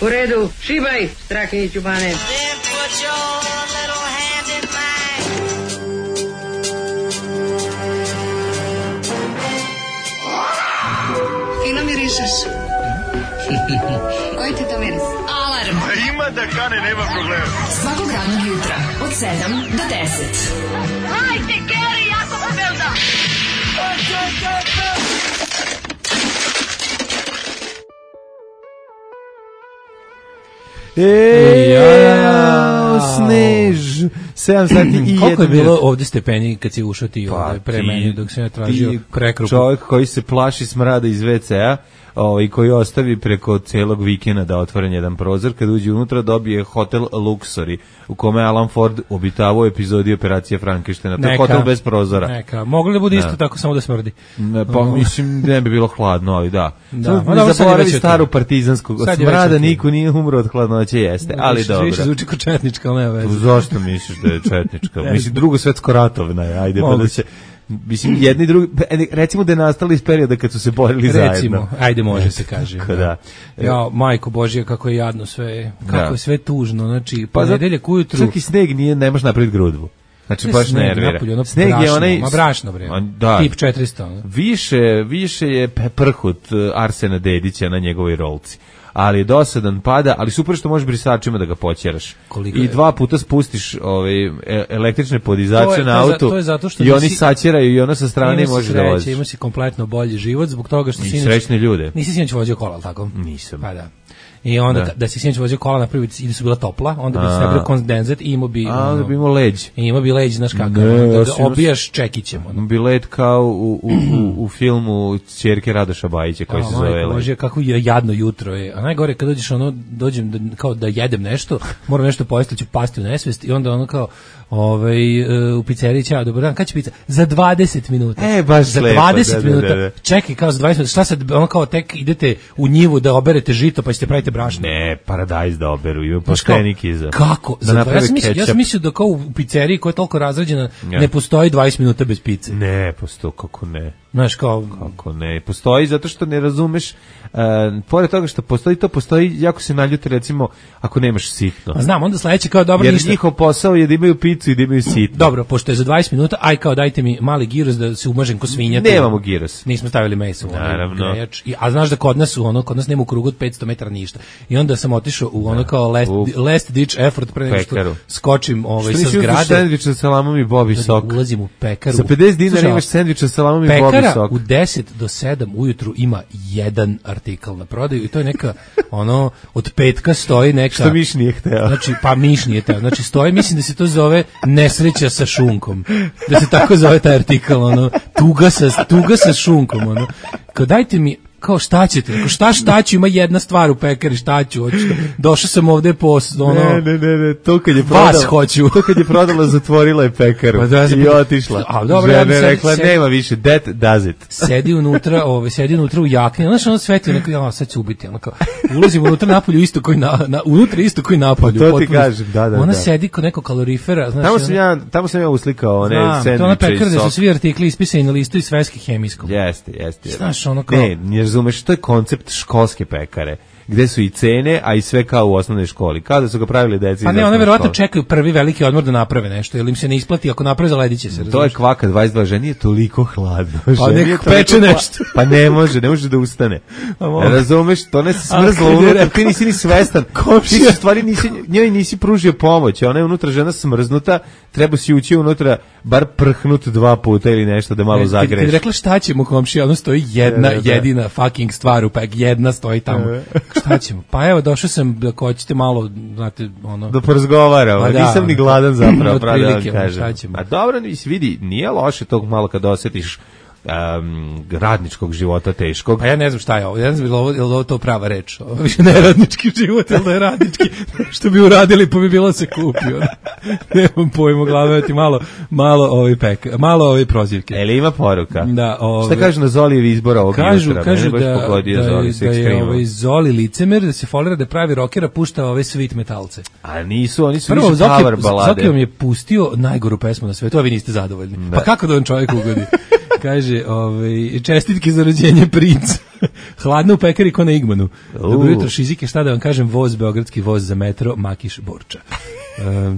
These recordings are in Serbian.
U redu, šibaj, Strahinjiću Bane. Fino mirišeš. Koji ti to miris? Alarm. Ima da kane, nema problema. Svakog radnog jutra, od 7 do 10. Hajde, Geri, jako se velda. Snež 7 sati i 1 koliko je bilo ovdje stepeni kad si ušao ti ovdje pre mene dok sam ja tražio prekrupu? Čovjek koji se plaši smrada iz WC-a i koji ostavi preko celog vikenda da otvoren jedan prozor, kad uđe unutra dobije hotel Luxury u kome Alan Ford obitavao epizodi Operacije Frankensteina. To je hotel bez prozora. Neka, mogli da bude isto tako, samo da smrdi. Pa mislim, ne bi bilo hladno, ali da. Ne zaboravi staru partizansku. Od smrada niko nije umro od hladnoće, jeste, ali dobro. Više zvuči kao četnička, ali nema veze. Zašto misliš da je četnička? Mislim, Drugo svetsko ratovna je, ajde, pa da se... Mislim, jedni i drugi, recimo da je nastalo iz perioda kad su se borili zajedno. Recimo, ajde može se kaže. Da. Ja, majko Božja, kako je jadno sve, kako je sve tužno, znači, ponedeljak ujutru... Čak i sneg ne može napraviti grudvu. Znači, baš nervira. Sneg je onaj... Ma brašno, bre. Da. Tip 400. Više je prhut Arsena Dedića na njegovoj rolci. Ali je dosadan, pada, ali super što možeš brisačima da ga poćeraš. I 2 puta spustiš električne podizacije na auto i oni saćeraju i ono sa strane može da voziš. Ima si kompletno bolji život zbog toga što si srećne ljude. Nisi sinoć vozio kola, ali tako? Nisam. Pa da. I onda da si sinoć vozio kola napravi i da su bila topla, onda bi se napravio kondenzat i imao bi... onda bi imao leđ. I imao bi leđ, znaš kakav, da obijaš čekićem. Bi led kao u filmu Ćerke Radoša Bajića koji se zove Led. Može, kako jadno jutro je. A najgore kad dođem kao da jedem nešto, moram nešto pojesti, ću pasti u nesvest i onda ono kao u pizzeriji, ćao, dobar dan, kad će pizza? Za 20 minuta. Baš za lepo, 20 minuta. Čekaj, kao za 20 minuta. Šta sad, ono kao tek idete u njivu da oberete žito pa ćete praviti brašno? Ne, paradajz da oberu, ima poštenik iza. Kako? Ja sam mislio da kao u pizzeriji koja je toliko razrađena ne postoji 20 minuta bez pice. Ne, postoji, kako ne. Znaš, kako ne, postoji zato što ne razumeš, pored toga što postoji, jako se naljuti recimo ako nemaš sitno. A znam, onda sledeće kao dobro ništa. Jer njihov posao je da imaju picu i da imaju sitno. Dobro, pošto je za 20 minuta, aj kao dajte mi mali giros da se umažem ko svinja. Nemamo giros. Nismo stavili meso. Naravno. A znaš da kod nas nema u krugu od 500 metara ništa. I onda sam otišao u ono kao last ditch effort pre nego što skočim sa zgrade. Sendvič sa salamom i bobi sok. Ulazim u pekaru. Za 50 dinara imaš sendvič sa salamom i bobi sok. Pekara u 10 do 7 ujutru ima jedan artikl na prodaju i to je neka od petka stoji neka... Što miš nije hteo. Znači, pa miš nije hteo. Znači, stoji, mislim da se to zove nesreća sa šunkom. Da se tako zove taj artikl, tuga sa šunkom, Kao dajte mi, kao šta ćete? Šta ću, ima jedna stvar u pekari, šta ću? Došao sam ovde po Ne, to kad je prodala. Vas hoću. To kad je prodala, zatvorila je pekaru i otišla. A dobro, žena rekla, nema više, that does it. Sedi unutra u jakni, znaš, ono sveti, sad ću ubiti, ulazim unutra napolju isto koji napolju. To ti kažem, da. Ona sedi kod nekog kalorifera, znaš. Tamo sam ja uslikao one sendviče. To ona pekara da su svi artikli ispisani na listu i sveski hemijskom. Jeste. Znaš, ono kao... Ne razumeš, to je koncept školske pekare, gde su i cene, a i sve kao u osnovnoj školi. Kao da su ga pravili deci. Pa ne, one verovatno čekaju prvi veliki odmor da naprave nešto, jer im se ne isplati, ako naprave zalediće se. To je kvaka 22, ženi je toliko hladno. Pa nek peče nešto. Pa ne može da ustane. Razumeš, to ne se smrzlo unutra, ti nisi ni svestan. Ti u stvari njoj nisi pružio pomoć, ona je unutra žena smrznuta, treba si ući unutra, bar prhnut 2 puta ili nešto da malo zagreš. Kad rekla šta ćemo, komšija, ono stoji jedina fucking stvar u pek, jedna stoji tamo. Šta ćemo? Pa evo, došao sam da hoćete malo, znate, da porazgovaramo, nisam ni gladan zapravo, pravo da vam kažem. A dobro, vidi, nije loše tog malo kad osjetiš radničkog života teškog. A ja ne znam šta je ovo, ja ne znam je li ovo to prava reč, ovo više ne radnički život, ili da je radnički, što bi uradili pa bi bilo se kupio. Nemam pojma, gledati malo ove prozivke. Ili ima poruka? Da, šta kažu na Zolijevi izbor ovog jutra? Kažu da je Zoli licemer, da se folira da pravi rockera, pušta ove sweet metalce. A nisu, oni su više power balade. Zoki vam je pustio najgoru pesmu na svetu, a vi niste zadovoljni. Pa kako da vam čovjek ugodi? Kaže, čestitke za rođenje princa. Hladno u pekari ko na Igmanu. Dobro jutro, Šizike, šta da vam kažem, voz, beogradski voz za metro, Makiš, Borča.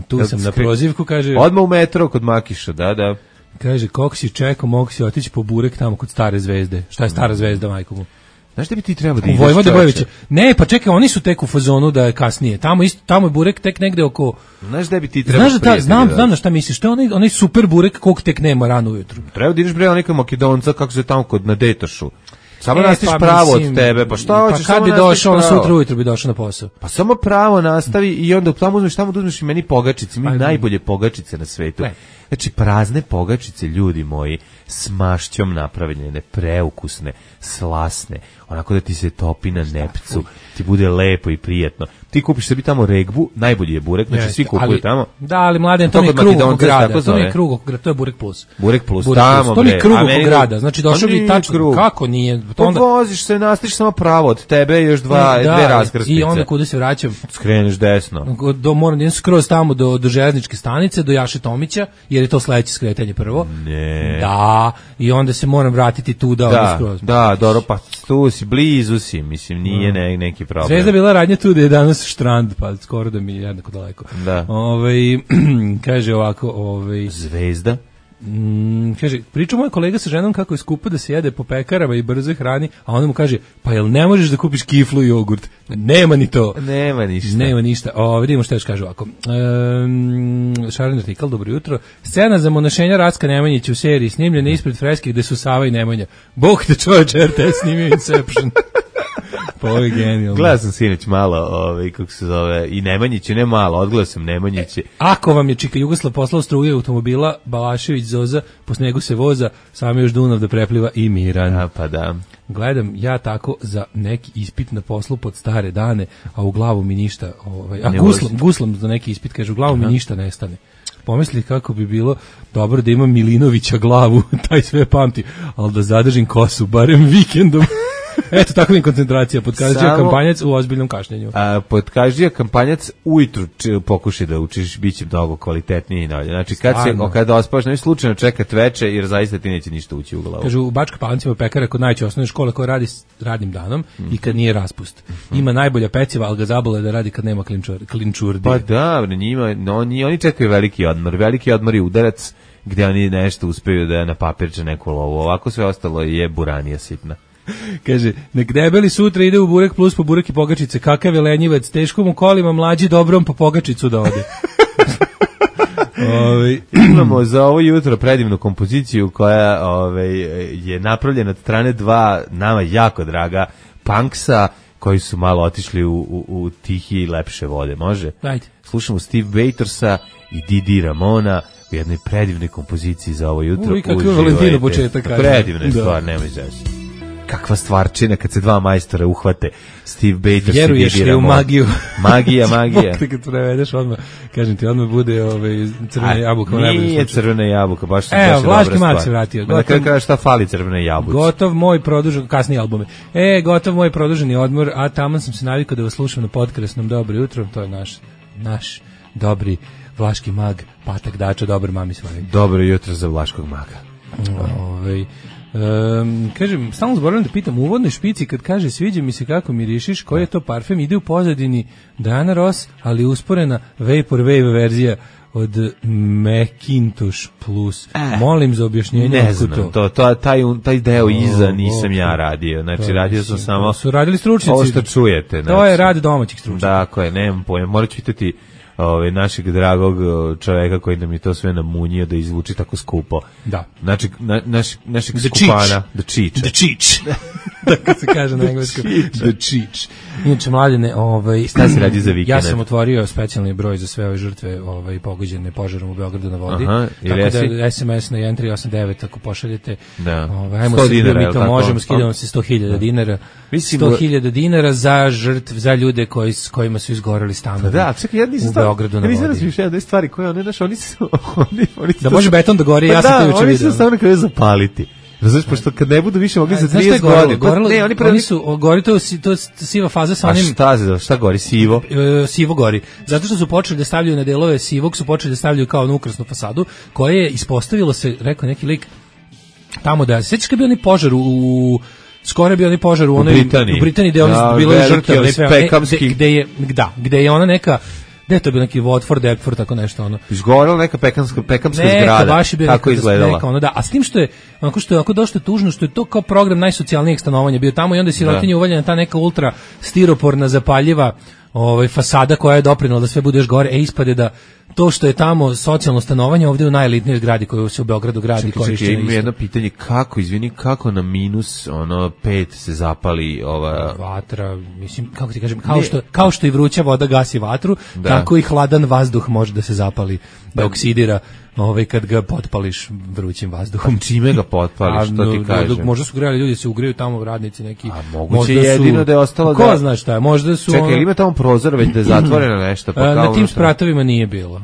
Tu sam na prozivku, kaže... Odmah u metro kod Makiša, da. Kaže, kako si čekao, mogu si otići po burek tamo kod Stare zvezde. Šta je Stara zvezda, majko mu? Znaš da bi ti trebao da ideš, Vojvoda Bojevića. Ne, pa čekaj, oni su tek u fazonu da je kasnije. Tamo je burek tek negde oko... Znaš da bi ti trebao... Znam na šta misliš. To je onaj super burek kog tek nema rano ujutru. Treba da ideš bre onaj Makedonca, kako se tamo kod na Detošu. Samo nastaviš pravo od tebe, pa šta hoćeš? Pa kad bi došao, on sutra ujutru bi došao na posao. Pa samo pravo nastavi i onda tamo uzmeš i meni pogačice, mi najbolje pogačice na svetu. Znači prazne pogačice, ljudi moji, s mašćom napravljene, preukusne, slasne, onako da ti se topi na nepcu, ti bude lepo i prijatno. Ti kupiš sebi tamo regbu, najbolji je burek, znači svi kupuju tamo. Da, ali mladen, to nije krug oko grada, to nije krug oko grada, to je burek plus. Burek plus, tamo to nije krug oko grada, znači došao bi tačno, kako nije? Voziš se, nastiš samo pravo od tebe, još dve raskrsnice. I onda kuda se vraćam? Skreneš desno. Moram da skroz tamo do železničke stanice, do Jaše Tomića, jer je to sledeće skretanje prvo. Ne. Da, i onda se moram vratiti tu da skroz. Da, dobro, pa tu si, blizu si, mislim, nije neki problem. Zvezda bila radnja tu da je danas štrand, pa skoro da mi je jednako daleko. Da. Kaže ovako, Zvezda? Kaže, priča moj kolega sa ženom kako je skupo da se jede po pekarama i brzoj hrani, a onda mu kaže, pa jel ne možeš da kupiš kiflu i jogurt? Nema ni to. Nema ništa. Vidimo što još kaže ovako. Šaren artikl, dobro jutro. Scena za monašenja Racka Nemanjića u seriji snimljena ispred freske gde su Sava i Nemanja. Bog te čovječe, RTS snimio Inception. Pa ovo je genijalno. Gledao sam sinoć malo, kako se zove, i Nemanjiće, ne malo, odgledao sam Nemanjiće. Ako vam je Čika Jugoslav poslao struje automobila, Balašević Zoza, po snegu se voza, samo još Dunav da prepliva i miran. Pa da. Gledam ja tako za neki ispit na poslu pod stare dane, a u glavu mi ništa, guslam za neki ispit, kaže, u glavu mi ništa nestane. Pomisli kako bi bilo dobro da imam Milinovića glavu, taj sve pamti, ali da zadržim kosu, barem vikendom. Eto, tako mi koncentracija. Podkaždija kampanjac u ozbiljnom kašnjenju. Podkaždija kampanjac ujutru pokušaj da učiš, bit će mnogo kvalitetnije i dalje. Znači, kada ospaš, ne slučajno čekat veče, jer zaista ti neće ništa ući u glavu. Kažu, u Bačka Palancima pekara kod najveće osnovne škole koja radi radnim danom i kad nije raspust. Ima najbolja peciva, ali ga zabole da radi kad nema klinčurdi. Pa da, njima, oni čekaju veliki odmor. Veliki odmor je udarac gde oni nešto uspeju da na papirče neku lovu. Ovako sve ostalo je buranija sitna. Kaže, nek debeli sutra ide u burek plus po burek i pogačice, kakav je lenjivac, teško mu kolima, mlađi dobrom po pogačicu da ode. Imamo za ovo jutro predivnu kompoziciju koja je napravljena od strane dva nama jako draga punksa koji su malo otišli u tihije i lepše vode, može? Ajde. Slušamo Steve Waitersa i Didi Ramona u jednoj predivnoj kompoziciji za ovo jutro. Kako je Valentino početak. Predivna je stvar, nemoj zaći. Kakva stvarčina kad se dva majstora uhvate, Steve Baters i Didi Ramon. U magiju. Magija. Kad prevedeš odmah, kažem ti, odmah bude crvena jabuka. Nije crvena jabuka, baš su dobra stvar. Vlaški mag se vratio. Na kraju kaže šta fali crvene jabuci. Gotov moj produžen, kasnije albume. Gotov moj produženi odmor, a tamo sam se navikao da vas slušam na podkrasnom Dobro jutro, to je naš dobri Vlaški mag, Patak Dača, dobar mami svojim. Dobro jutro za Vlaškog maga. Kažem, stalno zaboravim da pitam u uvodnoj špici kad kaže sviđa mi se kako mirišiš, koji je to parfem, ide u pozadini Diana Ross, ali usporena Vaporwave verzija od Macintosh Plus. Molim za objašnjenje. Ne znam, taj deo iza nisam ja radio, znači radio sam samo su radili stručnjaci. Ovo što čujete. To je rad domaćih stručnjaka. Dakle, nemam pojma, morat ću pitati našeg dragog čoveka koji nam je to sve namunio da izvuči tako skupo. Da. Znači, našeg skupana. The Cheech. Tako se kaže na engleskom. The Cheech. Inače, mladene, šta se radi za vikend? Ja sam otvorio specijalni broj za sve ove žrtve pogođene požarom u Beogradu na vodi. Tako da SMS na 1389 ako pošaljete. Ajmo se mi to možemo, skidamo se 100.000 dinara. 100.000 dinara za žrtve, za ljude s kojima su izgoreli stanovi. Da, čekaj, u Beogradu na vodi. Ja nisam razmišljao da stvari koje oni su... Da može beton da gori, ja sam to juče vidio. Oni su samo nekada zapaliti. Znaš, pošto kad ne budu više mogli za 30 godina... Oni su, gori to siva faza sa onim... A šta gori, sivo? Sivo gori. Zato što su počeli da stavljaju na delove sivog, su počeli da stavljaju kao na ukrasnu fasadu, koja je ispostavilo se, rekao neki lik, tamo da sećaš kad je bio onaj požar skoro je bio onaj požar u Britaniji gde oni bilo je žrtava i sve, gde je ona neka gde to bio neki Watford, Deptford, tako nešto ono. Izgorela neka pekamska zgrada. Tako izgledala. Neka, ono, da. A s tim što je onako dosta tužno što je to kao program najsocijalnijeg stanovanja bio tamo i onda je sirotinja uvaljena ta neka ultra stiroporna zapaljiva fasada koja je doprinela da sve bude još gore. Ispade da to što je tamo socijalno stanovanje ovdje u najelitnijoj zgradi koju se u Beogradu gradi. Čekaj, imam jedno pitanje, kako na minus 5 se zapali ova vatra, mislim, kako ti kažem, kao što i vruća voda gasi vatru, tako i hladan vazduh može da se zapali, da oksidira kad ga potpališ vrućim vazduhom. Čime ga potpališ, što ti kažem? Možda su grejali ljudi, se ugreju tamo radnici neki. A moguće jedino da je ostalo ko zna šta je, možda su... Čekaj, ili ima tamo prozor već da je zatvoreno nešto? Pa na tim spratovima nije bilo.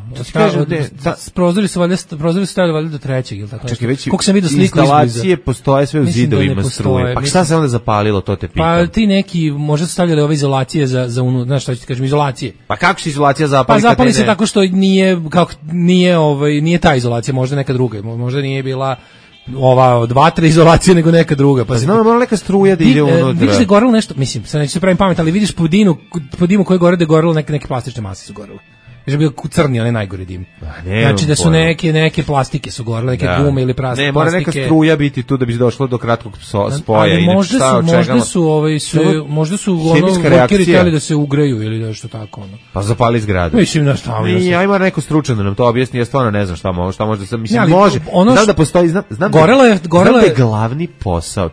Prozori su stavili valjda do 3. ili tako. Čekaj, već instalacije postoje sve u zidovima struje. Pa šta se onda zapalilo, to te pitam? Pa ti neki, možda su stavljali ove izolacije za znaš šta ću ti kažem, izolacije. Pa kako se izolacija zapali? Pa zapali se tako što nije ta izolacija, možda neka druga, možda nije bila ova od vatre izolacije nego neka druga. Pa znamo, mora neka struja da ide unutra. Vidiš da je gorelo nešto, mislim, sad neću se pravim pamet, ali vidiš po dimu koji gore da je gorelo neke plastične mase su gorele. Je bio crni, onaj najgori dim. Znači da su neke plastike su gorele, neke gume ili plastike. Ne, mora neka struja biti tu da bi došlo do kratkog spoja. Možda su workeri htjeli da se ugreju ili nešto tako. Pa zapali zgradu. Mislim da šta. Ajmo neko stručan da nam to objasni, ja stvarno ne znam šta može da mislim, može. Znam da postoji, znam da je glavni posao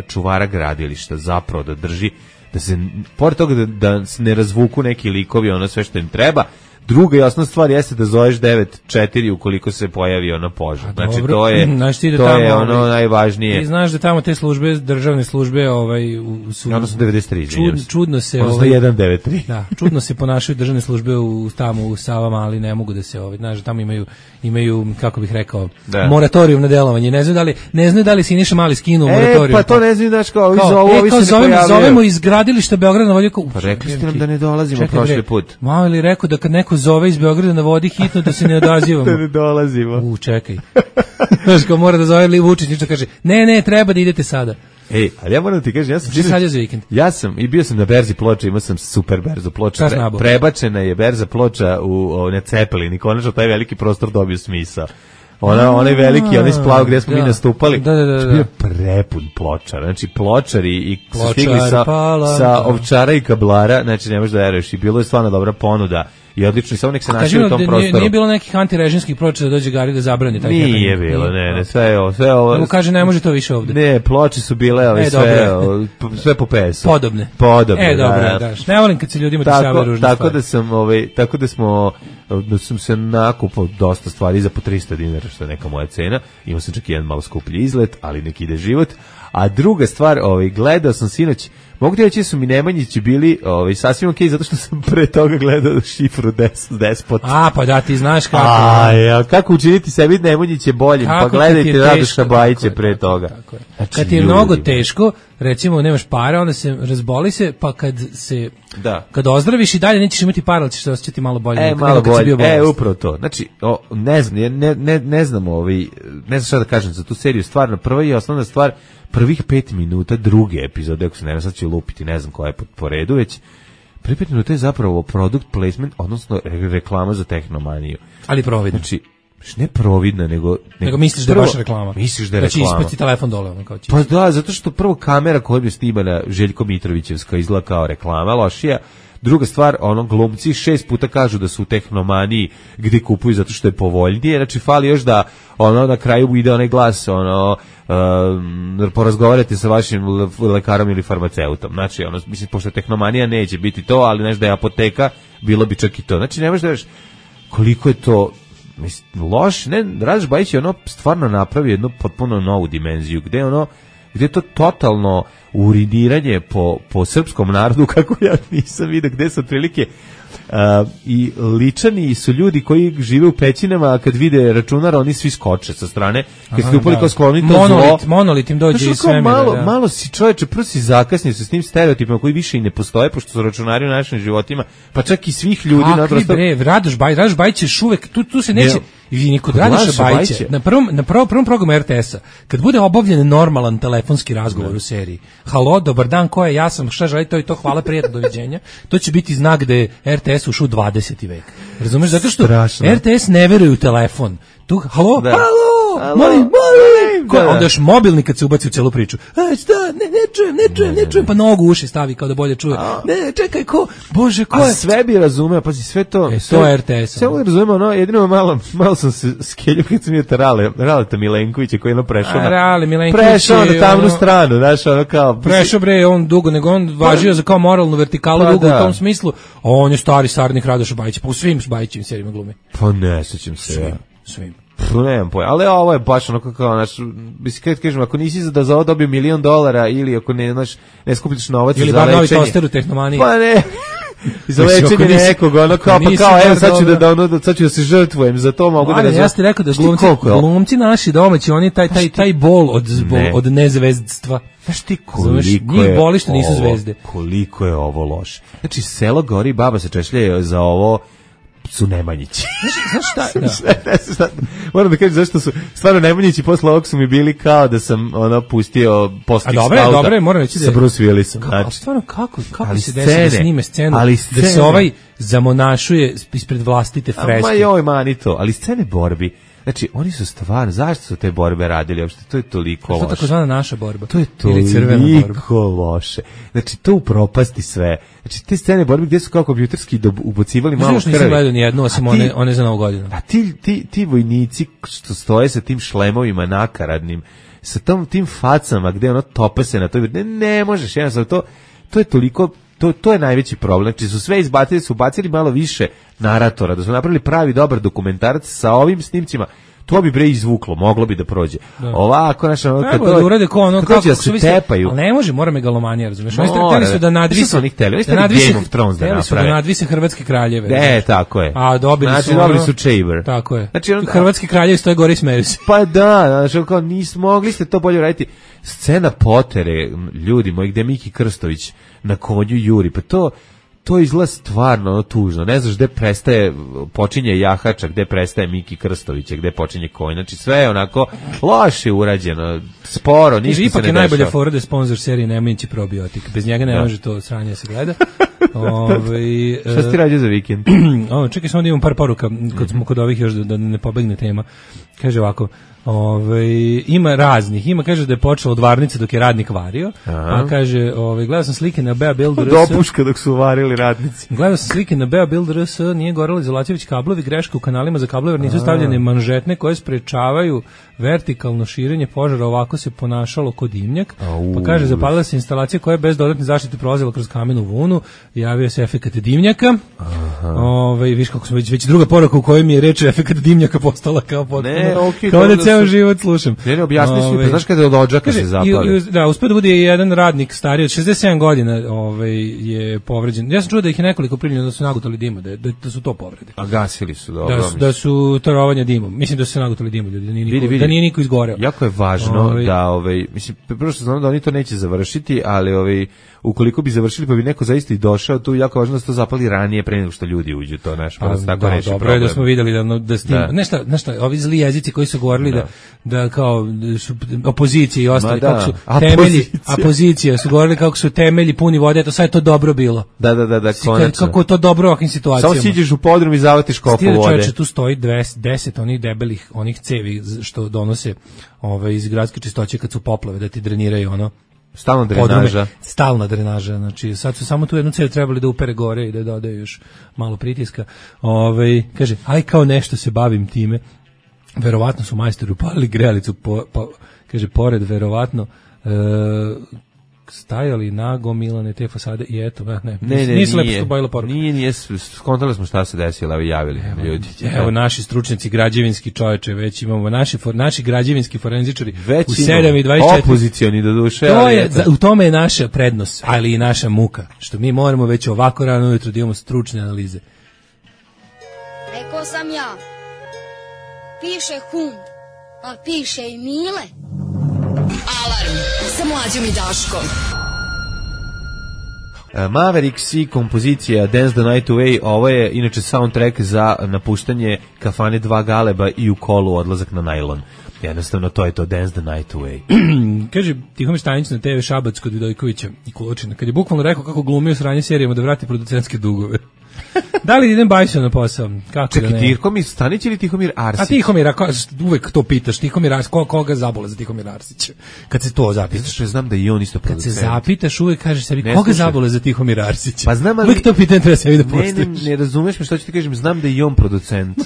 čuvara gradilišta zapravo da drži, da se, pored toga da se ne razvuku neki likovi, ono sve što im treba. Druga i osnovna stvar jeste da zoveš 9-4 ukoliko se pojavi ono požar. Znači to je ono najvažnije. Ti znaš da tamo te službe, državne službe su odnosno 93, čudno se odnosno 193. Da, čudno se ponašaju državne službe tamo u Savama, ali ne mogu da se znaš da tamo imaju kako bih rekao moratorijum na delovanje. Ne znaju da li Siniša Mali skinuo moratorijum. Pa to ne znaju, znači kao zovemo iz gradilišta Beograda na vodi. Pa rekli ste nam da ne dolazimo prošli put. Malo li rekao da kad neko zove iz Beograda na vodi hitno da se ne odazivamo. Da ne dolazimo. Čekaj. Znaš ko mora da zove Vučić, ništa kaže, ne, treba da idete sada. Ali ja moram da ti kažem, bio sam na berzi Ploča, imao sam super berzu Ploča. Prebačena je berza Ploča na Cepelin i konačno taj veliki prostor dobio smisao. Onaj veliki, onaj splav gdje smo mi nastupali, bio prepun Pločara, znači Pločari i su stigli sa Ovčara i Kablara, znači ne možeš da veruješ, i bilo je stvarno dobra ponuda i odlično, i samo nek se našli u tom prostoru. Nije bilo nekih antirežimskih Ploča da dođe Gari da zabrani taj happening? Nije bilo, ne, sve ovo. Nego kaže ne može to više ovde. Ne, Ploče su bile sve po PS-u. Podobne. Dobro, daš. Ne volim kad se ljudima dešavaju ružne stvari. Tako da sam se nakupao dosta stvari za po 300 dinara, što je neka moja cena. Imao sam čak jedan malo skuplji izlet, ali neki ide život. A druga stvar, gledao sam sinoć, mogu ti reći da su mi Nemanjići bili sasvim okej, zato što sam pre toga gledao Šifru Despot. Pa da, ti znaš kako. Kako učiniti sebi Nemanjiće boljim, pa gledajte Radoša Bajića pre toga. Tako je. Kad ti je mnogo teško, recimo nemaš para, onda se razboli se, pa kad ozdraviš i dalje nećeš imati para, ali ćeš se osjećati malo bolje. Malo bolje, upravo to. Znači, ne znam šta da kažem za tu seriju, stvarno, prva i osnovna stvar, prvih 5 minuta druge epizode, ako se ne znam, sad ću lupiti, ne znam koja je po redu već, prvih 5 minuta je zapravo product placement, odnosno reklama za Tehnomaniju. Ali providna. Znači, ne providna, nego misliš da je baš reklama. Misliš da je reklama. Znači ispati telefon dole. Pa da, zato što prvo kamera koja je snimana Željko Mitrovićevska izgleda kao reklama, lošija. Druga stvar, glumci 6 puta kažu da su u Tehnomaniji gdje kupuju zato što je povoljnije, znači fali još da na kraju ide onaj glas, porazgovarate sa vašim lekarom ili farmaceutom. Znači, mislim, pošto Tehnomanija neće biti to, ali znaš da je apoteka, bilo bi čak i to. Znači, ne možeš da veš koliko je to loš, Radoš Bajić je stvarno napravio jednu potpuno novu dimenziju, gdje je to totalno uridiranje po srpskom narodu, kako ja nisam vidio, gde su otprilike i ličani su ljudi koji žive u pećinama, a kad vide računar oni svi skoče sa strane, kad ste upali kao skloni to zlo. Monolit im dođe iz svemira. Malo si čovječe, prvo si zakasnio se s tim stereotipima koji više i ne postoje, pošto su računari u našim životima, pa čak i svih ljudi. Kakvi bre, Radoš Bajić još uvek, tu se neće, I kod Radoša Bajića, na prvom programu RTS-a, kad bude obavljen normalan telefonski razgovor u seriji, halo, dobar dan, ko je, ja sam, šta želite, to i to, hvala, prijatno, doviđenja, to će biti znak da je RTS ušao u 20. vek. Razumeš, zato što RTS ne veruje u telefon. Tu, halo, molim, onda još mobilni kad se ubaci u celu priču. Šta, ne čujem, pa nogu uši stavi kao da bolje čuje. Ne, čekaj, Bože, ko je? A sve bi razumeo, pazi, sve to. To je RTS. Sve bi razumeo, no, jedino malo sam se skeljio kad sam je Raleta Milenkovića koji je prešao na tamnu stranu, znaš, ono kao. Prešao bre, on dugo, nego on važio za kao moralnu vertikalu dugo u tom smislu, on je stari sarnik Radoša Bajića, pa u svim Bajićevim serijima glumi. Pa ne, sećam se. Svim. Nemam pojma, ali ovo je baš onako kao naš, mislim, kažem, ako nisi da za ovo dobio $1.000.000 ili ako ne skupljiš novac ili za lečenje. Ili bar novi toster u Tehnomaniji. Pa ne, za lečenje nekog, ono kao, pa kao, evo sad ću da se žrtvujem, za to mogu da ja ti rekao da glumci naši domaći, oni taj bol od nezvezdstva. Znaš ti koliko njih boli što nisu zvezde. Koliko je ovo loše. Znači, selo gori, baba se češlje za ovo, su Nemanjići. Znaš šta? Moram da kažem zašto su stvarno Nemanjići posle ovog su mi bili kao da sam pustio postih skauta. Dobre, moram reći da sa Bruce Willisom. Ali stvarno kako se desi da snime scenu da se ovaj zamonašuje ispred vlastite freske. Ma joj manito, ali scene borbi. Znači, oni su stvarno, zašto su te borbe radili uopšte? To je toliko loše. Što takozvana naša borba? To je toliko loše. Znači, to upropasti sve. Znači, te scene borbe gdje su kao kompjuterski ubacivali malo krvi. Još nisam gledao nijednu, osim one za Novu godinu. A ti vojnici što stoje sa tim šlemovima nakaradnim, sa tim facama gdje ono tope se na to, ne možeš, jednostavno, to je toliko... To je najveći problem. Znači su sve izbacili, su bacili malo više naratora, da su napravili pravi dobar dokumentarac sa ovim snimcima. To bi bre izvuklo, moglo bi da prođe. Da. Ovako, znaš, kad to da urade ko ono kako se tepaju. Ali ne može, mora megalomanija, razumeš? Oni hteli su da nadvise Game of Thrones da naprave. Da nadvise hrvatske kraljeve. Ne, tako je. A dobili su Chamber. Tako je. Znači hrvatski kraljevi stoje gore i smeju se. Pa da, znači kao mogli ste to bolje raditi. Scena potere, ljudi moji, gde Miki Krstović na konju juri, pa to izgleda stvarno tužno. Ne znaš gde počinje jahača, gde prestaje Miki Krstovića, gde počinje konj. Znači sve je onako loše urađeno, sporo, ništa se ne dešava. Ipak je najbolja fora da je sponsor serije Nemanjići probiotik. Bez njega ne može to sranje se gleda. Šta si ti radio za vikend? Čekaj, samo da imam par poruka, kad smo kod ovih još da ne pobegne tema. Kaže ovako, ima raznih, kaže da je počelo od varnice dok je radnik vario, a kaže, gledao sam slike na Bea Build RS. Dopuška dok su varili radnici. Gledao sam slike na Bea Build RS, nije gorela izolacijević kablovi, greška u kanalima za kablove, jer nisu stavljene manžetne koje sprečavaju vertikalno širenje požara, ovako se ponašalo kod dimnjak. Pa kaže, zapalila se instalacija koja je bez dodatne zaštite prolazila kroz kamenu vunu, javio se efekat dimnjaka. Viš kako smo već druga poruka u kojoj mi je reč efekat dimnjaka postala kao potpuno, kao da ceo život slušam. Ne, objasni svi, znaš kada je od odžaka se zapali. Da, uspio da bude jedan radnik stariji od 67 godina je povređen. Ja sam čuo da ih je nekoliko primljeno da su nagutali dima, da su to povrede. A gasili su, dobro. Da su tarovanja dimom. Mislim da su se nagutali dimom, ljudi, da nije niko izgoreo. Jako je važno da, mislim, prvo što znam da oni to neće završiti, ali ukoliko bi završili pa bi neko zaista i došao, tu jako važno da se to zapali ranije pre nego što ljudi uđu, to naš, pa se tako reši problem. Dobro je da smo vidjeli da s tim, nešto, ovi zli jezici koji su govorili da kao opozicija i ostali, kako su temelji, opozicija su govorili kako su temelji puni vode, to sad je to dobro bilo. Da, konačno. Kako to dobro u ovakvim situacijama. Samo siđeš u podrum i zavatiš kofu vode. Čovječe, tu stoji 10 onih debelih, onih cevi što donose iz gradske čistoće kad su poplave, da ti dreniraju ono. Stalna drenaža, znači sad su samo tu jednu cev trebali da upere gore i da dodaju još malo pritiska. Kaže, aj kao nešto se bavim time. Verovatno su majstori upalili grejalicu, kaže, pored verovatno stajali nagomilane te fasade i eto, nisu lepo stobojila poruka. Nije, skontali smo šta se desilo, javili ljudi. Evo naši stručnjaci građevinski, čoveče, već imamo naši građevinski forenzičari u 7:24. Opozicioni do duše. U tome je naša prednost, ali i naša muka, što mi moramo već ovako rano ujutro da imamo stručne analize. Rekao sam ja, piše Hum, a piše i Mile. Alarm sa Mlađom i Daškom. Mavericks i kompozicija Dance the Night Away, ovo je inače soundtrack za napuštanje kafane Dva Galeba i u kolu odlazak na najlon. Jednostavno to je to, Dance the Night Away. Kaže Tihomir Stanić na TV Šabac kod Vidojkovića i Kulučina, kad je bukvalno rekao kako glumio sranje serijama da vrati producentske dugove. Da li idem Bajsio na posao? Kako čekaj, da ne? Tihomir Stanić ili Tihomir Arsić? A Tihomir, uvek to pitaš, Tihomir Arsić, koga zabole za Tihomir Arsića? Kad se to zapitaš. Što znam da i on isto producent. Kad se zapitaš, uvek kažeš sebi, koga zabole za Tihomir Arsića? Pa znam, ali... Uvek to pitanje treba sebi da postaviš. Ne razumeš me što ću ti kažem, znam da i on producent.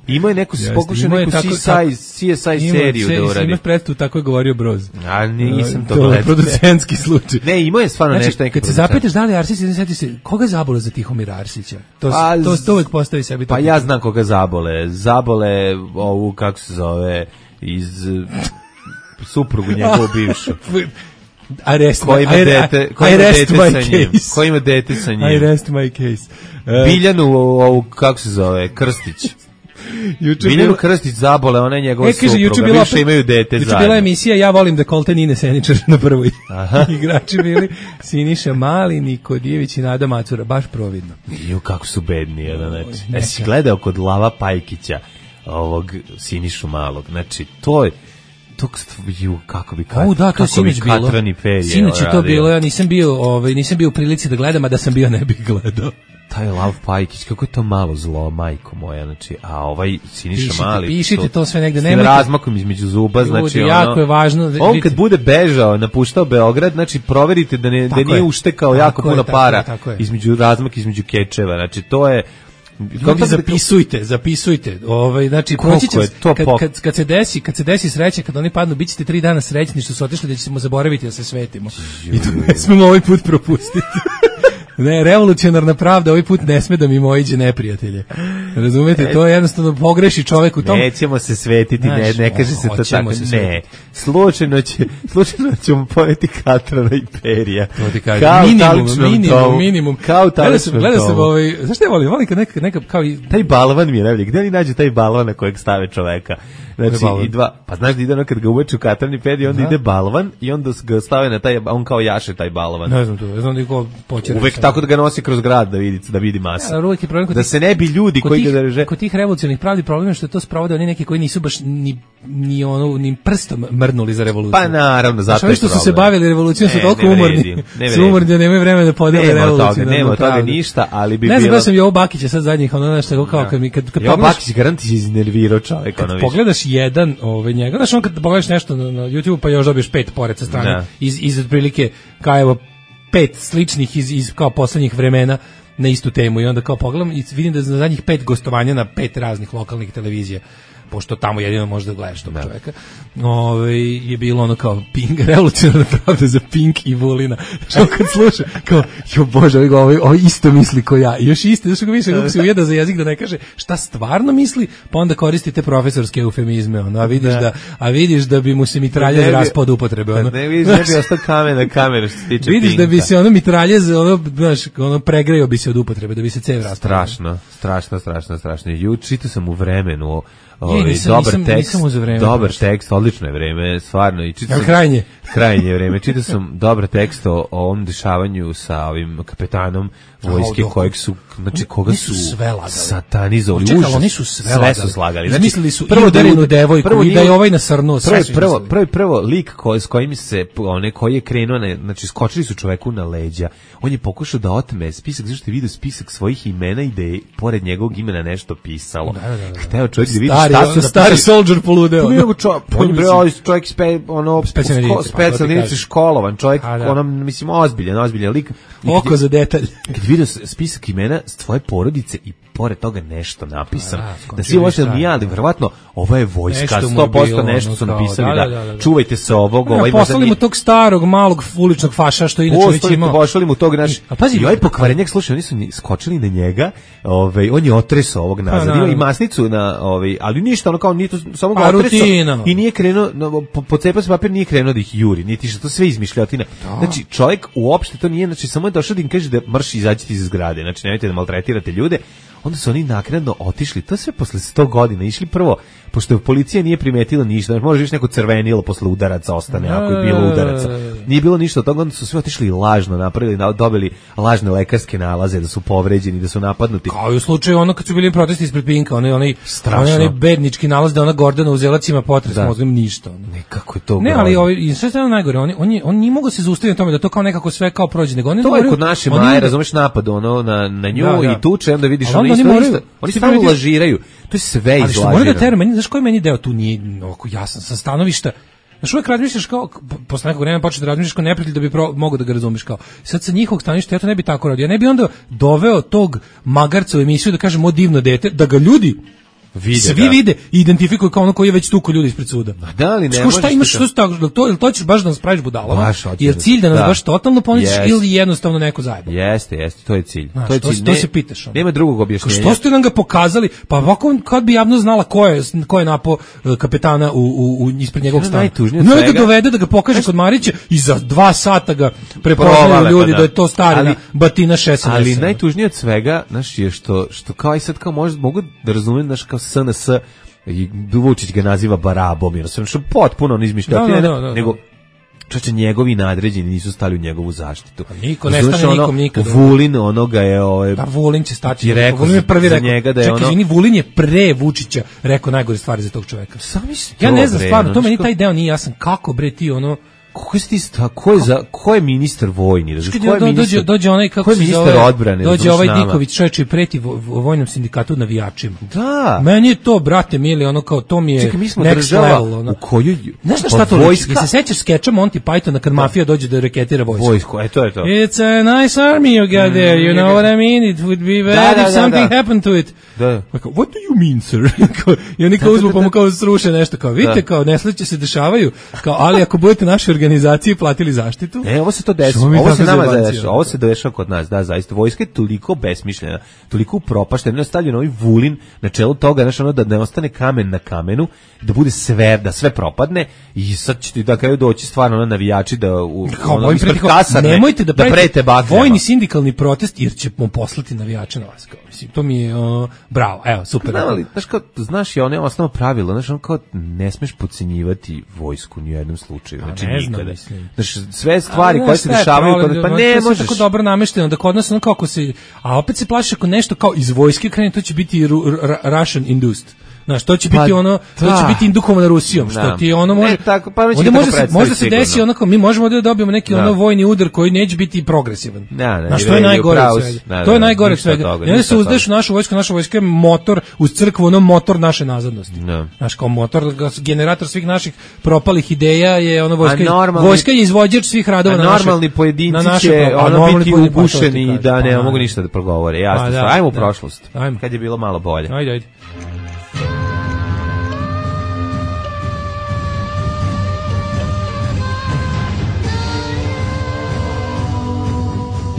Imao je neku, pokušao neku CSI seriju da uradi. Imaš predstavu, tako je govorio Broz. A nisam to gledao. To je producentski slučaj. Ne, imao je stvarno nešto neki producent. Kad se zapitaš da li Arsić, sjeti se, koga zabole za Tihomira Arsića? To uvek postavi sebi. Pa ja znam koga zabole. Zabole ovu, kako se zove, iz suprugu njegovu bivšu. Ko ima dete sa njim. I rest my case. Biljanu ovu, kako se zove, Krstić. Biljanu Krstić zabole, ona je njegova supruga, više imaju dete zajedno. Juče bila emisija Ja volim da Kolten Ine Seničar na prvoj. Igrači bili Siniša Mali, Niko Dijević i Nada Macura, baš providno. Kako su bedni, znači. Jesi gledao kod Lava Pajkića ovog Sinišu Malog, znači to je kako bi katrani perije. Sinoć je to bilo, ja nisam bio u prilici da gledam, a da sam bio ne bih gledao. Taj Lav Pajkić, kako je to malo zlo, majko moja, znači, a ovaj Siniša Mali... Pišite to sve negde, nemojte... S razmakom između zuba, znači, jako je važno... On kad bude bežao, napuštao Beograd, znači, proverite da nije uštekao jako puno para između razmaka, između kečeva, znači, to je... Ljudi, zapisujte. Znači proći će kad se desi sreća, kad oni padnu, bićete 3 dana srećni što su otišli, da ćemo zaboraviti da se svetimo. I to ne smemo ovaj put propustiti. Ne, revolucionarna pravda ovaj put ne sme da mi mojiđe neprijatelje. Razumete, to je jednostavno pogreši čovek u tom. Nećemo se svetiti, ne kaže se to tako. Ne, slučajno ćemo pojeti Katrana i Perija. To ti kaže. Minimum. Kao taličnom Gledao sam zašto ja volim kad neka kao i... Taj balvan mi je najbolji. Gde oni nađu taj balvan na kojeg stave čoveka? Znači, pa znaš da ide kad ga uveče u Katran i Perija, onda ide balvan i onda ga stave na taj, on kao jaše taj balvan. Ne znam to, ne znam da ko počera. Uvek tako da ga nosi kroz grad da vidi masa. Da se ne bi ljudi koji ga drže. Kod tih revolucionarnih pravdi problem je što to sprovode oni neki koji nisu baš ni prstom mrnuli za revoluciju. Pa naravno, zato je što su se bavili revolucijom, su toliko umorni. Su umorni da nemaju vremena da podele revoluciju. Nema toga ništa, ali bi bilo... Ne znam, ja sam Jovo Bakića sad zadnjih, ono nešto kao kad Jovo Bakić garanti se iznervirao čovjek. Kad pogledaš jedan njega, znaš, on kad pogledaš nešto na YouTube pa još dobiješ 5 pored sa strane iz otprilike kao evo 5 sličnih iz kao poslednjih vremena na istu temu i onda kao pogledam i vidim da za zadnjih 5 gostovanja na 5 raznih lokalnih televizija, pošto tamo jedino možda gledaš tog čoveka, je bilo ono kao Pink, revolucionarna pravda za Pink i Vulina. Što kad sluša, kao, jo Bože, ovo isto misli ko ja. I još isto, još ga više, kako se ujeda za jezik da ne kaže šta stvarno misli, pa onda koristite profesorske eufemizme, ono, a vidiš da bi mu se mitraljez raspao od upotrebe. Ono. Ne vidiš, ne bi ostao kamen na kameru što se tiče vidiš Pinka. Da bi se ono mitraljez, pregreo bi se od upotrebe, da bi se cev raspao. Strašno. Čitao sam u Vremenu dobar tekst, odlično je vreme, stvarno. I krajnje vreme. Čitao sam dobar tekst o ovom dešavanju sa ovim kapetanom vojske kojeg su, znači koga su satanizovali. Oni su sve slagali. Mislili su udarenu devojku i da je ovaj nasrnuo. Prvo lik s kojim se, koji je krenuo, znači skočili su čoveku na leđa. On je pokušao da otme spisak, zašto je vidio spisak svojih imena i da je pored njegovog imena nešto pisalo. Hteo čovjek da vidi šta su stari soldier poludeo. Čovjek specijalnici školovan, čovjek mislim ozbiljan lik. Oko za detalj. Kad vidio spisak imena s tvoje porodice i pored toga nešto napisano. Da si ovo što mi ali verovatno ovo je vojska, 100% nešto su napisali da čuvajte se ovog. Poslali mu tog starog malog uličnog faša što inače već imao. Poslali mu tog naš. I ovaj pokvarenjak, slušaj, oni su skočili na njega, on je otresao ovog nazad, ima i masnicu na ali ništa, ono kao nije to samo ga otresao i nije krenuo, pocepao se papir, nije krenuo da ih juri, niti što to sve izmišljotina. Znači čovjek uopšte to nije, znači samo je došao da im kaže da marš izađite iz zgrade, znači nemojte da maltretirate ljude. onda su oni naknadno otišli, to sve posle 100 godina, išli prvo, pošto policija nije primetila ništa, može još neko crvenilo posle udaraca ostane, ako je bilo udaraca. Nije bilo ništa od toga, onda su sve otišli lažno, napravili, dobili lažne lekarske nalaze, da su povređeni, da su napadnuti. Kao i u slučaju ono kad su bili protesti ispred Pinka, onaj bednički nalaz da ona Gordana Uzelac ima potres mozgom, ništa. Nekako je to. Ne, ali sve je najgore, on nije mogao se zaustaviti na tome da to kao nekako sve kao prođe, nego oni to je kod naše Maje, razumeš, napad ono na nju i tuče, onda vidiš oni stvarno lažiraju. To je sve izlažirano. Ali što mora da tera, znaš koji meni deo tu nije ovako jasan, sa stanovišta. Znaš, uvijek razmišljaš kao, posle nekog vremena počeš da razmišljaš kao neprijatelj da bi mogo da ga razumiš kao. Sad sa njihovog stanovišta ja to ne bi tako radio. Ja ne bi onda doveo tog magarca u emisiju da kažem o divno dete, da ga ljudi svi vide i identifikuju kao ono koji je već tuko ljudi ispred suda. Da li ne možeš? Šta imaš što to ćeš baš da nas praviš budalama? Jer cilj da nas baš totalno poništiš ili jednostavno neko zajeba. Jeste, to je cilj. To je cilj. To se pitaš. Nema drugog objašnjenja. Što ste nam ga pokazali? Pa ovako kad bi javno znala ko je napao kapetana u ispred njegovog stana. Ne ga dovede da ga pokaže kod Marića i za 2 sata ga prepoznaju ljudi da je to stari batina 6. Ali najtužnije od svega, znaš, je što kao i sad kao mogu da razumem, znaš, kao SNS i Vučić ga naziva barabom, jer sam što potpuno on izmišljati, nego čoče njegovi nadređeni nisu stali u njegovu zaštitu. A niko ne stane nikom nikad. Vulin onoga je da Vulin će stati. Vulin je prvi rekao njega da je čekaj, Vulin je pre Vučića rekao najgore stvari za tog čoveka. Ja ne znam stvarno, to meni taj deo nije jasan kako bre ti ono ko je ministar vojni? Dođe onaj kako se zove odbrane. Dođe ovaj Diković čovjek i preti vojnom sindikatu navijačima. Da. Meni je to, brate mili, ono kao to mi je. Čekaj, mi smo država u kojoj znaš šta to liči? Se sećaš skeča Monty Pythona kad mafija dođe da reketira vojsku? To je to. It's a nice army you got there, you know what I mean? It would be bad if something happened to it. Da. What do you mean, sir? I oni kao uzmu pa mu kao sruše nešto kao, vidite kao nesreće se dešavaju, kao ali ako budete naši organizaciji platili zaštitu. Ovo se to dešava. Ovo se dešava kod nas, da, zaista. Vojska je toliko besmišljena, toliko upropaštena, ne stavljeno ovaj Vulin na čelu toga, znači ono da ne ostane kamen na kamenu, da bude sve, da sve propadne i sad će ti da kraju doći stvarno na navijači da ispred kasarne, nemojte da prete vojni sindikalni protest jer ćemo poslati navijače na vas. Mislim, to mi je bravo, evo, super. Znaš, je ono osnovno pravilo, znači ono kao ne smeš podcenjivati vojsku ni u jednom slučaju, znači nikada. Znači, sve stvari koje se dešavaju, pa ne možeš. Tako dobro namešteno da kod nas ono kako se, a opet se plaši ako nešto kao iz vojske krene, to će biti Russian induced. Znaš, to će biti ono, to će biti indukovano Rusijom, što ti ono može. Možda se desi onako, mi možemo da dobijemo neki ono vojni udar koji neće biti progresivan. Znaš, to je najgore od svega. To je najgore od svega. Ne se uzdeš u našu vojsku je motor uz crkvu, ono motor naše nazadnosti. Znaš, kao motor, generator svih naših propalih ideja je ono vojska je izvođač svih radova na naše. Normalni pojedinci će ono biti ugušeni da ne mogu ništa da progovore. Jasno, ajmo u prošlost. Kad je bilo malo bolje. Ajde.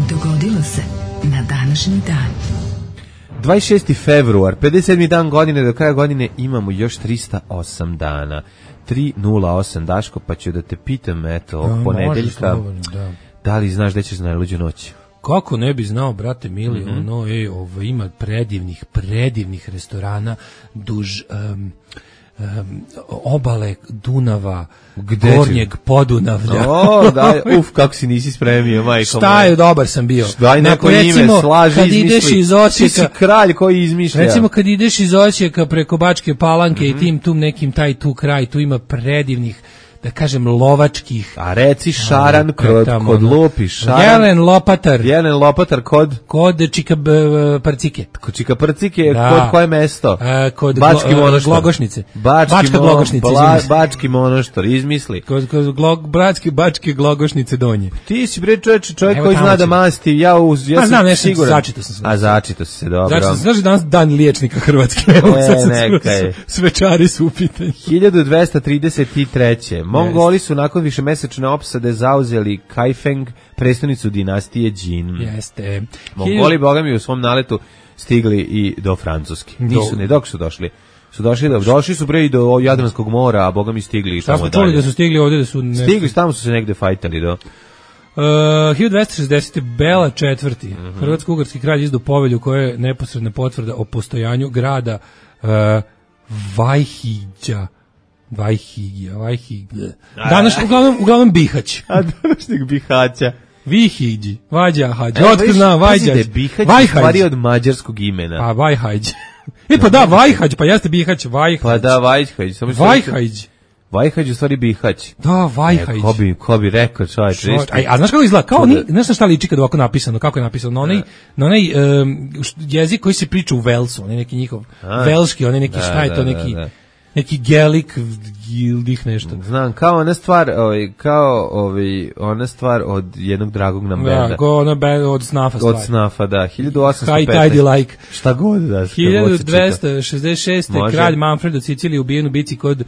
Dogodilo se na današnji dan. 26. februar, 57. dan godine, do kraja godine imamo još 308 dana. 308, Daško, pa ću da te pitam, eto, ponedeljka, da li znaš da ćeš na najluđu noć? Kako ne bi znao, brate mili, ovo ima predivnih restorana duž obale Dunava, Gornjeg Podunavlja. Kako si nisi spremio, majko. Šta je, dobar sam bio. Daj neko ime, slaži, kad ideš iz Osijeka, ti si kralj koji izmišlja. Recimo kad ideš iz Osijeka preko Bačke Palanke i tim nekim taj tu kraj, tu ima predivnih, da kažem, lovačkih. A reci šaran kod Lupi, šaran. Jelen Lopatar kod Čika Prcike. Kod Čika Prcike, kod koje mesto? Kod Glogošnice. Bačka Glogošnice. Bački Monoštor, izmisli. Kod Bačke Glogošnice donje. Ti si bre čovjek koji zna da masti, ja znam nešto, začito sam se. A začito si se, dobro. Znaš da danas dan liječnika Hrvatske. Svečari su u pitanju. 1233. Mongoli su nakon višemesečne opsade zauzeli Kaifeng, prestonicu dinastije Jin. Jeste. Mongoli, boga mi, u svom naletu stigli i do Francuske. Nisu, ne, dok su došli. Došli su pre i do Jadranskog mora, a boga mi stigli i tamo dalje. Čuli da su stigli ovdje da su... Stigli, tamo su se negde fajtali do... 1260. Bela IV. Hrvatsko-ugarski kralj izdao povelju koja je neposredna potvrda o postojanju grada Vajhiđa. Danas uglavnom Bihać. A današnjeg Bihaća. Vihiđi, Vađa, Hađa. Otkud znam, Vajđać. Bihać je stvari od mađarskog imena. Pa Vajhađ. Pa da, Vajhađ, pa jeste Bihać, Vajhađ. Pa da, Vajhađ. Vajhađ. Vajhađ u stvari Bihać. Da, Vajhađ. Ko bi rekao, čovječ. A znaš kako izgleda? Kao znaš šta liči kad ovako napisano? Kako je napisano? Na onaj jezik koji se priča u Velsu, onaj neki njihov velški, onaj neki šta je to, neki gelik gildih nešto. Znam, kao ona stvar od jednog dragog nam benda. Da, kao ona od Snafa stvar. Od Snafa, da, 1815. High Tidy Like. Šta god da. 1266. Kralj Manfred od Sicilije ubijen u bici kod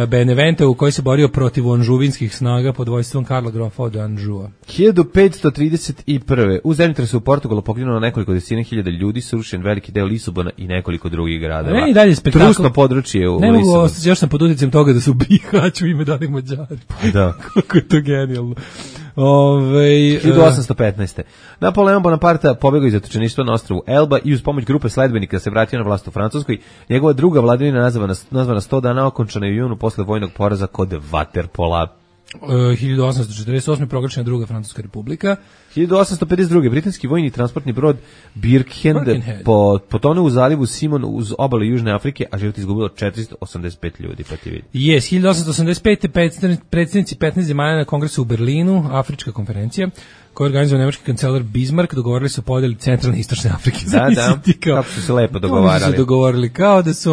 Beneventa u kojoj se borio protiv anžuvinskih snaga pod vojstvom Karla Grofa od Anžua. 1531. U zemljotresu u Portugalu poginulo nekoliko desetina hiljada ljudi, srušen veliki deo Lisabona i nekoliko drugih gradova. Meni dalje spektakl. Trusno područje u Lisabonu. Ne mogu ostati, još sam pod utjecajem toga da su Bihać u ime danih Mađari. Da. Kako je to genijalno. 1815. Napoleon Bonaparte pobegao iz zatočeništva na ostrvu Elba i uz pomoć grupe sledbenika se vratio na vlast u Francuskoj. Njegova druga vladavina nazvana 100 dana okončana je u junu posle vojnog poraza kod Waterpola. 1848. proglašena druga Francuska republika. 1852. britanski vojni transportni brod Birkenhead potonuo u zalivu Simon uz obale Južne Afrike, a život izgubilo 485 ljudi, pa ti vidi. 1885. predsjednici 15 zemalja na kongresu u Berlinu, Afrička konferencija, koju organizuje nemački kancelar Bismarck, dogovorili su podeli centralne i istočne Afrike. Da, kako su se lepo dogovarali. Oni su dogovorili, kao da su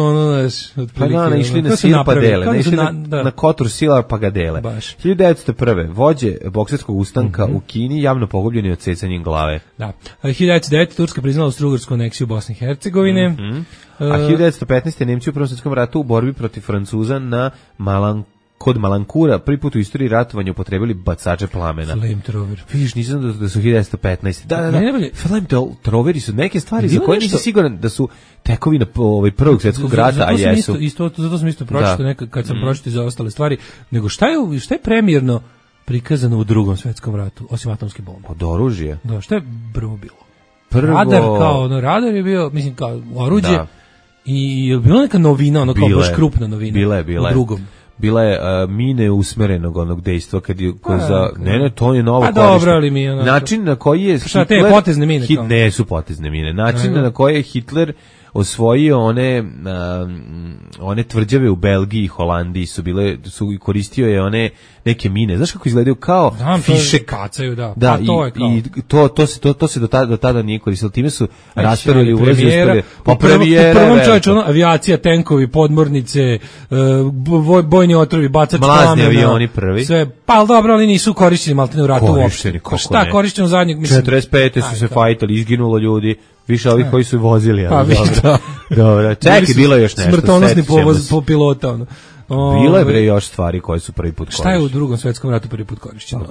otprilike. Pa da, išli na sir pa dele, išli na kotur sila pa ga dele. 1901. vođe bokserskog ustanka u Kini javno pogubljeni odsecanjem glave. Da. 1909. Turska priznala austrougarsku aneksiju Bosne i Hercegovine. A 1915. Nemci u Prvom svjetskom ratu u borbi protiv Francuza na kod Malankura prvi put u istoriji ratovanja upotrebili bacače plamena. Flamethrower. Vidiš, nisam da su 1915. Da. Flamethroweri su neke stvari za koje nisi siguran da su tekovina Prvog svjetskog rata, a jesu. Zato sam isto pročitao nekad kad sam pročitao za ostale stvari. Nego šta je premijerno prikazano u Drugom svjetskom ratu, osim atomske bombe? Od oružja. Da, šta je prvo bilo? Radar je bio, mislim, kao oruđe. Da. I je bilo neka novina, kao baš krupna novina. Bila u Drugom. Bila je mine usmerenog onog dejstva kad je to je novo korištenje. Dobro, ali mi način na koji je Hitler, te potezne mine ne su potezne mine. Način na koji je Hitler osvojio one tvrđave u Belgiji i Holandiji koristio je one neke mine. Znaš kako izgledaju kao fiše kacaju, da. Da, to se do tada nije koristilo. Time su rasparili ulazi u prvom čovječu avijacija, tenkovi, podmornice, bojni otrovi, bacač plamena. Mlazni avioni prvi. Sve, pa dobro, ali nisu korišćeni maltene u ratu uopšte. Šta korišćeno zadnjeg? 45. su se fajtali, izginulo ljudi. Više ovih koji su vozili, ali dobro. Čekaj, bilo je još nešto. Smrtonosni povoz po pilota, Bilo je bre još stvari koje su prvi put korišćene. Šta je u Drugom svjetskom ratu prvi put korišćeno?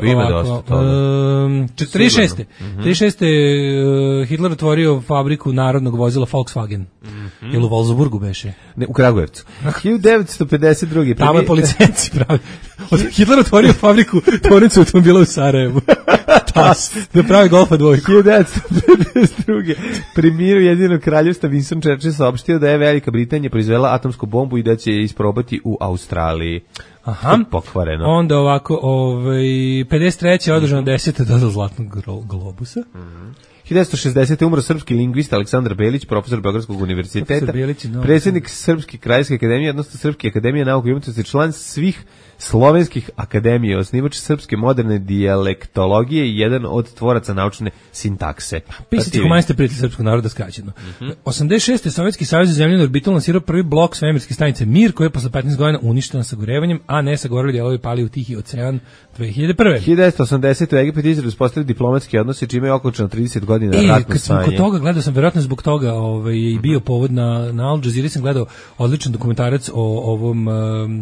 Ima dosta toga. 36. Hitler otvorio fabriku narodnog vozila Volkswagen. Jel u Wolfsburgu beše? Ne, u Kragujevcu. 1952. Tamo je policenci pravi. Hitler otvorio fabriku tvornicu automobila u Sarajevu. Da pravi Golfa dvojku. 1952. Premijer Ujedinjenog kraljevstva Winston Churchill saopštio da je Velika Britanija proizvela atomsku bombu i da će je isprobati u Australiji. Aha. Pokvareno. Onda ovako, 53. je održano 10. dodal Zlatnog globusa. 1960. umro srpski lingvista Aleksandar Belić, profesor Beogradskog univerziteta, predsjednik Srpske krajske akademije, odnosno Srpske akademije nauke i umjetnosti, član svih slovenskih akademija, osnivač srpske moderne dijalektologije i jedan od tvoraca naučne sintakse. Pisac i humanista prijatelj srpskog naroda skraćeno. 86. Sovjetski savez za zemljenu orbitu lansirao prvi blok svemirske stanice Mir, koji je posle 15 godina uništen sagorevanjem, a ne sagoreli dijelovi pali u Tihi ocean 2001. 1980. u Egipat i Izrael uspostavili diplomatski odnosi, čime je okončano 30 godina godina ratno kad sam stanje. kod toga gledao sam, verovatno zbog toga i bio povod na Al Jazeera, sam gledao odličan dokumentarac o ovom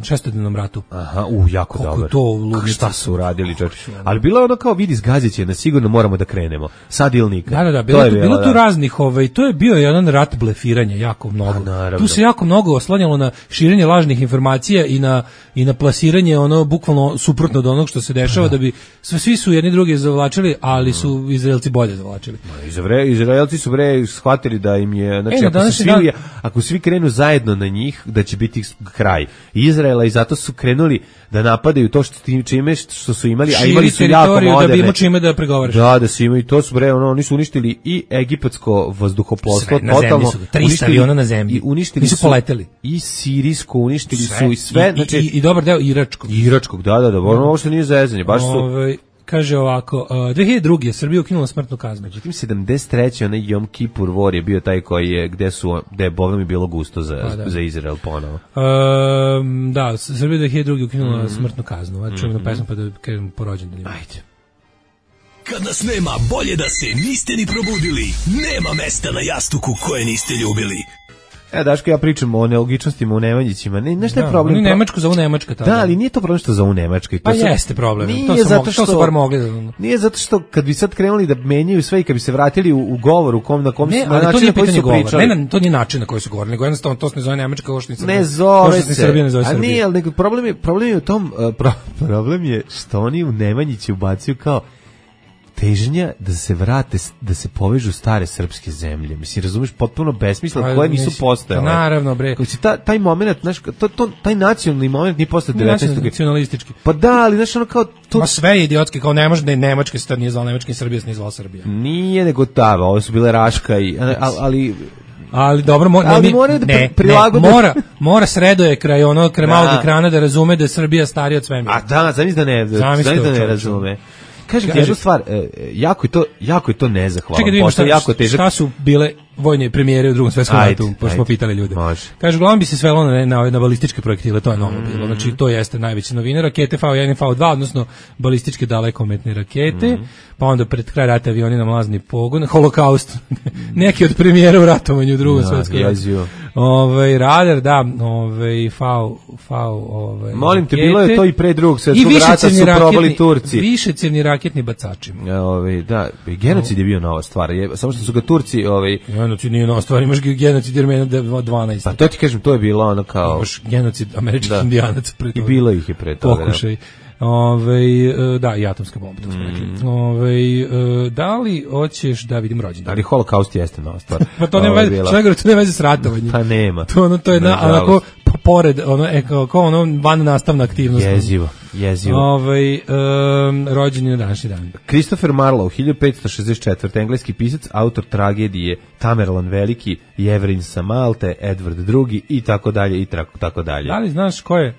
šestodnevnom ratu. Aha, jako Koliko dobar. to ludnica. Šta su uradili, čovječe. Ali bilo je ono kao, vidi, zgazit će nas, sigurno moramo da krenemo. Sad ili nikad. Da, bilo tu raznih, to je bio jedan rat blefiranja, jako mnogo. Tu se jako mnogo oslanjalo na širenje lažnih informacija i na plasiranje ono bukvalno suprotno od onog što se dešava, da bi svi su jedni drugi zavlačili, ali su Izraelci bolje zavlačili. Izraelci su shvatili da im je, znači ako svi krenu zajedno na njih, da će biti kraj Izraela, i zato su krenuli da napadaju to što su imali, a imali su jako moderne. Da bi imao čime da pregovaraš. Da su imali, to su oni su uništili i egipatsko vazduhoplovstvo, totalno. 300 aviona na zemlji. Nisu poleteli. I sirijsko uništili su i sve, znači i dobar deo iračkog. Da, ovo što nije zezanje, baš su. Kaže ovako, 2002. Srbija ukinula smrtnu kaznu. Međutim, 73. onaj Jom Kipur War je bio taj koji je, gde je Boga mi bilo gusto za Izrael ponovo. Da, Srbija 2002. ukinula smrtnu kaznu. Čujemo na pesmu pa da kažem po rođendanima. Ajde. Kad nas nema, bolje da se niste ni probudili. Nema mesta na jastuku koje niste ljubili. Daško, ja pričam o nelogičnostima u Nemanjićima. Znaš šta je problem? Oni Nemačku zovu Nemačka. Da, ali nije to problem što zovu Nemačka. Pa jeste problem. To su bar mogli. Nije zato što kad bi sad krenuli da menjaju sve i kad bi se vratili u govor na kom su način na koji su pričali. Ne, to nije način na koji su govorili, nego jednostavno to se ne zove Nemačka, kao što ne zove se. Srbija ne zove Srbija. A nije, ali problem je u tom, problem je što oni u Nemanjići ubacuju kao težnja da se vrate, da se povežu stare srpske zemlje. Mislim, razumeš, potpuno besmisla koje nisu postojale. Naravno, bre. Taj moment, znaš, taj nacionalni moment nije postao 19. Nacionalistički. Pa da, ali znaš, ono kao to. Ma sve je idiotski, kao ne može da je Nemačka se nije zvala Nemačka i Srbija se nije zvala Srbija. Nije nego tava, ovo su bile Raška i ali dobro, mora Sredoje kraj malog ekrana da razume da je Srbija starija od svemira. A da, zamisli da ne razume. Kažem ti jednu stvar, jako je to nezahvalno. Čekaj, šta su bile vojne premijere u Drugom svetskom ratu, pošto smo pitali ljude. Kaže, uglavnom bi se svelo na balističke projektile, to je novo bilo. Znači, to jeste najveća novina, rakete V1 i V2, odnosno balističke dalekometne rakete, pa onda pred kraj rata avioni na mlazni pogon, holokaust, neki od premijera u ratovanju u Drugom svetskom ratu. Radar, da, molim te, bilo je to i pre Drugog svetskog rata, su probali Turci. Višecjevni raketni bacači. Da, genocid je bio nova stvar, samo što su ga Turci... Genocid nije nova stvar, imaš genocid Jermena 12. Pa to ti kažem, to je bilo ono kao... Imaš genocid američkih indijanaca pre toga. I bilo ih je pre toga. Pokušaj. Da, i atomska bomba, to smo rekli. Da li hoćeš da vidim rođendan? Ali holokaust jeste nova stvar. Pa to nema veze s ratovanjem. Pa nema. To je onako pored, kao van nastavna aktivnost. Jezivo. Rođen je na današnji dan. Christopher Marlowe, 1564. engleski pisac, autor tragedije Tamerlan Veliki, Jevrin sa Malte, Edward II i tako dalje i tako dalje. Da li znaš ko je?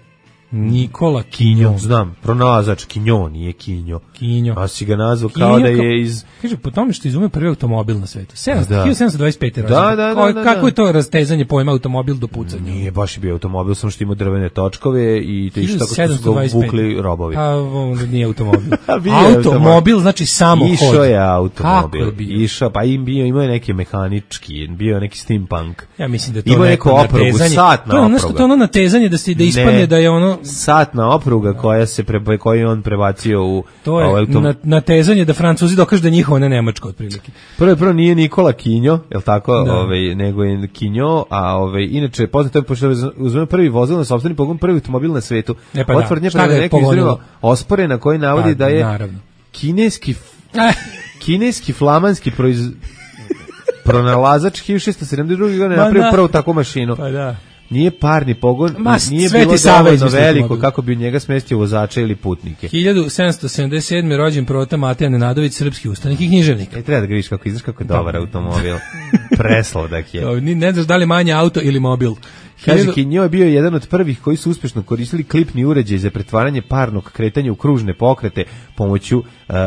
Nikola Kinjo. Znam, pronalazač Kinjo, nije Kinjo. A si ga nazvao kao da je iz... Kaže, po tome što izumio prvi automobil na svetu. 1725. Da. Kako je to rastezanje pojma automobil do pucanja? Nije baš i bio automobil, samo što ima drvene točkove i tako što su ga vukli robovi. A onda nije automobil. Automobil znači samo hod. Išao je automobil. Išao, pa imao je neki mehanički, bio je neki steampunk. Ja mislim da to ima neko natezanje. To je ono natezanje da ispadne da je ono satna opruga koju on prebacio u... To je natezanje da Francuzi dokažu da je njihovo, ne Nemačko otprilike. Prvo nije Nikola Kinjo, je li tako? Nego je Kinjo, a inače poznato je pošto uzme prvi vozil na sopstveni pogon, prvi automobil na svetu. Otvrdnje prema neki izreva ospore na koji navodi da je kineski flamanski pronalazač 1672. godine napravio prvu takvu mašinu. Pa da. Nije parni pogon, nije bilo dovoljno veliko kako bi u njega smestio vozača ili putnike. 1777. rođen Prota Mateja Nenadović, srpski ustanik i književnik. Treba da ga vidiš kako izdaš, kako je dobar automobil. Presladak je. Ne znaš da li manje auto ili mobil. Kaže, Kinjo je bio jedan od prvih koji su uspješno koristili klipni uređaj za pretvaranje parnog kretanja u kružne pokrete pomoću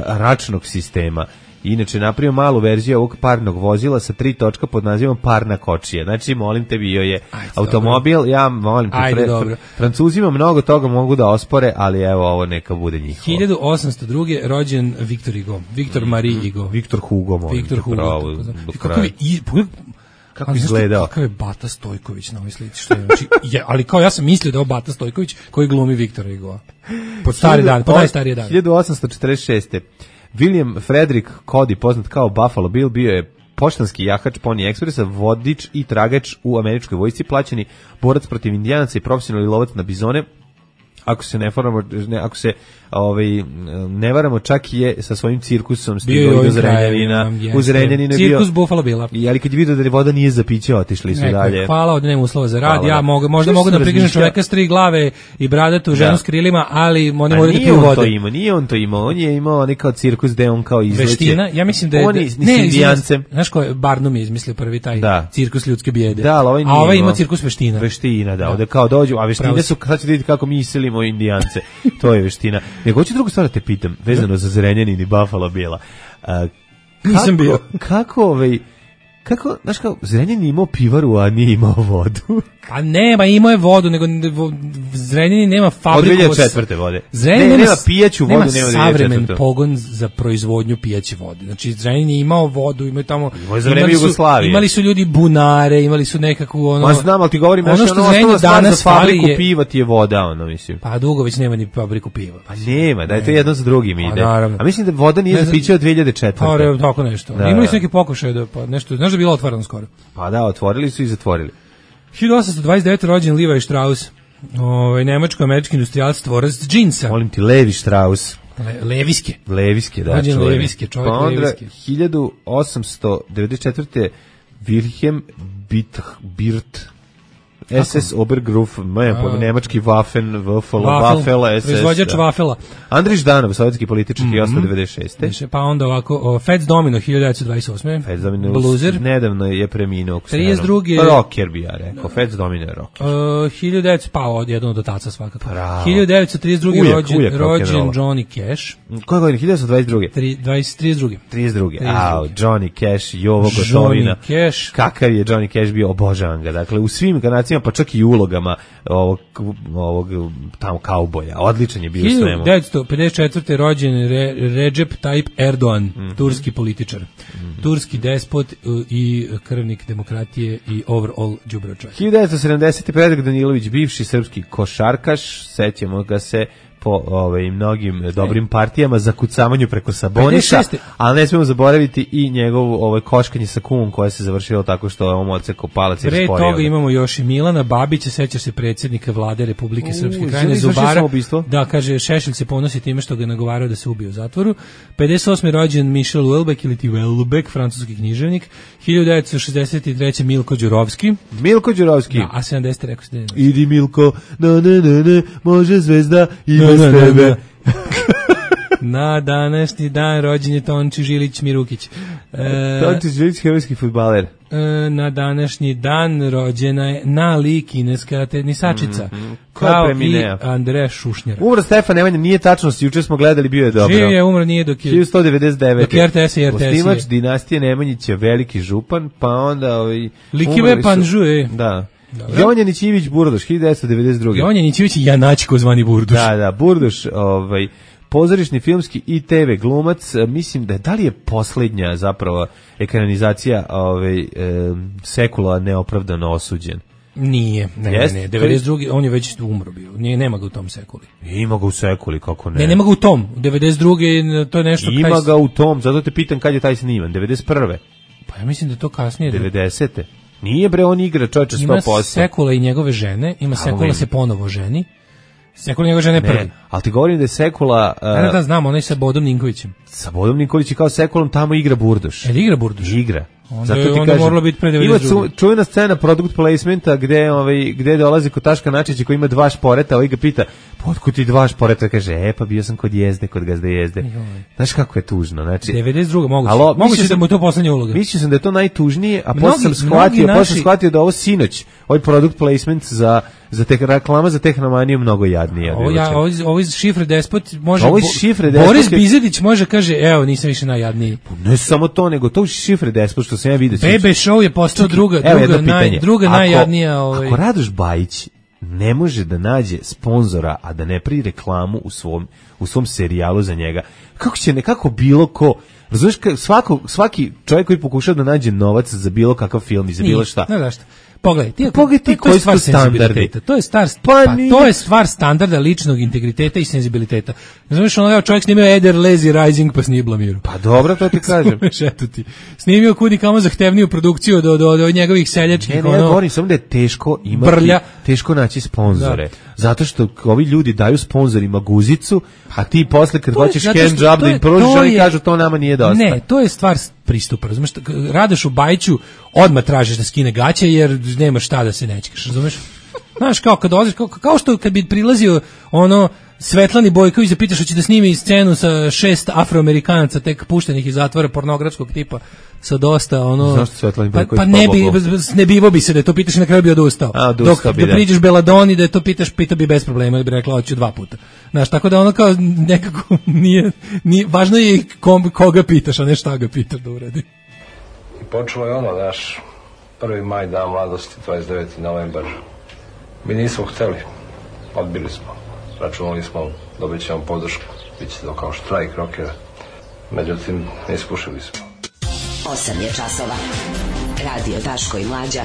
račnog sistema. Inače, napravio malu verziju ovog parnog vozila sa 3 točka pod nazivom parna kočija. Znači, molim te, bio je automobil, ja molim te, Francuzima mnogo toga mogu da ospore, ali evo, ovo neka bude njihovo. 1802. rođen Victor Hugo. Victor Marie Hugo. Victor Hugo, molim Victor te, Hugo, pravo. Kako izgledao? Kakav je Bata Stojković na ovoj slici, što je, znači, ali kao ja sam mislio da je Bata Stojković koji glumi Viktora Hugoa. Pod stari dan, pod najstarije dan. 1846. William Frederick Cody, poznat kao Buffalo Bill, bio je poštanski jahač Pony Expressa, vodič i tragač u američkoj vojsci, plaćeni borac protiv indijanaca i profesionalni lovac na bizone. Ako se ne varamo, čak je sa svojim cirkusom stigao do Zrenjanina. U Zrenjaninu je bio cirkus Buffalo Billa. Ali kad je vidio da voda nije za piće, otišli su dalje. Hvala, ovdje nema uslova za rad. Ja možda mogu da prikrižem čoveka s 3 glave i bradatu ženu s krilima, ali oni moraju da piju vode. Nije on to imao. On je imao nekao cirkus gde on kao izleće. Veština, ja mislim da je Indijancem. Znaš ko je Barnum je izmislio prvi taj cirkus ljudske bijede. Da, a ovaj ima cirkus veština. Veština, da. Ovde kao dođu, a veštine su, sad ćete vidjeti kako mi iselimo Indijance. To je veština. Nego hoću drugu stvar da te pitam, vezano za Zrenjanin i Buffalo Billa. Nisam bio. Kako, znaš kao, Zrenjanin imao pivaru, a nije imao vodu? Pa nema, imao je vodu, nego Zrenjanin nema fabriku. Od 2004. vode. Zrenjanin nema pijaću vodu, nema savremen pogon za proizvodnju pijaće vode. Znači, Zrenjanin je imao vodu, imaju tamo... Imali su ljudi bunare, imali su nekakvu ono... Ma znam, ali ti govorim, ono što Zrenjanin danas za fabriku piva ti je voda, ono, mislim. Pa dugo već nema ni fabriku piva. Pa nema, da je to jedno za drugim ide. A mislim da voda nije za piće od 2004. Pa, tako nešto. Imali su neki pokušaj da nešto, znaš da je bilo otvoreno skoro. Pa da, otvorili su i zatvorili. 1829. rođen Levi Strauss, nemačko-američki industrijalac, tvorac džinsa. Molim ti, Levi Strauss. Leviske. Leviske, da. Rođen Leviske, čovjek Leviske. 1894. Wilhelm Birth, SS Obergruf, nemački Waffen, Waffel, SS. Proizvođač Waffela. Andrij Ždanov, sovjetski političar, 1896. Pa onda ovako, Fats Domino, 1928. Fats Domino, bluzer. Nedavno je preminuo. 32. Rocker bi ja rekao, Fats Domino je rocker. 1900, pa jedan od otaca svakako. 1932. rođen Johnny Cash. Koja godina? 1922. 32. Johnny Cash, Jovo Gotovina. Johnny Cash. Kakav je Johnny Cash bio, obožavam ga. Dakle, u svim inkarnacijama, pa čak i ulogama ovog tamo kauboja. Odličan je bio u svemu. 1954. rođen Recep Tayyip Erdogan, turski političar. Turski despot i krvnik demokratije i overall đubre čovjek. 1970. Predrag Danilović, bivši srpski košarkaš, sećamo ga se po mnogim dobrim partijama za kucamanju preko Sabonisa, ali ne smemo zaboraviti i njegovo koškanje sa kumom koje se završilo tako što je on odsekao palac i rasporio. Pre toga imamo još i Milana Babića, sećaš se predsjednika vlade Republike Srpske Krajine Zubara. Da, kaže, Šešelj se ponosi time što ga nagovarao da se ubije u zatvoru. 58. rođen Michel Houellebecq ili ti Houellebecq, francuski književnik. 1963. Milko Đurovski. Milko Đurovski. Da, a 70. rekao se da je. Idi Milko, ne, može zvezda i bez tebe. Na današnji dan rođen je Tonči Žilić Mirukić. Tonči Žilić, herojski fudbaler. Na današnji dan rođena je Nali, kineska tenisačica. Kao i Andreja Šušnjara. Umro Stefan Nemanja, nije tačno, juče smo gledali, bio je dobro. Živ je, umro nije dok je... 1199. Dok je RTS i RTS. Osnivač dinastije Nemanjić je veliki župan, pa onda... Likive Panžuje. Da. Jonjanić Ivić Burduš, 1992. Jonjanić Ivić Janačko zvani Burduš. Da, Burduš, pozorišni, filmski i TV glumac, mislim da li je posljednja zapravo ekranizacija Sekula neopravdano osuđen? Nije, ne, 92. on je već umro bio, nema ga u tom Sekuli. Ima ga u Sekuli, kako ne? Nema ga u tom, 92. to je nešto... Ima ga u tom, zato te pitam kad je taj sniman, 91. Pa ja mislim da je to kasnije. 90. Nije bre, on igra čovječe 100%. Ima Sekula i njegove žene, ima Sekula se ponovo ženi. Sekula njegove žene prvi. Ali ti govorim da je Sekula... Da znam, onaj sa Bodom Ninkovićem. Sa Bodom Ninkovićem kao Sekulom tamo igra Burduš. Igra Burduš? Igra. Onda moralo biti pre 92. Ima čuvena scena product placementa gde dolazi kod Taška Načića koji ima 2 šporeta, ovaj ga pita, otkud ti 2 šporeta? Kaže, pa bio sam kod Jezde, kod Gazde Jezde. Znaš kako je tužno, znači 92. moguće da mu je to poslednja uloga. Mislio sam da je to najtužnije, a posle sam shvatio da ovo sinoć, ovaj product placement za te reklama za Tehnomaniju mnogo jadnije. Ovo iz Šifre Despot može. Ovo iz Šifre Despot. Boris Bizetić može kaže, evo, nisam više najjadniji. Ne samo to, nego to Šifre Despot što sam ja vidio. Bebe Show je postao druga najjadnija. Ako Radoš Bajić ne može da nađe sponzora, a da ne pri reklamu u svom serijalu za njega, kako će nekako bilo ko, razumiješ, svaki čovjek koji pokušao da nađe novac za bilo kakav film i za bilo šta. Ne, zašto? Pogledaj ti koji su standardi. To je stvar standarda ličnog integriteta i senzibiliteta. Znaš, čovjek snimio Eder Lazy Rising pa snije Blamiru. Pa dobro, to ti kažem. Snimio kudi kamo zahtevniju produkciju do njegovih seljačkih. Ja govorim samo da je teško imati, teško naći sponzore. Zato što ovi ljudi daju sponzorima guzicu, a ti posle kad hoćeš hand job da im pružiš, oni kažu to nama nije dosta. Ne, to je stvar pristupa, razumeš? Radošu Bajiću odmah tražiš da skine gaće jer nema šta da se nećeš, razumeš? Znaš, kao kad odeš, kao što kad bi prilazio Svetlani Bojković da pitaš hoće da snimi scenu sa 6 Afroamerikanaca tek puštenih iz zatvora pornografskog tipa sa dosta Zašto Svetlani Bojković? Pa ne bivo bi se da to pitaš i na kraju bi odustao. Dok da priđeš Beladoni da to pita bi bez problema, ili bi rekla hoću 2 puta. Znaš, tako da kao nekako nije važno je koga pitaš, a ne šta ga pitaš da uradi. I počelo je naš 1. maj, dan mladosti, 29. novembar. Mi nismo hteli, odbili smo. Računali smo, dobit ćemo podršku, bit će to kao štrajk rokera. Međutim, ispušili smo. 8 je časova. Radio Daško i Mlađa.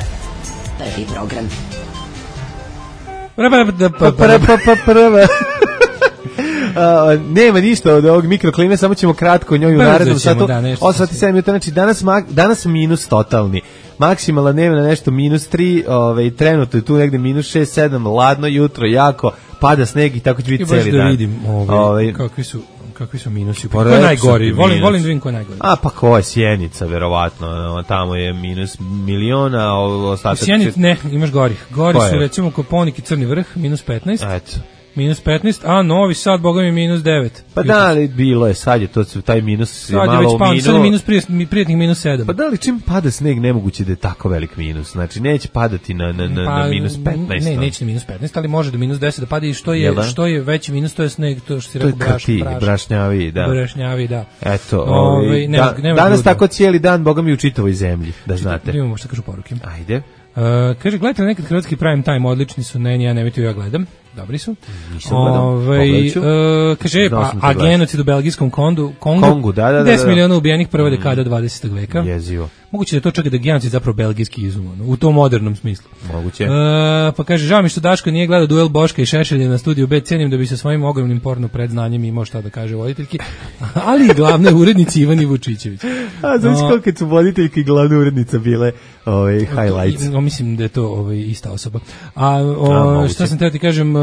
Prvi program. Nema ništa od ovog mikroklime, samo ćemo kratko o njoj u narednom satu. 8:07 minuta, znači danas minus totalni. Maksimalna dnevna nešto -3, trenutno je tu negde -6-7, ladno jutro, jako, pada sneg i tako će biti cijeli dan. Da vidim kakvi su minusi. Ko je najgori? Volim da vidim ko je najgori. Pa ko je Sjenica, verovatno. Tamo je -1.000.000, a ostatak... Sjenica, ne, imaš gorih. Gori su recimo Koponik i Crni vrh, -15. Eto. -15, a Novi Sad, boga mi -9. Pa da li bilo je, sad je to, taj minus je malo minus. Sad je minus prijetnih -7. Pa da li čim pada sneg nemoguće da je tako velik minus? Znači neće padati na -15. Ne, neće na -15, ali može do -10 da pada i što je veći minus, to je sneg, to što si rekao brašnjavi, da. Eto, danas tako cijeli dan, boga mi u čitavoj zemlji, da znate. Imamo što kažu poruke. Ajde. Kaže, gledajte nekad hrvatski prime time, odlični su, ja nemojte, ja gledam. Dobri su. Kaže, a genocid u belgijskom Kongu, da. 10 miliona ubijenih prva dekada 20. veka. Jezivo. Moguće da je to čak da genocid zapravo belgijski izum, u tom modernom smislu. Moguće. Pa kaže, žao mi što Daško nije gledao duel Boška i Šešelja na studiju B, cenim da bi sa svojim ogromnim porno predznanjem imao šta da kaže voditeljki, ali i glavne urednici Ivani Vučićević. A znaš koliko su voditeljki i glavne urednica bile highlights? Mislim da je to ista osoba. Šta sam teo ti kažem,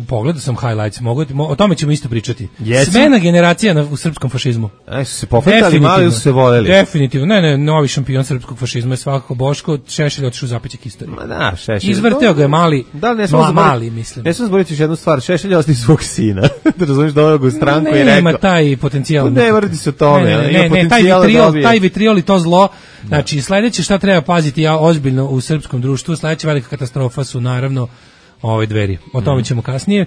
pogledao sam highlights, o tome ćemo isto pričati. Smena generacija u srpskom fašizmu. Su se pokretali, mali su se voljeli. Definitivno, ne, novi šampion srpskog fašizma je svakako Boško, Šešelj otišao u zapećak istorije. Ma da, Šešelj. Izvrteo ga je mali, mislim. Ne smo zboriti još jednu stvar, Šešelj ostaje svog sina. Da razumiješ da ovog u stranku i rekao. Nema taj potencijal. Ne vrdi se o tome. Ne, taj vitriol i to zlo. Znači, sledeće šta treba paziti ozbiljno u srpskom društvu, sledeća velika katastrofa su naravno Dveri. O tome ćemo kasnije.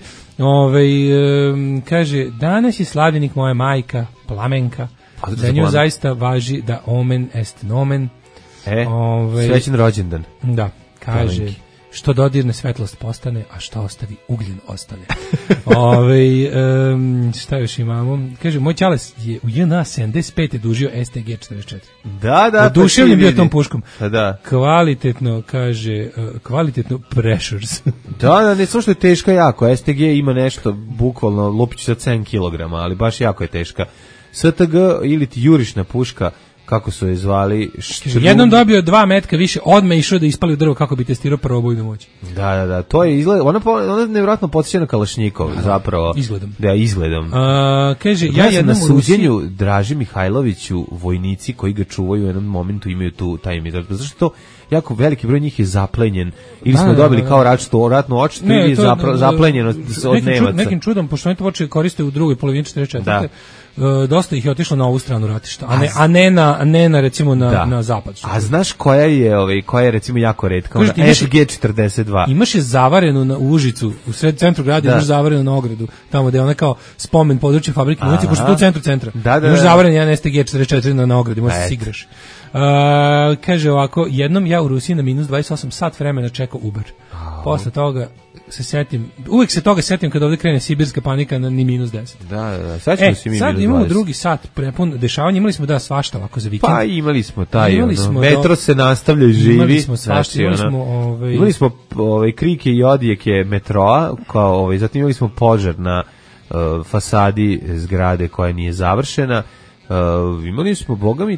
Kaže, danas je slavljenik moja majka, Plamenka. Za nju zaista važi da omen est nomen. Srećen rođendan. Da, kaže, Plavenki. Što dodirne svetlost postane, a što ostavi ugljen ostane. Šta još imamo? Kaže, moj čales je u JNA 75. dužio STG 44. Da. Oduševljen bio tom puškom. Da. Kvalitetno, kaže, kvalitetno pressures. Da, ne samo što je teška jako. STG ima nešto, bukvalno, lupić sa 7 kg, ali baš jako je teška. STG ili ti jurišna puška, kako su je zvali, jednom dobio 2 metka više, odmah išao da ispali u drvo kako bi testirao probojnu moć. Da, to je izgled, ona nevjerojatno podsjeća na Kalašnjikov, zapravo. Izgledom. Da, izgledom. Kaže, ja jednom na suđenju Draži Mihajloviću, vojnici koji ga čuvaju u jednom momentu imaju taj imitar. Zašto to jako veliki broj njih je zaplenjen, ili smo dobili kao ratnu odštetu, ili je zaplenjeno od Nemaca. Nekim čudom, pošto oni to počeli koriste u drugoj polovini 44. Dosta ih je otišlo na ovu stranu ratišta, a ne na recimo na zapad. A znaš koja je recimo jako retka? SG-42. Imaš je zavarenu u Užicu, u sred centru grada, imaš zavarenu na ogradu, tamo gde je ona kao spomen područje fabrike municije, pošto tu u centru centra. Imaš zavarenu jedan SG-44 na ogradi, možeš se igraš. Kaže ovako, jednom ja u Rusiji na -28 sat vremena čekao Uber. Posle toga se setim, uvijek se toga setim kad ovdje krene sibirska panika na ni -10. Da, sad imamo drugi sat prepun dešavanja, imali smo svašta ovako za vikend. Pa imali smo taj, metro se nastavlja i živi. Imali smo svašta, imali smo krike i odjeke metroa, zatim imali smo požar na fasadi zgrade koja nije završena. Imali smo, boga mi,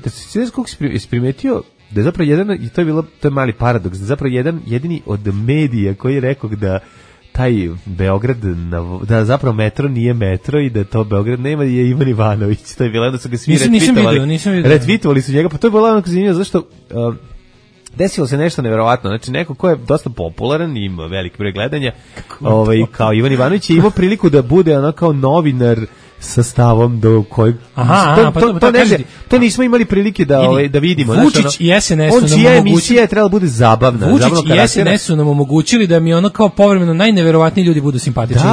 kako si primetio da je zapravo jedan, i to je mali paradoks, da je zapravo jedini od medija koji je rekao da taj Beograd, da zapravo metro nije metro i da to Beograd nema, je Ivan Ivanović. To je bilo, da su ga svi retvitovali su njega, pa to je bilo onako zanimljivo, zašto desilo se nešto neverovatno, znači neko ko je dosta popularan, ima veliki broj gledanja, kao Ivan Ivanović je imao priliku da bude ono kao novinar sa stavom do kojeg to nismo imali prilike da vidimo. Vučić i SNS su nam emisija je trebala bude zabavna. Vučić i SNS su nam omogućili da mi ono kao povremeno najneverovatniji ljudi budu simpatični.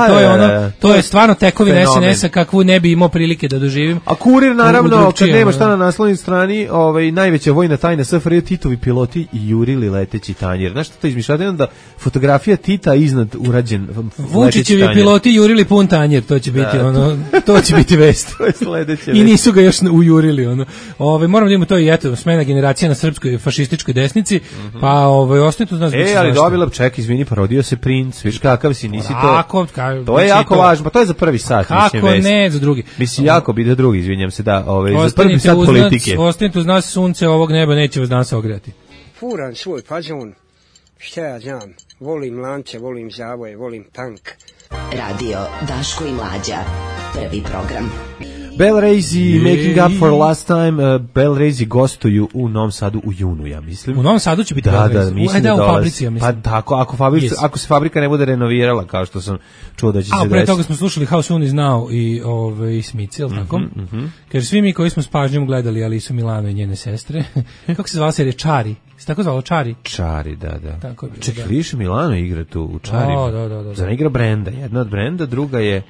To je stvarno tekovina SNS-a kakvu ne bi imao prilike da doživim. A Kurir naravno, kad nema šta na naslovnoj strani, najveća vojna tajna SFRJ, Titovi piloti i jurili leteći tanjir. Znaš što to izmišljate? Onda fotografija Tita iznad urađen Vučićevi piloti jurili pun tanjir, to će biti to će biti vest. I nisu ga još ujurili. Moram da imamo to i eto, smena generacija na srpskoj fašističkoj desnici, pa ostaje tu znaš. Ali dobila, ček, izvini, parodio se princ, viš kakav si, nisi to. To je jako važno, pa to je za prvi sat. Kako ne, za drugi. Mislim, jako bi da drugi, izvinjam se, da, za prvi sat politike. Ostanite uz nas, sunce ovog neba neće vas danas ograti. Furan svoj fazon, šta ja znam, volim lance, volim zavoje, volim tank. Radio Daško i Mlađa, prvi program. Bell Razy, Making Up for Last Time. Bell Razy gostuju u Novom Sadu u junu, ja mislim. U Novom Sadu će biti Bell Razy. Mislim da u fabrici, ja mislim. Pa tako, ako se fabrika ne bude renovirala, kao što sam čuo da će se desiti. A pre toga smo slušali How Soon Is Now i Smith, jel tako? Kaže, svi mi koji smo s pažnjom gledali Alisu Milano i njene sestre, kako se zvala serija Čari? Se tako zvalo Čari? Čari, da. Čekaj, Ališa Milano igra tu u Čarima. Da. Zar igra Brenda? Jedna od Brenda, druga je...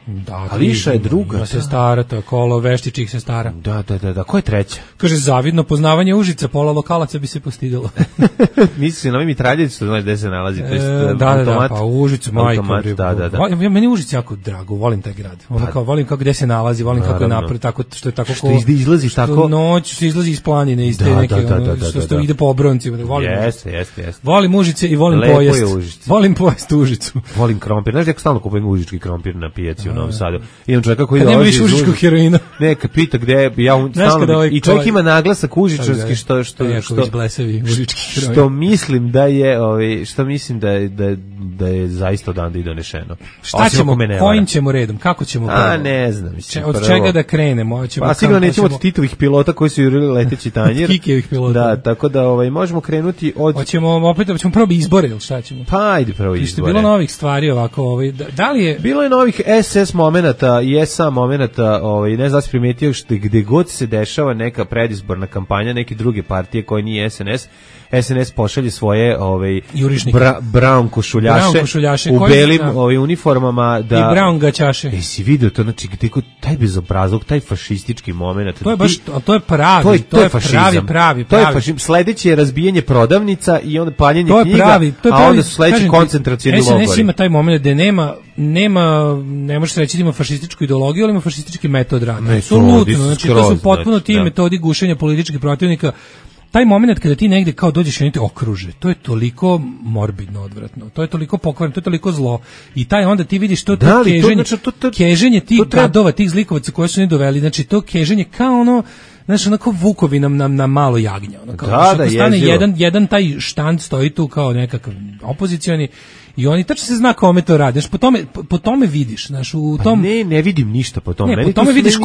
Ališa je druga. Ima se stara, to je Kolo Veštičih se stara. Da. Ko je treća? Kaže, zavidno poznavanje Užica, pola lokalaca bi se postidalo. Misli na mitraljevicu, što znaš gde se nalazi. Da, pa u Užicu, majko. Da. Meni Užic jako drago, volim taj grad. Volim kako gde se nalazi, volim kako je napred, tako što je tako... Što izlazi tako... Noć se izlazi iz planine, iz te neke, što ide po obroncima. Jeste. Volim Užice i volim pojest. Volim pojest Užicu. Volim krompir. Znaš, ja stalno kupujem užički krompir na pijaci u Novom Sadu. Imam čovjeka koji dolazi iz užičkog heroina. Ne, kad pita gde, ja stalno... I čovjek ima naglasak užičarski, što mislim da je, da je zaista odande i donešeno. Šta ćemo, kojim ćemo redom, kako ćemo? Ne znam. Od čega da krenemo? Pa sigurno nećemo od Titovih pilota koji su jurili leteći tanjir. Kikijevih pilota. Da, tako da možemo krenuti od... Hoćemo prvo izbore, ili šta ćemo? Pa ajde prvo izbore. Što je bilo novih stvari ovako, da li je... Bilo je novih SS momenata i SA momenata, ne znam da si primetio gde god se dešava neka predizborna kampanja, neke druge partije koje nije SNS pošalje svoje brown košuljaše u belim uniformama i brown gaćaše. Si vidio to, znači taj bezobrazluk, taj fašistički moment. To je pravi, to je pravi. To je fašizam. Sledeće je razbijanje prodavnica i onda paljenje knjiga, a onda su sledeći koncentracioni logori. SNS ima taj moment gde ne možeš reći da ima fašističku ideologiju, ali ima fašistički metod rada. Apsolutno, znači to su potpuno ti metodi gušenja političkih protivnika. Taj moment kada ti negde kao dođeš i oni te okruže, to je toliko morbidno odvratno, to je toliko pokvareno, to je toliko zlo. I taj onda ti vidiš to keženje tih gadova, tih zlikovaca koje su ne doveli, znači to keženje kao ono, znaš, onako vukovi nam na malo jagnja. Onako, da, stane jedan taj štand stoji tu kao nekakav opozicioni i oni tačno se zna kome to radi. Znaš, po tome vidiš, znaš, u tom... Ne vidim ništa po tome. Ne, po tome vidiš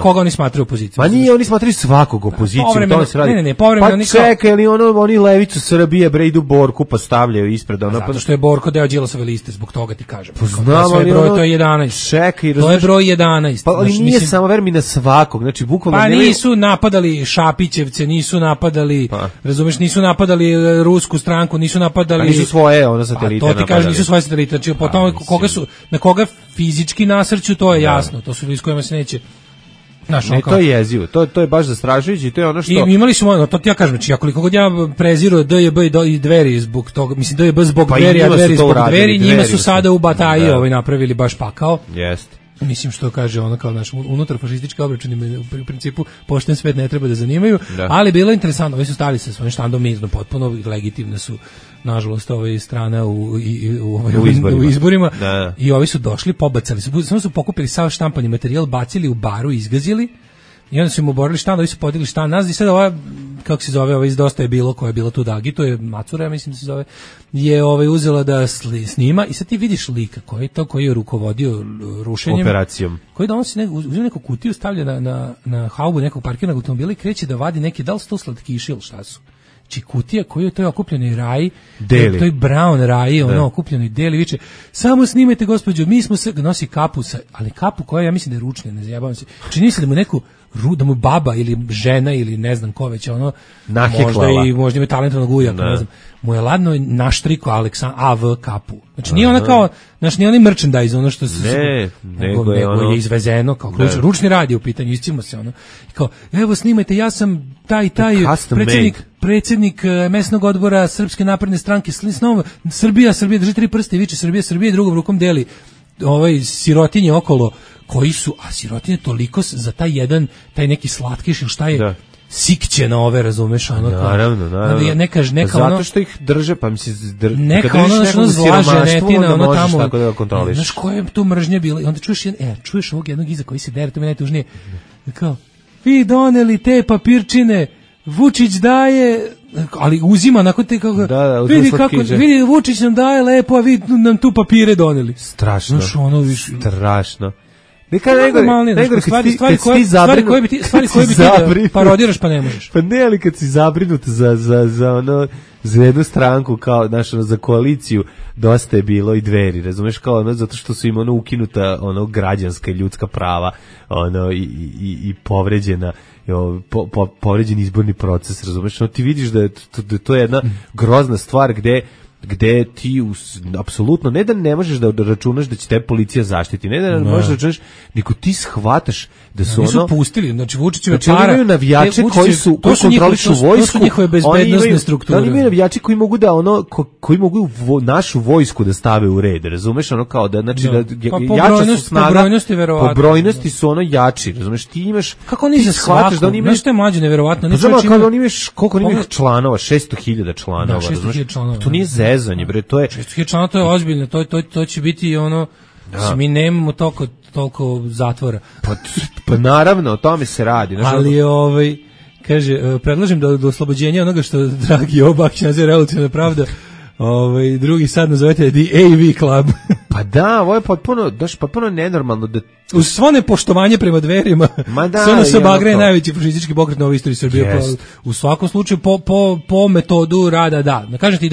koga oni smatraju opozicijom. Pa nije, oni smatraju svakog opoziciju, to se radi. Ne, povremeno oni kao... Pa čekaj, ali oni levicu Srbije, bre, idu Borku, pa stavljaju ispred. Zato što je Borko deo Đilasove liste, zbog toga ti kažem. Znam, ali to je 11. Čekaj, to je broj 11. Pa ali nije samo vermi na svakog, znači bukvalno... Pa nisu napadali Šapićevce, nisu napadali, razumeš, nisu napadali rusku stranku, nisu napadali... nisu svoje, satelite napadali. To ti kažem, nisu svoje satelite, znači po tome na koga fizički nasrću, to je jasno, to su ljudi s kojima se neće... Ne, to je jezivo, to je baš zastrašujuće i to je ono što... I imali smo, to ti ja kažem, znači, koliko god ja preziru DJB i Dveri zbog toga, mislim, DJB zbog Dveri, a Dveri zbog Dveri, njima su sada u bataji napravili baš pakao. Jeste. Mislim što kaže ono kao naš unutarfašistički obračuni u principu pošten svet ne treba da zanimaju, ali bilo je interesantno, ovi su stali sa svojim štandom mirno, potpuno legitimne su nažalost strana u izborima. I ovi su došli, pobacali su, samo su pokupili sav štampani materijal, bacili u baru, izgazili i onda su im oborili štand, ovi su podigli štand nazad i sad ova, kako se zove, ova iz Dosta je bilo, koja je bila tu da agituje, Macura, ja mislim da se zove, je uzela da snima i sad ti vidiš lika koji je rukovodio rušenjem. Operacijom. Koji donosi uzima neku kutiju, stavlja na haubu nekog parkirnog automobila i kreće da vadi neki, da li su to slatkiši ili šta su. Či kutija koju to je okupljeni raj, to je brown raj, okupljeni deli, viče, samo snimajte gospođo, mi smo se, nosi kapu, ali kapu koja ja mislim da je ručna, ne zajebavam se, čini se da mu neku, da mu baba ili žena ili ne znam ko već, možda ima talentovnog ujaka, ne znam, mu je ladno naštriko AV kapu. Znači nije ona kao, znači nije onaj merchandise, ono što se nego je izvezeno, kao ručni rad je u pitanju, iscimo se ono. I kao, evo snimajte, ja sam taj predsjednik mesnog odbora Srpske napredne stranke, Srbija, drži 3 prste i viče Srbija, drugom rukom deli sirotinje okolo, koji su, a sirotinje toliko za taj neki slatkiš ili šta je, sikće na ove, razumeš, ono kao. Naravno. Neka zato što ih drže, pa misli, neka ono zlaženetina, ono tamo. Tako da kontroliš. Znaš koja je tu mržnja bila? I onda čuješ ovog jednog iza koji se dere, to mi najtužnije. Kao, vi doneli te papirčine, Vučić daje, ali uzima nakon te kako, vidi Vučić nam daje lepo, a vi nam tu papire doneli. Strašno. Znaš, ono strašno. Stvari koje bi ti parodiraš pa ne možeš. Pa ne, ali kad si zabrinut za jednu stranku, kao za koaliciju, dosta je bilo i Dveri, razumeš, kao zato što su im ukinuta građanska i ljudska prava, i povređena, povređen izborni proces, razumeš, ti vidiš da je to jedna grozna stvar gde ti apsolutno ne da ne možeš da računaš da će te policija zaštiti, ne da možeš da računaš, nego ti shvataš da su nisu pustili, znači Vučićeve para, imaju navijače koji kontrolišu vojsku, to su njihove bezbednosne strukture. Oni imaju navijači koji mogu da koji mogu našu vojsku da stave u red, razumeš, kao da znači da jača su snaga, po brojnosti su jači, razumeš, ti imaš, kako oni za shvataš da oni imaju, nešto je mlađe neverovatno, znači oni imaju koliko oni imaju članova, 600.000 članova, razumeš, to nije zezanje, bre, to je 600.000 članova, to je ozbiljno, to će biti mi nemamo toliko zatvora. Pa naravno, o tome se radi. Ali kaže, predlažem da do oslobođenja onoga što dragi Obak naziva revolucionarna pravda, drugi sad nazovete The AV Club. Pa da, ovo je potpuno nenormalno da uz svo nepoštovanje prema Dverima, SNS Bagre je najveći fašistički pokret na ovoj istoriji Srbije. U svakom slučaju po metodu rada, da. Kažete,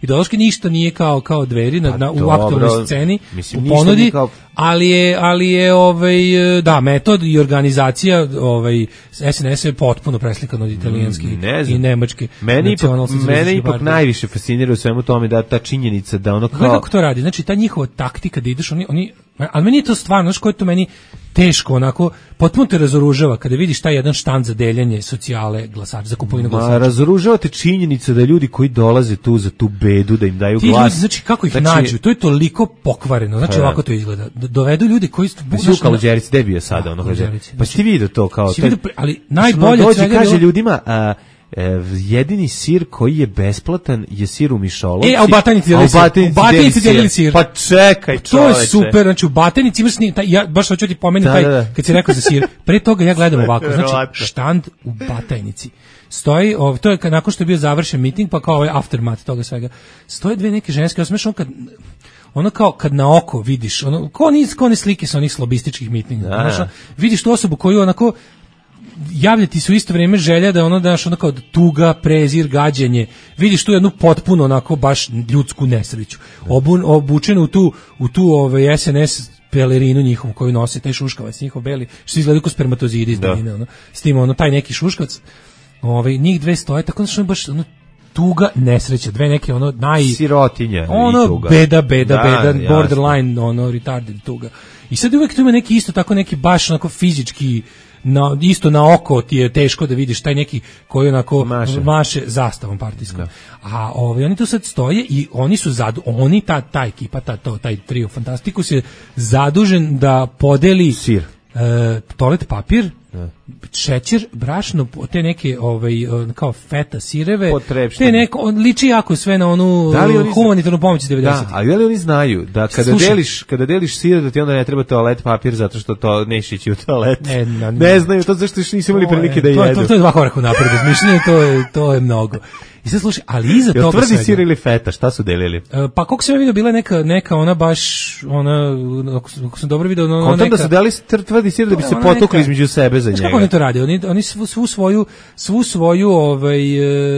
ideološki ništa nije kao Dveri u aktualnoj sceni, u ponudi, ali je da, metod i organizacija SNS je potpuno preslikan od italijanski i nemački. Mene ipak najviše fascinira u svemu tome da ta činjenica da ono kao... Kako to radi? Znači, ta njihova taktika da ideš, ali meni je to stvarno, znaš koje to meni teško, onako, potpuno te razoružava kada vidiš taj jedan štand za deljanje socijale glasača, za kupovinu glasača. Razoružava te činjenica da ljudi koji dolaze tu za tu bedu, da im daju glas. Ljudi, znači, kako ih nađu, to je toliko pokvareno, znači ovako to izgleda. Dovedu ljudi koji su... Suka Luđeric, gde bio sada? Pa si ti vidio to kao... Ali najbolje... Dođi, kaže ljudima... jedini sir koji je besplatan je sir u mišolovci. A u Batajnici delili sir. Pa čekaj, to je super, znači u Batajnici imaš ja baš hoću ti pomenuti kad si rekao za sir. Pre toga ja gledam ovako, znači štand u Batajnici. Stoji, to je nakon što je bio završen miting, pa kao ovaj aftermath toga svega. Stoje dve neke ženske, osmešno kad na oko vidiš, ko one slike sa onih slobističkih mitinga, vidiš tu osobu koju onako javljati su isto vrijeme želja da daš kao tuga, prezir, gađenje. Vidiš tu jednu potpuno onako baš ljudsku nesreću. Obučenu u tu SNS pelerinu njihovu koju nose, taj šuškavac njihov beli, što izgleda kao spermatozidi iz daljine, s tim taj neki šuškavac. Njih dve stoje, tako da baš tuga, nesreća, dve neke sirotinja i tuga. Beda, borderline, retarded tuga. I sad uvek tu ima neki isto tako neki baš onako fizički, isto na oko ti je teško da vidiš taj neki koji onako maše zastavom partijskom. A oni tu sad stoje i oni su ta ekipa, taj trio Fantastikus je zadužen da podeli sir, toalet papir, šećer, brašno, te neke kao feta sireve, te neko liči jako sve na onu humanitarnu pomoć iz 90. Da, ali da li oni znaju da kada deliš sir da ti onda ne treba toalet papir zato što to neće ići u toalet. Ne znaju to zašto još nisu imali prilike da jedu. To je 2 koraka napred, mišljenje to je mnogo. I sad slušaj, ali iza toga tvrdi sir ili feta, šta su delili? Pa koliko sam vidio, bila neka ona baš, ako sam dobro vidio, ona neka... da su deli tvrdi sir da bi se potukli između sebe za njega. Kako oni to rade? Oni svu svoju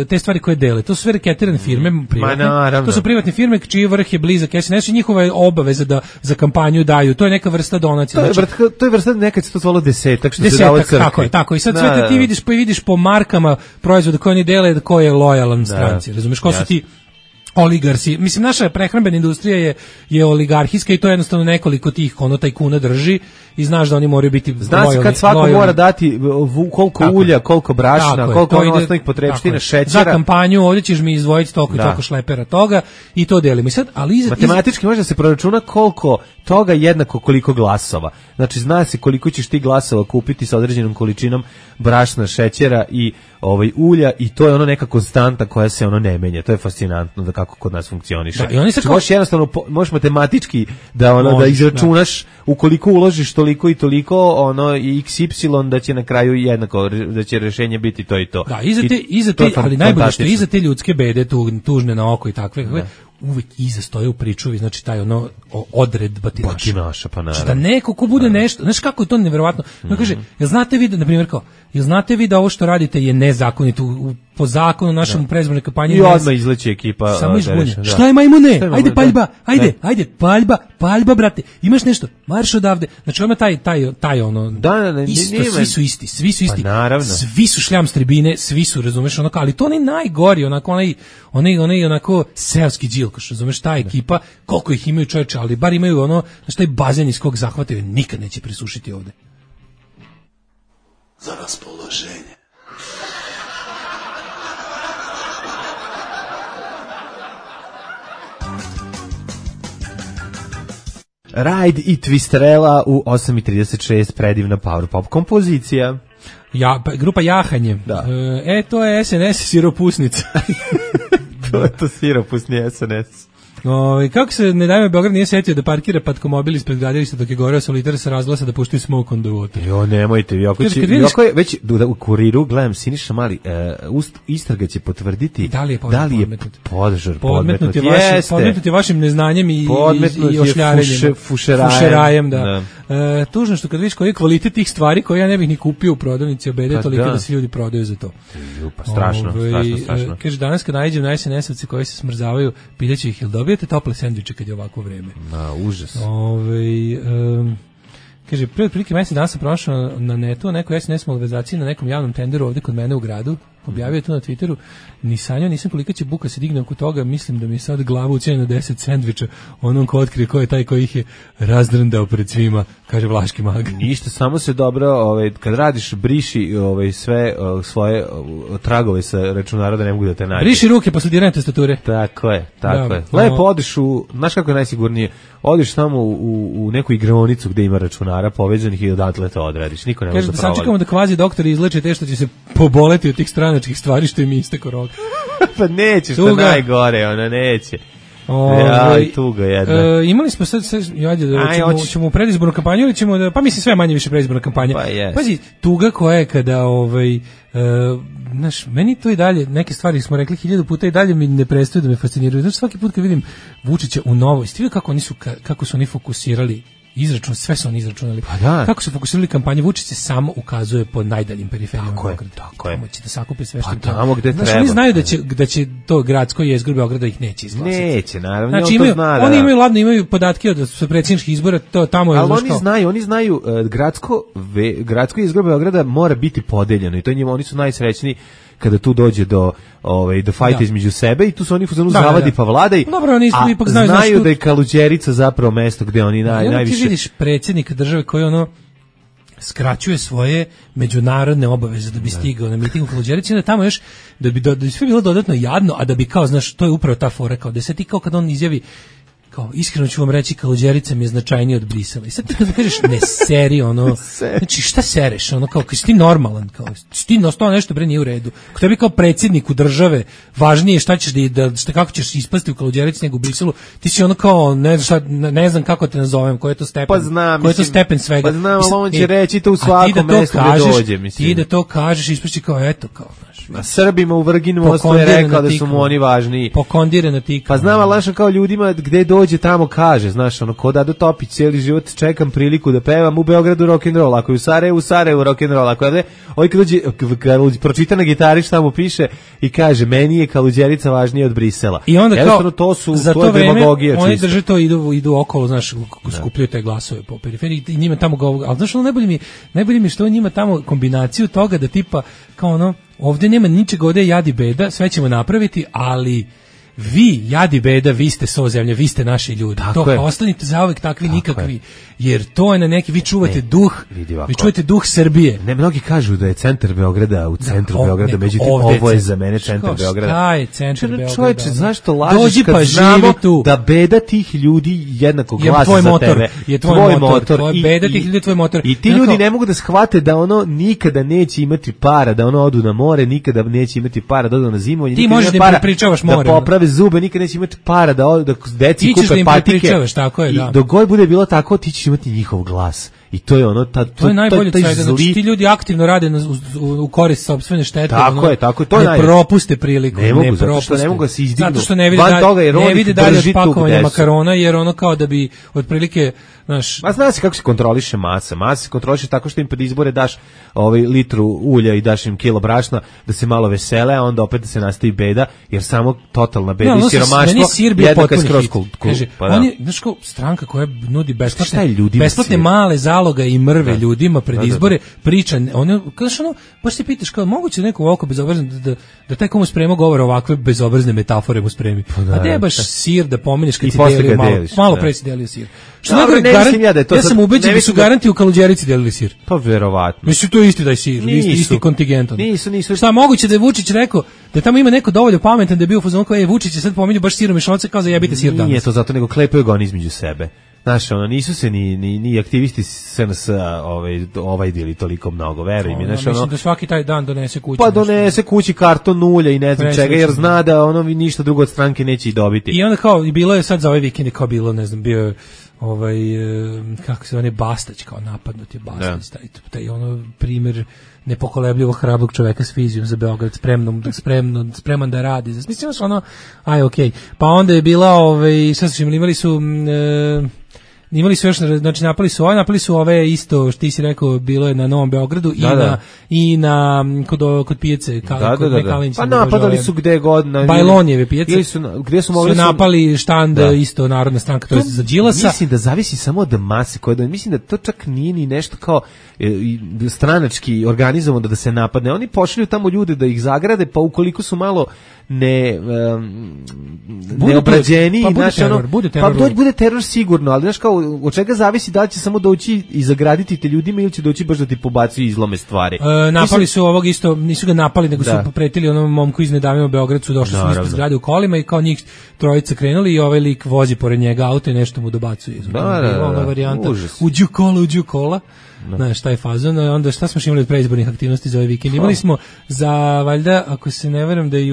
te stvari koje dele, to su sve reketirane firme, privatne. To su privatne firme čiji vrh je blizak SNS i njihova je obaveza da za kampanju daju. To je neka vrsta donacije. To je vrsta, nekad se to zvalo desetak, što se dalo crkvi. Tako. I sad sve ti vidiš po markama proizvoda koje oni dele, ko je lojalan stranci. Razumeš, ko su ti oligarsi. Mislim, naša prehrambena industrija je oligarhijska i to jednostavno nekoliko tih tajkuna drži i znaš da oni moraju biti lojalni. Zna se kad svako mora dati koliko ulja, koliko brašna, koliko osnovnih potrepština, šećera. Za kampanju ovdje ćeš mi izdvojiti toliko i toliko šlepera toga i to delimo. I sad, ali matematički može da se proračuna koliko toga jednako koliko glasova. Znači, zna se koliko ćeš ti glasova kupiti sa određenom količinom brašna, šećera i ulja i to je neka konstanta koja se ne menja. To je fascinantno da kako kod nas funkcioniše. I oni se možeš matematički da izračunaš ukoliko uložiš toliko i toliko XY da će na kraju jednako, da će rješenje biti to i to. Da, iza te ali najbolje što iza te ljudske bede tužne na oko i takve uvek iza stoje u pričuvi, znači taj odred batinaša. Pa naravno. Znači da neko ko bude nešto, znaš kako je to nevjerovatno. Kaže, jel znate vi da, na primjer jel znate vi da ovo što radite je nezakonito po zakonu našem predizbornoj kampanji? I odmah izleće ekipa. Samo izbunje. Šta je majmune? Ajde paljba, ajde paljba brate. Imaš nešto? Marš odavde. Znači odmah taj isto, svi su isti. Pa naravno. Svi su šljam tribine, svi su, razumeš, ali to najgori, onako seoski džilkoš, razumeš, ta ekipa, koliko ih imaju čoveče, ali bar imaju taj bazen iz kog zahvataju, nikad neće prisušiti ovde. Za raspoloženje. Ride i Twisterella u 8:36, predivna power pop kompozicija. Grupa Jahanje. Da. To je SNS siropusnica. To je to siropusni SNS. Kako se ne dajme Beograd nije setio da parkira patkomobil ispred gradilišta dok je goreo solitar sa razglasa da puštaju smoke on the water. Nemojte, već u Kuriru gledam Siniša Mali, istraga će potvrditi da li je požar podmetnut je vašim neznanjem i ošljarenjem. Fušerajem, da. Tužno što kad vidiš koji je kvalitet tih stvari koje ja ne bih ni kupio u prodavnici obede, toliko da se ljudi prodaju za to. Pa strašno. Kaže, danas kad nađem na SNS-ovci koji se smrzavaju, pitaću ih, jel dobijete tople sendviče kad je ovako vreme? Užas. Kaže, pre otprilike mesec dana sam pronašao na netu neko SNS malverzaciji na nekom javnom tenderu ovdje kod mene u gradu. Objavio je to na Twitteru. Ni sanjao nisam kolika će buka se digne oko toga. Mislim da mi je sad glava ucijenja na 10 sendviča onom ko otkrije ko je taj koji ih je razdrndao pred svima, kaže Vlaški mag. Ništa, samo se dobro, kad radiš, briši sve svoje tragove sa računara da ne mogu da te nađe. Briši ruke posle diranja tastature. Tako je. Lepo odiš znaš kako je najsigurnije, odiš samo u neku igraonicu gde ima računara povezanih i odatle to odradiš. Niko ne može da provali. Sačekamo da kvazi doktori izleče te što će se poboleti od tih stranačkih stranačkih stvari što im istekao rok. Pa neće, što najgore, ona neće. Tuga jedna. Imali smo sad ćemo u predizbornu kampanju ili ćemo da, pa mislim sve manje više predizborna kampanja. Pazi, tuga koja je kada znaš, meni to i dalje, neke stvari smo rekli 1000 puta i dalje mi ne prestaju da me fasciniraju. Znači svaki put kad vidim Vučića u Novoj, stivi kako su oni fokusirali izračun, sve su oni izračunali. Pa da. Kako su fokusirali kampanju, Vučić se samo ukazuje po najdaljim periferijama Beograda. Tako je. Će da sakupi sve što pa tamo gde treba. Znači oni znaju da će to gradsko jezgro Beograda ih neće izglasati. Neće, naravno. Znači oni imaju ladno, imaju podatke od predsjedničkih izbora, to tamo je. Ali oni znaju gradsko jezgro Beograda mora biti podeljeno i to njima oni su najsrećniji kada tu dođe do fajta između sebe i tu su oni zavadi pa vladaj. Dobro, oni ipak znaju da je Kaluđerica zapravo mesto gde oni najviše. Ti vidiš predsjednika države koji skraćuje svoje međunarodne obaveze da bi stigao na miting u Kaluđerici, da tamo još da bi sve bilo dodatno jadno, a da bi kao, znaš, to je upravo ta fora, kao da se ti kao kad on izjavi kao, iskreno ću vam reći, Kaluđerica mi je značajnije od Brisela. I sad ti kad kažeš ne seri, znači šta sereš, kao kad si ti normalan, kao ti to nešto bre nije u redu. Ko tebi kao predsjedniku države važnije šta ćeš kako ćeš ispasti u Kaluđerici nego u Briselu, ti si kao ne znam kako te nazovem, koji je to stepen. Pa znam, koji je to stepen svega. Pa znam, ali on će reći to u svakom mestu gde dođe, mislim. Ti da to kažeš, ispašći kao eto, kao, a Srbima u Vrginu mostu je rekao da su mu oni važniji. Pokondirana tika. Pa znam, ali kao ljudima gde dođe tamo kaže, znaš, ko Dado Topić, cijeli život čekam priliku da pevam u Beogradu rock'n'roll, ako je u Sarajevu rock'n'roll, ako je kad pročita na gitari šta mu piše i kaže, meni je Kaluđerica važnija od Brisela. I onda kao, za to vreme, oni drže to, idu okolo, znaš, skupljaju te glasove po periferiji i njima tamo govore, ali znaš, najbolje mi što njima tamo kombinaciju toga da tipa, kao ovdje nema ničega, ovdje je jad i beda, sve ćemo napraviti, ali vi, jad i beda, vi ste so zemlje, vi ste naši ljudi. Ostanite zauvek takvi, nikakvi. Jer to je na neki, vi čuvate duh, vi čuvate duh Srbije. Ne, mnogi kažu da je centar Beograda u centru Beograda, međutim ovo je za mene centar Beograda. Šta je centar Beograda? Čovječe, zašto lažeš kad znamo da beda tih ljudi jednako glasa za tebe? Je tvoj motor. Beda tih ljudi je tvoj motor. I ti ljudi ne mogu da shvate da nikada neće imati para, da odu na more, nikada neće imati para da odu na zimovanje. Ti možeš da prepričavaš more. Da poprave zube, nikad neće imati para da deci kupe patike. I dok god bude bilo tako, ti ćeš imati njihov glas. I to je to je najbolje od svega, znači ti ljudi aktivno rade u korist sopstvene štete. Tako je, to je ne propuste priliku. Ne mogu, zato što ne mogu da se izdignu. Zato što ne vidi dalje od pakovanja makarona, jer kao da bi otprilike, znaš... Ma zna se kako se kontroliše masa. Masa se kontroliše tako što im pred izbore daš litru ulja i daš im kilo brašna da se malo vesele, a onda opet da se nastavi beda, jer samo totalna beda i siromaštvo jednaka skroz Kaže, oni, znaš kao, stranka koja nudi besplatne male zaloga i mrve ljudima pred izbore, priča, baš se pitaš kao, moguće neko ovako bezobrazno, da taj komu sprema govore ovakve bezobrazne metafore mu spremi. A ne baš sir da pomeneš kad si delio malo pre si delio sir. Ja sam ubeđen da su garanti u Kaluđerici delili sir. Pa verovatno. Mislim, to je isti taj sir, isti kontingent. Nisu. Šta, moguće da je Vučić rekao, da tamo ima neko dovoljno pametan da je bio u fazonu kao, Vučić je sad pominju baš sirom mešalce kao zajebite sir danas. Nije to zato, nego klepaju ga oni između sebe. Znaš, nisu se ni aktivisti SNS ovajdili toliko mnogo, veruj mi. Mislim da svaki taj dan donese kući. Pa donese kući karton ulja i ne znam čega, jer zna da ništa drugo od stranke neće i dobiti. I onda kao, i bilo je sad za ovaj vikend, kao bilo, ne znam, bio kako se Bastać, kao napadnut je Bastać, taj primjer nepokolebljivog hrabrog čoveka s vizijom za Beograd, spreman da radi. Mislim, okej. Pa onda je bila, šta su imali su još, znači napali su ove isto, što ti si rekao, bilo je na Novom Beogradu i na kod pijace kod Mekalinić. Pa napadali su gde god. Bajlonjeve pijace. Gde su mogli napali štand isto Narodna stranka, to je za Đilasa. Mislim da zavisi samo od mase koje, mislim da to čak nije ni nešto kao stranački organizovano da se napadne. Oni pošalju tamo ljude da ih zagrade, pa ukoliko su malo neobrađeniji, bude teror. Pa bude teror sigurno, ali znaš kao, od čega zavisi da li će samo doći i zagraditi te ljudima ili će doći baš da ti pobacuju izlome stvari. Napali su ovog isto, nisu ga napali, nego su pretili onom momku iz Nedavimo Beograd, su došli su ispred zgrade u kolima i kao njih trojica krenuli i ovaj lik vozi pored njega auto i nešto mu dobacuje. Ona varijanta, uđu kola. Znaš, taj fazon, onda šta smo imali od preizbornih aktivnosti za ovaj vikend? Imali smo za, valjda, ako se ne veram da je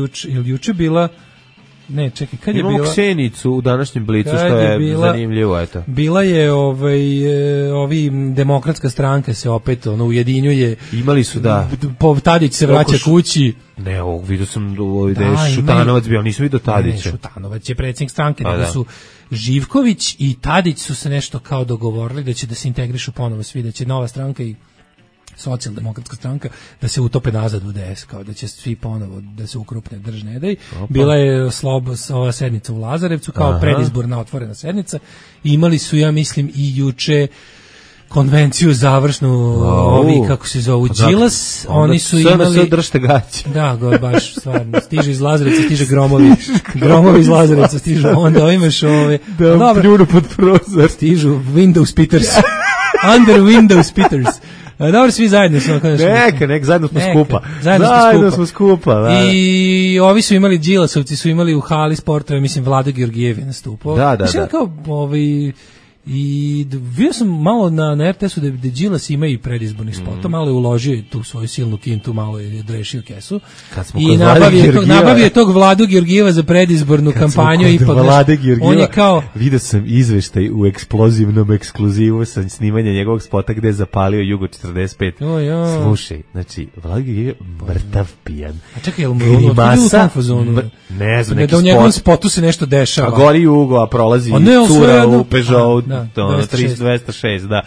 juče bila, ne, čekaj, kad je bila? Imamo Ksenicu u današnjem Blicu, što je zanimljivo, eto. Bila je ovi demokratska stranka se opet ujedinjuje. Imali su, da. Tadić se vraća kući. Ne, vidio sam da je Šutanovac bio, nisam vidio Tadića. Ne, Šutanovac je predsjednik stranke, da su Živković i Tadić su se nešto kao dogovorili da će da se integrišu ponovo svi, da će nova stranka i socijaldemokratska stranka da se utope nazad u DS, kao da će svi ponovo da se ukrupne držne dej. Bila je ova sednica u Lazarevcu kao predizborna otvorena sednica. Imali su, ja mislim, i juče konvenciju završnu, ovi kako se zovu Đilas, oni su imali držite gaće. Da, baš stvarno, stiže iz Lazarevca, stiže gromovi iz Lazarevca stižu, onda imaš pljunu pod prozor, stižu Windows Peters, under Windows Peters. Dobro, svi zajedno smo. Neka, zajedno smo skupa. Da. I ovi su imali, Đilasovci su imali u hali sportove, mislim, Vlado Georgijev je nastupao. Da. Kao, i vidio sam malo na RTS-u da Đilas ima i predizbornih spota, malo je uložio tu svoju silnu kintu, malo je odrešio kesu i nabavio je tog Vladu Georgijeva za predizbornu kampanju. On je kao... Vidio sam izveštaj u eksplozivnom ekskluzivu sa snimanja njegovog spota gde je zapalio Jugo 45. Slušaj, znači, Vlada Georgijev mrtav pijan. A čekaj, je li u tom fazonu? Ne znam, neki spot. Da u njegovom spotu se nešto dešava. A gori Jugo, a prolazi cura u Peugeot 206, da.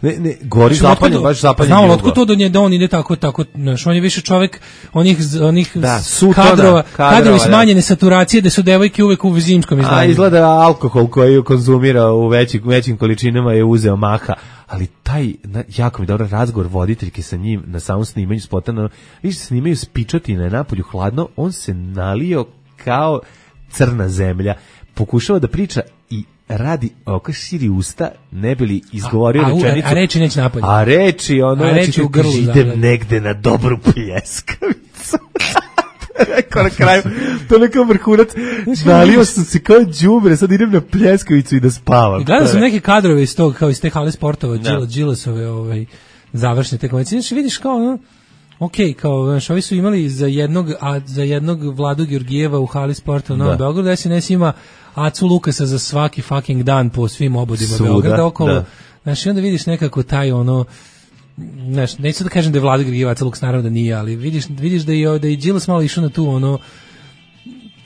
Ne, gori zapaljen, baš zapaljen. Znamo otkud to da on ide tako, znaš, on je više čovjek onih kadrovi smanjene saturacije da su devojke uvek u zimskom izdanju. A izgleda alkohol koji konzumira u većim količinama je uzeo maha. Ali taj, jako mi dobar razgovor voditeljke sa njim na samom snimanju spota, vidiš se snimaju s pičotine napolju hladno, on se nalio kao crna zemlja, pokušava da priča i radi oko širi usta, ne bi li izgovorio rečenicu. A reči neće napolje. A reči u grlu. Idem negde na dobru pljeskavicu. Rekao na kraju, to nekao vrhunac, nalio sam se kao đubre, sad idem na pljeskavicu i da spavam. Gledao sam neke kadrove iz tog, kao iz te hale sportova, Đilasove završne te konvencije. Znači vidiš kao kao, znaš, ovi su imali za jednog Vladu Georgijeva u hali sporta u Novom Beogradu, SNS ima Acu Lukasa za svaki fucking dan po svim obodima Beograda okolo. Znaš, i onda vidiš nekako taj znaš, neću da kažem da je Vlada Georgijeva Aca Lukas, naravno da nije, ali vidiš da je Đilas malo išao na tu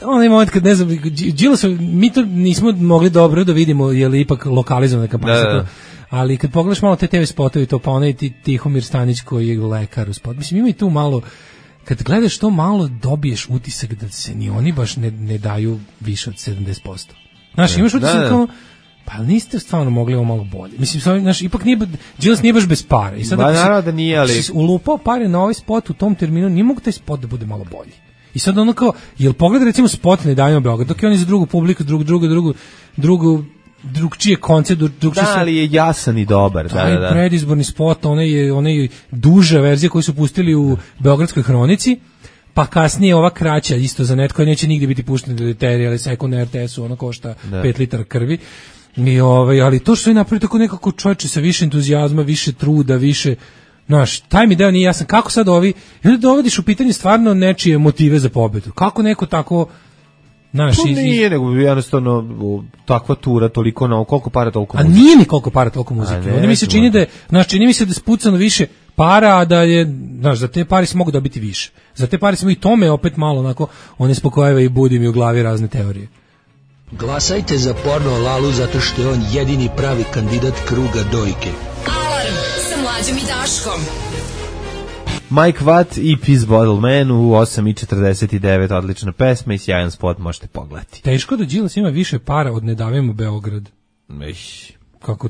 onaj moment kad, ne znam, Đilas, mi to nismo mogli dobro da vidimo, je li ipak lokalizovana kampanja. Ali kad pogledaš malo te TV spotovi, to pa onaj Tihomir Stanić koji je lekar u spot. Mislim, ima i tu malo, kad gledaš to malo, dobiješ utisak da se ni oni baš ne daju više od 70%. Znaš, imaš utisak kao, pa niste stvarno mogli ovo malo bolje. Mislim, znaš, ipak nije, Đilas nije baš bez pare. I sad naravno da nije, ali... si ulupao pare na ovaj spot u tom terminu, nije mogu taj spot da bude malo bolji. I sad ono kao, jel pogleda recimo spot Ne davimo Beograd, dok je on je za drugu publiku, drugčije koncept, ali je jasan i dobar. Da. Predizborni spot, onaj duža verzija koju su pustili u Beogradskoj hronici, pa kasnije ova kraća, isto za net, koja neće nigde biti puštena do terije, ali sekund na RTS-u, ono košta 5 litara krvi. I ali to što je napravio tako nekako čovječe sa više entuzijazma, više truda, više, znaš, taj mi deo nije jasan, kako sad ovi, i onda dovodiš u pitanje stvarno nečije motive za pobedu. Kako neko tako, znaš, to nije, nego jednostavno takva tura, toliko, koliko para toliko muzike. A nije ni koliko para toliko muzike. Onda mi se čini da je, znaš, čini mi se da je spucano više para, a da je, znaš, za te pare se mogu dobiti više. Za te pare smo i tome opet malo, onako, one spokojeva i budi mi u glavi razne teorije. Glasajte za Porno Lalu zato što je on jedini pravi kandidat kruga dojke. Alarm sa Mlađom i Daškom. Mike Watt i Peace Bottle Man u 8:49, odlična pesma i sjajan spot, možete pogledati. Teško da Đilas ima više para od Ne davimo Beograd. kako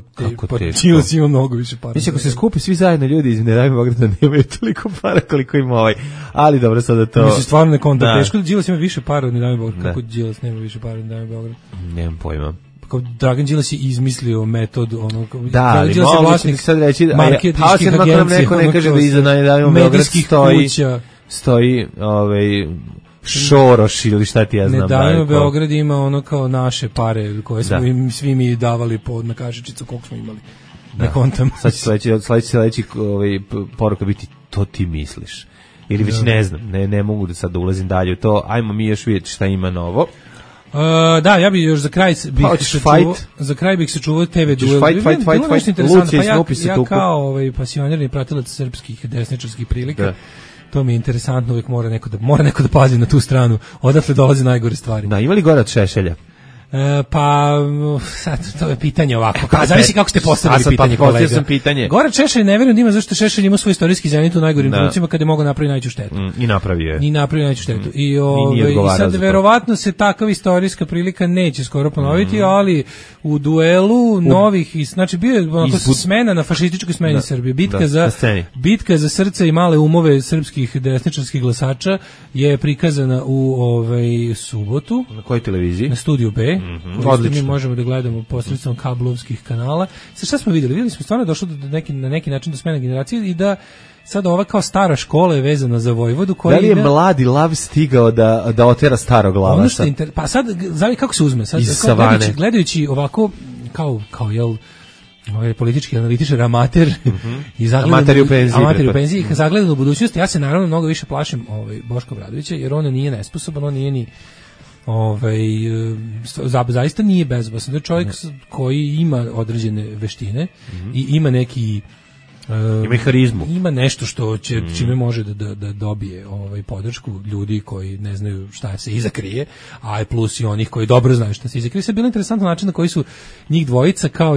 Đilas ima mnogo više para. Mislim, ako se skupi svi zajedno ljudi iz Ne daj mi Beograda nemaju toliko para koliko ima ovaj. Ali dobro, sada to... Mislim, stvarno ne konta. Teško da Đilas ima više para od Ne daj mi Beograda. Kako Đilas nema više para od Ne daj mi Beograda? Nemam pojma. Kao Dragan Đilas je izmislio metod ono da, ali Đilas je vlasnik sad reći marketinških agencija, neko ne kaže da iza Ne daj mi Beograd stoji Šoroš ili šta ti ja znam. Ne dajmo Beograd ima ono kao naše pare koje smo im svi mi davali na kašičicu koliko smo imali. Ne kontam. Sad će sledeći poruka biti to ti misliš. Ili već ne znam, ne mogu da sad da ulazim dalje u to. Ajmo mi još vidjeti šta ima novo. Da, ja bih još za kraj bih se čuvao TV duel. Fight. Ja kao pasionirani pratilac srpskih desničarskih prilika. To mi je interesantno, uvijek mora neko da pazi na tu stranu. Odatle dolaze najgore stvari. Da, ima li gore od Šešelja? Pa sad to je pitanje ovako. Zavisi kako ste postavili pitanje, kolega. Goran Šešelj ne vjerujem da ima, zašto Šešelj ima svoj istorijski zenit u najgorim trenucima kada je mogao napraviti najveću štetu. I napravio je. najveću štetu. I sad verovatno se takav istorijska prilika neće skoro ponoviti, ali u duelu novih, znači bio je onako smena na fašističkoj smeni Srbije. Bitka za srce i male umove srpskih desničarskih glasača je prikazana u subotu. Na kojoj televiziji? Na Studiju B. Odlično. Mi možemo da gledamo posredstvom kablovskih kanala. Sad šta smo vidjeli? Vidjeli smo stvarno došlo na neki način do smene generacije i da sad ova kao stara škola je vezana za Vojvodu. Da li je mladi lav stigao da otera starog lava? Pa sad, zavi kako se uzme? Sad, gledajući ovako kao jel politički analitičar amater i amater u penziji zagledan u budućnosti, ja se naravno mnogo više plašim Boška Obradovića jer on nije nesposoban, on nije ni zaista nije bezbasan. To je čovjek koji ima određene veštine i ima neki ima harizmu. Ima nešto što čime može da dobije podršku ljudi koji ne znaju šta se iza krije, a plus i onih koji dobro znaju šta se iza krije. Sve je bilo interesantno način na koji su njih dvojica kao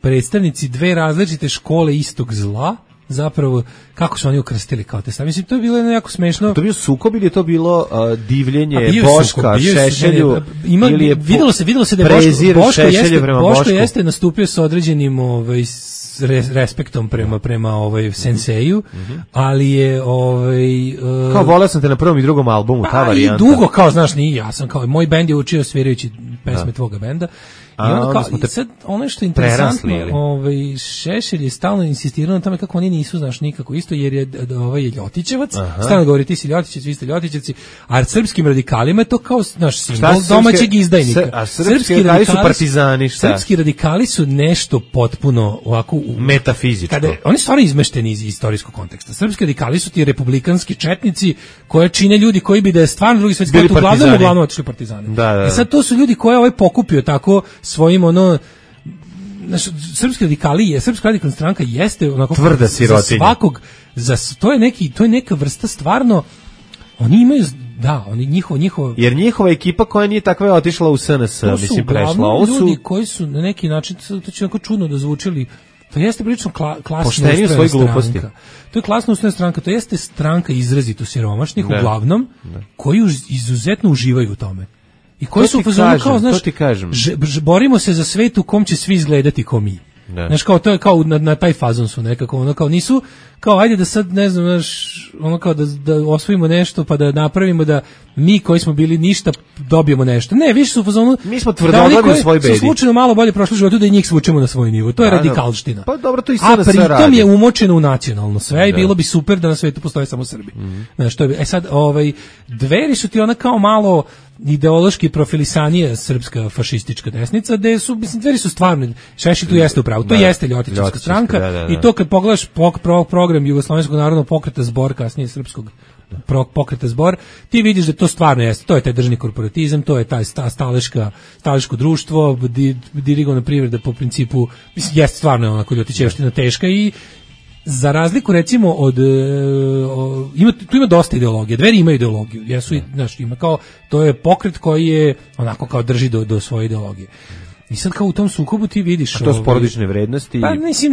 predstavnici dve različite škole istog zla. Zapravo, kako su oni ukrstili kao te stvari. Mislim, to je bilo jako smešno. To je bio sukob ili je to bilo divljenje Boška Šešelju? Videlo se da je Boško jeste nastupio sa određenim respektom prema senseju, ali je kao voleo sam te na prvom i drugom albumu, ta varijanta. I dugo, kao znaš, nije ja sam kao moj bend je učio svirajući pesme tvoga benda. I sad ono što je interesantno, Šešelj je stalno insistirao na tome kako oni nisu, znaš, nikako isto, jer je Ljotićevac, stalno govori ti si Ljotićevac, vi ste Ljotićevci, a srpskim radikalima je to kao, znaš, simbol domaćeg izdajnika. A srpski radikali su partizani, šta? Srpski radikali su nešto potpuno ovako metafizičko. Oni su stvarno izmešteni iz istorijskog konteksta. Srpski radikali su ti republikanski četnici koje čine ljudi koji bi da je stvarno drugi svetski rat uglavnom otišli partizani. I sad to su ljudi koje pokupio tako svojim srpski radikali, srpska radikalna stranka jeste onako tvrda sirotinja. Svakog to je neka vrsta stvarno oni imaju njihovo jer njihova ekipa koja nije takva je otišla u SNS, mislim prešla. Ovo su ljudi koji su na neki način, to će onako čudno da zvučili, to jeste prilično klasno ustrojena stranka. To je klasno ustrojena stranka, to jeste stranka izrazito siromašnih uglavnom, koji izuzetno uživaju u tome. I koji su kao, znaš, borimo se za svet u kom će svi izgledati ko mi. Znaš, kao to je kao na taj fazon su nekako, kao nisu, kao ajde da sad, ne znam, znaš, kao da osvojimo nešto pa da napravimo da mi koji smo bili ništa dobijemo nešto. Ne, više su u fazonu, mi smo tvrdoglavi u svoj bedi. Su slučajno malo bolje prošli životu da i njih svučemo na svoj nivo. To je radikalština. Pa dobro, to i sada se radi. A pritom je umočeno u nacionalno sve i bilo bi super da na svetu postoje samo Srbi. Znaš, to je, sad, Dveri su ti ona kao malo ideološki profilisanije srpska fašistička desnica, gde su, mislim, Dveri su stvarno, Šešelj tu jeste upravo, to jeste Ljotićevska stranka i to kad pogledaš program Jugoslovenskog narodnog pokreta Zbor, kasnije srpskog pokreta Zbor, ti vidiš da to stvarno jeste, to je taj državni korporatizam, to je taj staleško društvo, dirigovana privreda po principu, mislim, jeste stvarno onako Ljotićevština teška i za razliku recimo od tu ima dosta ideologije. Dveri imaju ideologiju. Znaš, ima kao, to je pokret koji je onako kao drži do svoje ideologije. I sad kao u tom sukobu ti vidiš... A to su porodične vrednosti? Pa mislim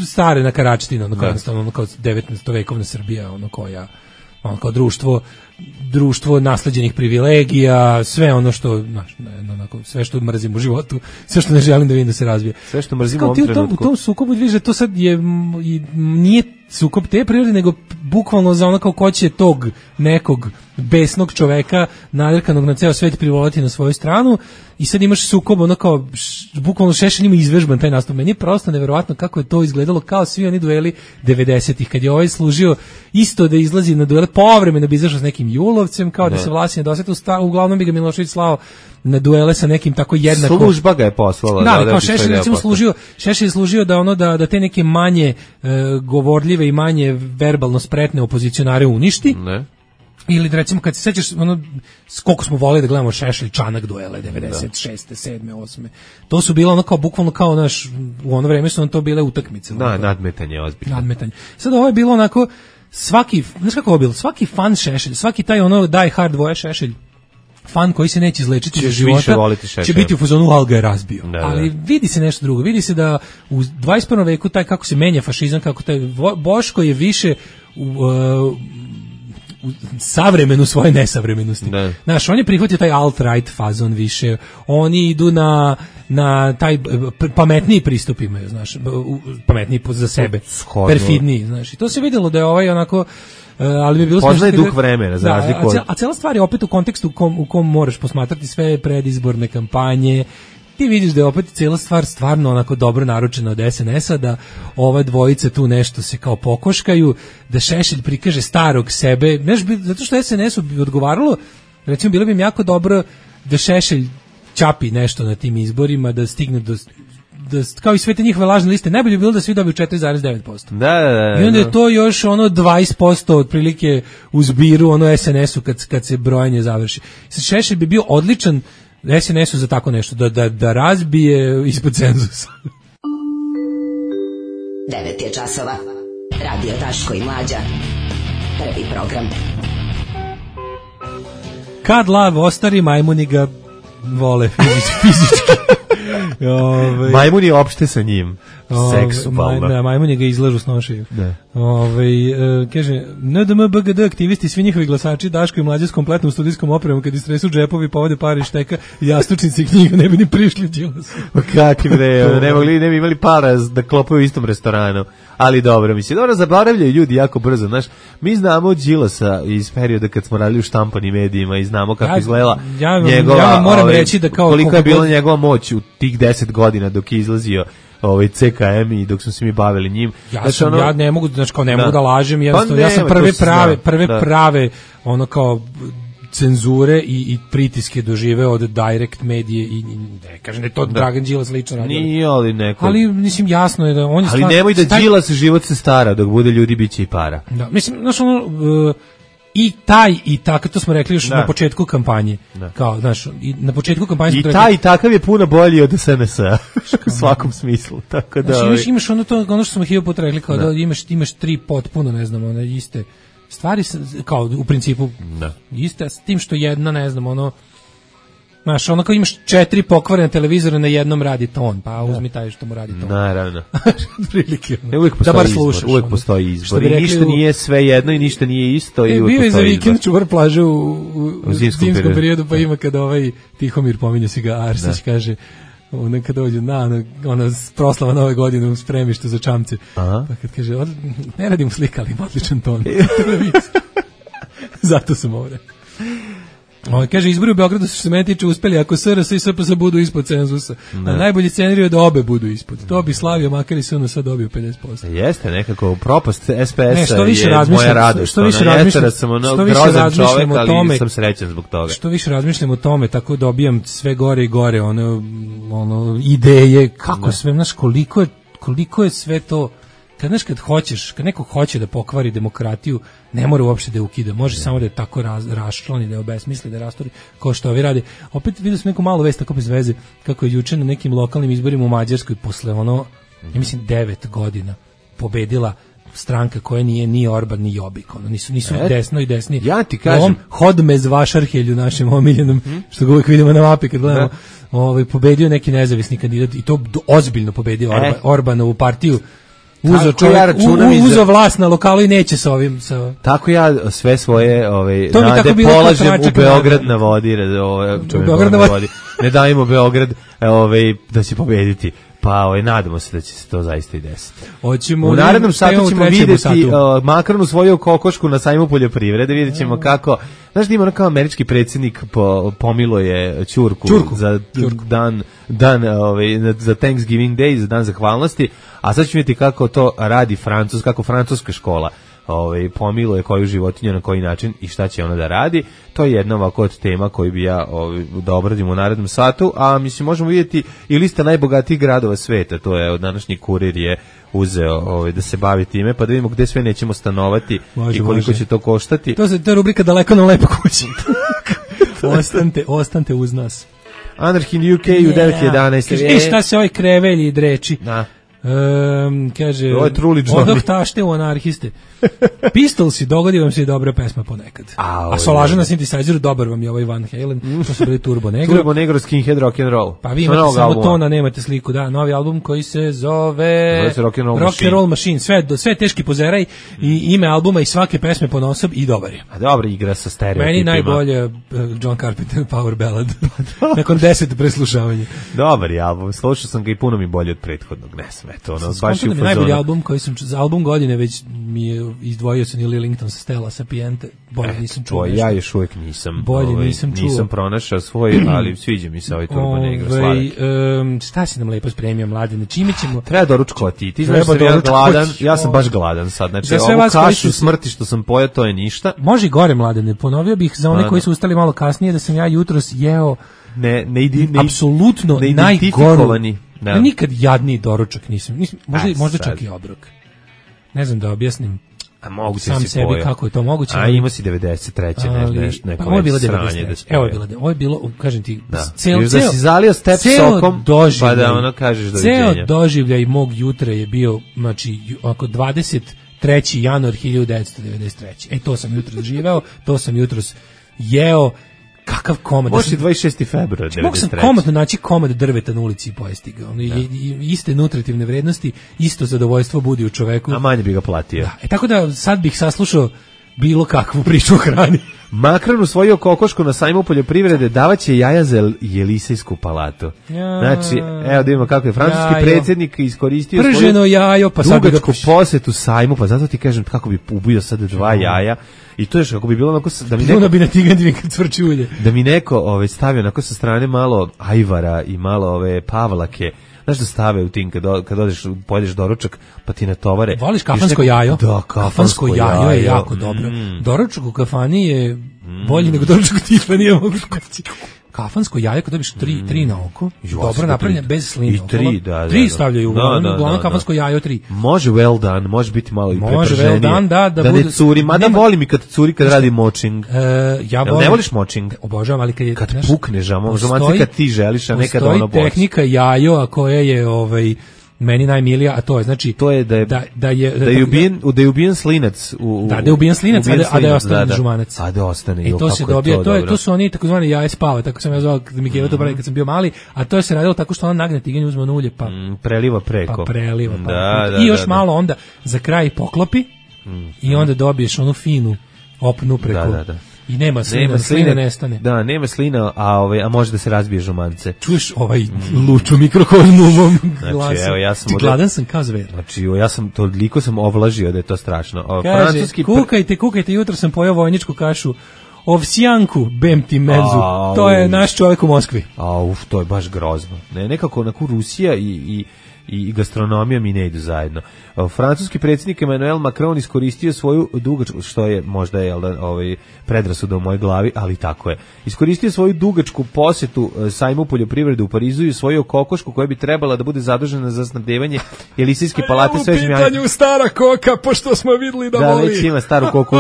stare Karačtina, ono kao 19. vekovna Srbija, ono koja, ono kao društvo društvo nasleđenih privilegija, sve ono što, znaš, onako, sve što mrzim u životu, sve što ne želim da vidim da se razvije. Sve što mrzim u ovom trenutku. U tom sukobu vidiš da to sad nije sukob te prirode, nego bukvalno za ono kao ko će tog nekog besnog čoveka nadrkanog na ceo svet privolati na svoju stranu i sad imaš sukob ono kao bukvalno Šešelj ima izvežban taj nastup. Meni je prosto neverovatno kako je to izgledalo kao svi oni dueli 90-ih kad je ovaj služio isto da izlazi na duele, povremeno bi izašao s nekim julovcem kao da se Vlasi ne doseti, uglavnom bi ga Milošević slao na duele sa nekim tako jednako. Služba ga je poslala. Da, kao Šešelj recimo Šešelj je služio da ono da te neke manje govorljive i manje verbalno spretne opozicionare uništi. Ne. Ili da recimo kad se sećaš ono koliko smo voleli da gledamo Šešelj Čanak duele 96. 7. 8. To su bilo ono kao bukvalno kao naš u ono vreme su to bile utakmice. Da, nadmetanje ozbiljno. Nadmetanje. Sad ovo je bilo onako svaki, znaš kako je bilo? Svaki fan Šešelj, svaki taj ono die hard voje Šešelj fan koji se neće izlečiti iz života će biti u fazonu Al ga je razbio. Da, ali vidi se nešto drugo. Vidi se da u 21. veku taj kako se menja fašizam, kako taj Boško je više savremenu svoje nesavremenosti. Znaš, on je prihvatio taj alt-right fazon više, oni idu na taj pametniji pristup imaju, znaš, pametniji za sebe, perfidniji, znaš, i to se vidjelo da je ovaj onako, ali bi bilo poznaje duh vremena, za razliku od... A cela stvar je opet u kontekstu u kom moraš posmatrati sve predizborne kampanje, ti vidiš da je opet cijela stvar stvarno onako dobro naručena od SNS-a, da ova dvojica tu nešto se kao pokoškaju, da Šešelj prikaže starog sebe, zato što SNS-u bi odgovaralo, recimo bilo bi im jako dobro da Šešelj čapi nešto na tim izborima, da stigne do kao i sve te njihove lažne liste, najbolje bi bilo da svi dobiju 4,9%. Da. I onda je to još ono 20% otprilike u zbiru ono SNS-u kad se brojanje završi. Šešelj bi bio odličan SNS-u za tako nešto, da razbije ispod cenzusa. 9 je časova. Radio Daško i Mlađa. Prvi program. Kad lav ostari, majmuni ga vole fizički. Majmuni opšte sa njim. Seksualno. Majmuni ga izlažu s nošeju. Kaže, NDM BGD aktivisti, svi njihovi glasači, Daško i Mlađa s kompletnom studijskom opremom, kad istresu džepovi, povode pare i šteka, jastučnici i knjiga, ne bi ni prišli Đilasu. Kakvi bre, ne bi imali para da klopaju u istom restoranu. Ali dobro, mislim, zaboravljaju ljudi jako brzo, znaš, mi znamo Đilasa iz perioda kad smo radili u štampanim medijima i znamo kako izgledala njegova, ja moram reći da kao koliko je bila njegova moć u tih 10 godina dok je izlazio CKM i dok smo se mi bavili njim. Ja ne mogu, znači kao ne mogu da lažem, jednostavno, ja sam prve prave ono kao cenzure i pritiske doživeo od direct medije i ne kažem da je to Dragan Đilas lično radio. Nije, ali neko. Ali mislim jasno je da on je ali nemoj da Đilas život se stara, dok bude ljudi biće i para. Da, mislim, znaš ono i taj i tako, to smo rekli još na početku kampanje. Kao, znaš, na početku kampanje smo rekli. I taj i takav je puno bolji od SNS-a u svakom smislu. Tako da znači, imaš ono što smo hiljadu puta rekli, kao da imaš tri potpuno, ne znam, one iste stvari, kao u principu iste, s tim što jedna, ne znam, ono, znaš, ono kao imaš 4 pokvarene televizore, na jednom radi ton, pa uzmi taj što mu radi ton. Naravno. Prilike. Uvijek postoji izbor. I ništa nije sve jedno i ništa nije isto. I bio je za vikend čuvar plaže u zimskom periodu, pa ima kada Tihomir, pominje si ga, Arsić, kaže, kad dođu ona proslava nove godine u spremištu za čamce, pa kad kaže, ne radim slika, ali odličan ton. Zato sam ovo rekao. Kaže, izbori u Beogradu što se mene tiče uspeli ako SRS i SPS budu ispod cenzusa. A najbolji scenarij je da obe budu ispod. To bi slavio, makar i SNS sad dobio 50%. Jeste, nekako propast SPS-a je moja radost. Što više grozan čovek, ali sam srećan zbog toga. Što više razmišljam o tome, tako dobijam sve gore i gore ono ideje, kako sve, znaš, koliko je sve to. Kad neko hoće da pokvari demokratiju, ne mora uopšte da je ukida, može samo da je tako raščlani, da je obesmisli, da je rastori, kao što ovi radi. Opet vidio sam neku malu vest tako bez veze, kako je juče na nekim lokalnim izborima u Mađarskoj posle ja mislim 9 godina pobedila stranka koja nije ni Orban ni Jobbik, nisu desno i desni. Ja ti kažem, Hodmez Vašarhelju, našem omiljenom, što ga uvijek vidimo na mapi kad gledamo, pobedio neki nezavisni kandidat i to ozbiljno pobedio Orbanovu partiju. Uzeo čovjek, uzeo vlast na lokalu i neće sa ovim. Tako ja sve svoje nade polažem u Beograd na vodi. Beograd na vodi. Ne dajemo Beograd da će pobediti. Pa nadamo se da će se to zaista i desiti. U narednom satu ćemo vidjeti Makron usvojio kokošku na sajmu poljoprivrede, vidjet ćemo kako, znaš da ima kao američki predsjednik pomilo je ćurku. Za dan za Thanksgiving Day, za dan zahvalnosti, a sad ćemo vidjeti kako to radi kako francuska škola pomiluje koju životinju na koji način i šta će ona da radi. To je jedna ovako od tema koju bi ja da obradim u narednom satu, a mislim možemo vidjeti i lista najbogatijih gradova sveta, to je od današnji Kurir je uzeo da se bavi time, pa da vidimo gde sve nećemo stanovati i koliko će to koštati. To je rubrika Daleko na lepo kući. Ostanite uz nas. Anarchy in UK u 9.11. Šta se ovaj krevelji dreči? Da. Kaže, odoh tašte u anarhiste. Pistolsi, dogodi vam se i dobra pesma ponekad. A Solaža na synthesizeru, dobar vam je ovaj Van Halen, to su bili Turbo Negro. Turbo Negro, Skinhead, Rock'n'Roll. Pa vi imate samo tona, nemate sliku, da, novi album koji se zove Rock'n'Roll Machine. Sve teški pozeraj i ime albuma i svake pesme ponosob i dobar je. A dobra igra sa stereotipima. Meni najbolje John Carpenter Power Ballad. Nakon 10 preslušavanja. Dobar je album, slušao sam ga i puno mi bolje od prethodnog, ne sme to, baš je u fazonu. Najbolji album koji sam, za album godine već mi je izdvojio se Neil Ellington sa Stella Sapiente, bolje nisam čuo. Ja još uvijek nisam. Bolje nisam čuo. Nisam pronašao svoj, ali sviđa mi se ovaj Turbo Negro sladak. Šta si nam lepo spremio, Mladene? Čime ćemo? Treba doručkovati. Ti znaš da ja gladan, ja sam baš gladan sad. Znači, ovu kašu smrti što sam pojeo, to je ništa. Može i gore, Mladene. Ponovio bih za one koji su ustali malo kasnije da sam ja jutros jeo apsolutno najgoru. Nikad jadniji doručak nisam. Možda čak i obrok. Ne znam da objasnim. A mogu sam sebi pojel. Kako je to moguće. A ima si 93. neko ovo je bilo 93. Ovo je bilo, kažem ti, da si zalio step sokom, pa da ono kažeš doviđenja. Ceo doživljaj mog jutra je bio, znači, oko 23. januar 1993. To sam jutro doživeo, to sam jutros jeo. Kakav komad. Može i 26. februar 93. Mogu sam komadno naći komad drveta na ulici i pojesti ga. Iste nutritivne vrednosti, isto zadovoljstvo budi u čoveku. A manje bi ga platio. Da. Tako da sad bih saslušao bilo kakvu priču o hrani. Makron usvojio kokošku na sajmu poljoprivrede, davaće jaja za Jelisejsku palatu. Znači, evo da vidimo kako je francuski predsjednik iskoristio prženo jajo, pa sad dugačku posetu sajmu, pa zato ti kažem kako bi ubio sad 2 jaja. I to je kako bi bilo onako da mi neko bi na tigandini kad cvrči ulje. Da mi neko stavio onako sa strane malo ajvara i malo pavlake. Znaš da stave u tim kad odeš, pojedeš doručak, pa ti natovare. Voliš kafansko jajo? Da, kafansko jajo je jako dobro. Doručak u kafani je bolji nego doručak u Tiffany, mogu reći. Kafansko jaje kad dobiš 3 na oko, dobro napravljeno, bez slina. I 3, da. 3 stavljaju, uglavnom kafansko jaje 3. Može well done, može biti malo i prepraženije. Može well done, da ne curi, mada volim i kad curi kad radi močing. Ja volim. Ne voliš močing? Obožavam, ali kad pukneš, žomanci kad ti želiš, a nekad ono boš. Postoji tehnika jajo, a koja je meni najmilija, a to je znači da je ubijen slinac da je ubijen slinac, a da je ostane žumanac. A da ostane. I to se dobija, to su oni takozvani jaje spava, tako sam ja zvao kad mi je to brali kad sam bio mali, a to se radilo tako što ona nagne tiganj, uzme ulje pa preliva preko. Pa preliva. I još malo onda za kraj poklopi i onda dobiješ onu finu opnu preko. Da. I nema slina nestane. Da, nema slina, a može da se razbije žumance. Čuješ luču mikrokozmu u mom glasu. Znači, evo, ja sam gladan sam kao zver. Znači, ja sam toliko ovlažio da je to strašno. Kaže, kukajte, jutro sam pojeo vojničku kašu ovsjanku, bem ti mezu. To je naš čovjek u Moskvi. To je baš grozno. Nekako onako Rusija i gastronomija mi ne idu zajedno. Francuski predsjednik Emmanuel Macron iskoristio svoju dugačku, što je možda predrasuda u mojoj glavi, ali tako je. Iskoristio svoju dugačku posetu sajmu poljoprivrede u Parizu i svoju kokošku koja bi trebala da bude zadužena za snabdevanje Jelisejske palate svežim jajima. U pitanju stara koka, pošto smo videli da voli. Da, već ima staru koku.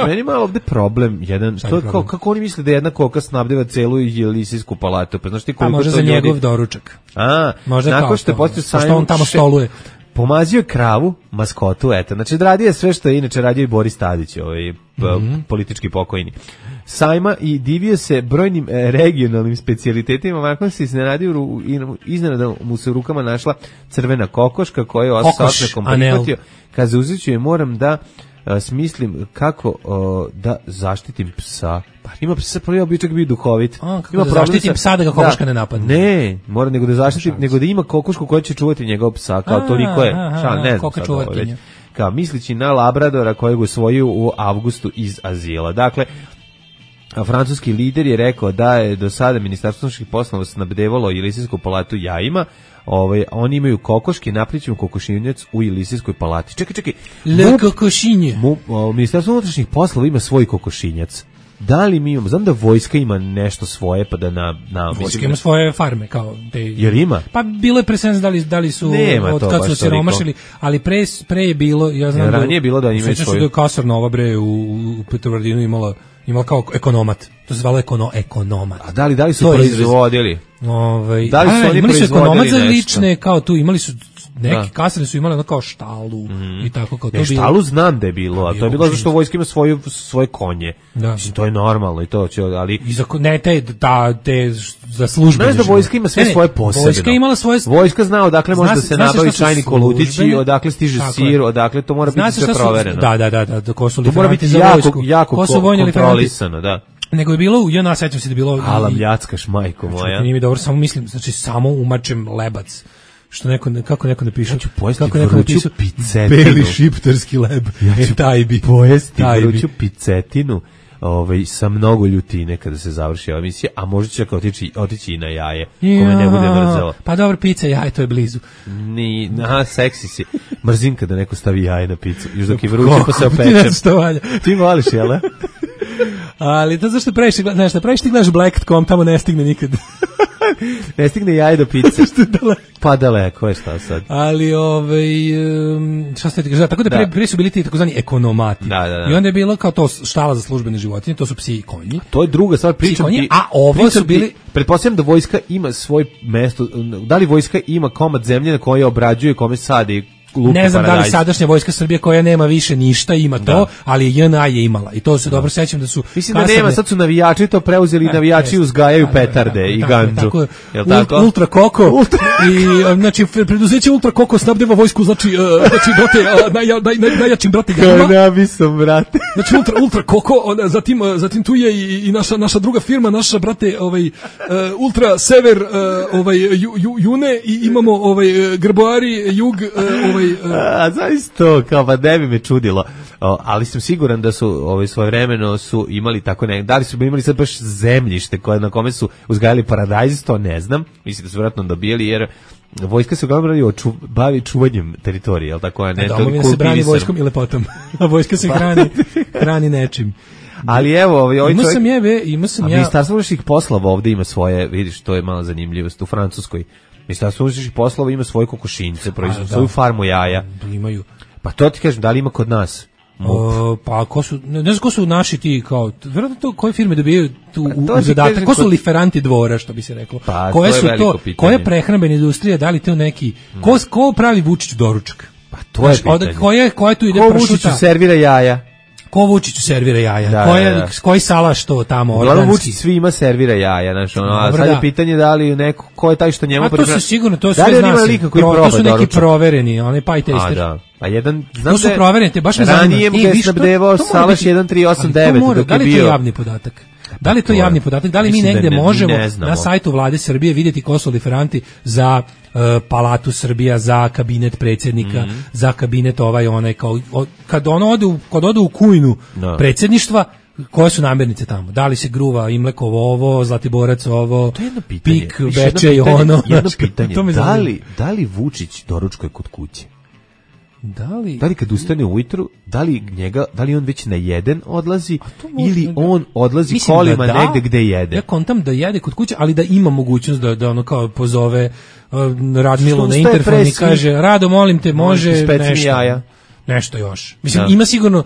Meni malo ovde problem jedan. Kako oni misle da jedna koka snabdeva celu Jelisejsku palatu? Pa znaš ti koliko možda za njegov doručak. Možda nakon što je postao što on tamo stoluje. pomazio je kravu, maskotu, eto. Znači, radio je sve što je inače radio i Boris Tadić, politički pokojni. Sajma i divio se brojnim regionalnim specijalitetima, nakon se iznenada mu se u rukama našla crvena kokoška koja je osjećakom prihvatio. Kad zauzeću je moram da smislim kako da zaštitim psa. Pa ima psa, prvi običak bio duhovit. Kako da zaštitim psa da ga kokoška ne napadne? Ne, mora nego da zaštitim, nego da ima kokošku koja će čuvati njegov psa, kao toliko je. Ne znam sad ovo već. Kao mislići na Labradora kojeg usvojio u avgustu iz azila. Dakle, francuski lider je rekao da je do sada Ministarstvo unutrašnjih poslova snabdevalo Jelisejsku palatu jajima. Oni imaju kokoške, napričamo kokošinjac u Jelisejskoj palati. Čekaj. Le kokošinje. Ministarstvo unutrašnjih poslova ima svoj kokošinjac. Da li mi imamo, znam da vojska ima nešto svoje, pa da vojska ima svoje farme, kao te. Jer ima? Pa bilo je presens da li su od kad su siromašili, ali pre je bilo, ja znam ranije je bilo da imaju svoju. Da je Kasar Nova bre u Petrovaradinu imala kao ekonomat. To se zvalo ekonomat. A da li su proizvodili? Da li su oni proizvodili ekonomat za lične, kao tu imali su neki kasarne su imali kao štalu i tako kao to bilo. Štalu znam da je bilo, a to je bilo zato što vojska ima svoje konje. Mislim, to je normalno i to će, ali te za službe. Znaš da vojska ima sve svoje posebno. Vojska imala svoje. Vojska zna odakle može da se nabavi čajni kolutići, odakle stiže sir, odakle to mora biti sve provereno. Da, ko su liferanti za vojsku. Jako kontrolisano, da. Nego je bilo, ja sećam se da je bilo Alam ljackaš, majko moja. Nije mi dobro, samo mislim, znači samo umačem lebac. Što kako neko napiše? Ja ću pojesti vruću picetinu. Beli šiptarski leb. Ja ću taj bi pojesti vruću picetinu. Sa mnogo ljutine kada se završi ova emisija, a možda će otići i na jaje, kome ne bude mrzelo. Pa dobro, pizza, jaje, to je blizu. Seksi si. Mrzim kada neko stavi jaje na picu, još dok je vruće pa se opečem. Ti voliš, jel? Ali to zašto previše ti gledaš Black.com, tamo ne stigne nikad. Ne stigne jaje do pice. Pa daleko je šta sad. Ali šta ste kažete, tako da prije su bili ti takozvani ekonomati. Da. I onda je bilo kao to štala za službene životinje, to su psi i konji. To je druga stvar, pričam ti. A ovo su bili, pretpostavljam da vojska ima svoje mesto. Da li vojska ima komad zemlje na koje obrađuje, kome sadi luku, ne znam paradajz. Da li sadašnja vojska Srbije koja nema više ništa ima to, ali JNA je imala i to se dobro sećam da su. Mislim da nema, sad su navijači to preuzeli, navijači uzgajaju petarde i gandžu. Jel tako? Ultra Koko i znači preduzeće Ultra Koko snabdeva vojsku, znači dote najjačim brate Gama. Kanabisom, brate. Znači Ultra Koko, zatim tu je i naša druga firma, naša brate Ultra Sever June i imamo Grboari Jug zaista to, kao pa ne bi me čudilo, ali sam siguran da su svojevremeno su imali tako da li su imali sad baš zemljište na kome su uzgajali paradajz, to ne znam, mislim da su vjerojatno dobijali, jer vojska se uglavnom bavi čuvanjem teritorije, jel tako? Ne, domovina se brani vojskom i lepotom, a vojska se hrani nečim. Ali evo, imao sam Ministarstvo unutrašnjih poslova ovde ima svoje, vidiš, to je malo zanimljivost u Francuskoj. Ministarstvo unutrašnjih poslova ima svoje kokošinjce, proizvode svoju farmu jaja. Imaju. Pa to ti kažem, da li ima kod nas? Pa ne znam ko su naši ti, kao, vjerojatno to koje firme dobijaju tu u zadatak, ko su liferanti dvora, što bi se reklo, pa, koje su to, koja je prehrambena industrija, da li to neki, ko pravi Vučić doručak? Pa to je pitanje. Koja tu ide pršuta? Ko Vučiću servira jaja? Ko Vučiću servira jaja? Koji salaš to tamo organski? Uglavnom Vučić svima servira jaja, znači a sad je pitanje da li neko, ko je taj što njemu priprema. A to su sigurno, to sve zna se. To su neki provereni, onaj pie taster. A da. A jedan, znam to su provereni, baš me zanima. Ranije mu ga je snabdevao salaš 1389 dok je bio. Da li je to javni podatak? Da li je to javni podatak? Da li mi negde možemo na sajtu Vlade Srbije vidjeti ko su liferanti za Palatu Srbija, za kabinet predsjednika, za kabinet onaj, kao kad ode u kujnu predsjedništva, koje su namirnice tamo? Da li se gruva Imlekovo ovo, Zlatiborac ovo, Pik, Bečej ono? Jedno pitanje, da li Vučić doručkuje kod kuće? Da li kad ustane ujutru, da li on već na jedan odlazi ili on odlazi kolima negde gde jede? Ja kontam da jede kod kuće, ali da ima mogućnost da ono kao pozove Radmilu na interfon i kaže, Rado, molim te, može nešto još. Mislim, ima sigurno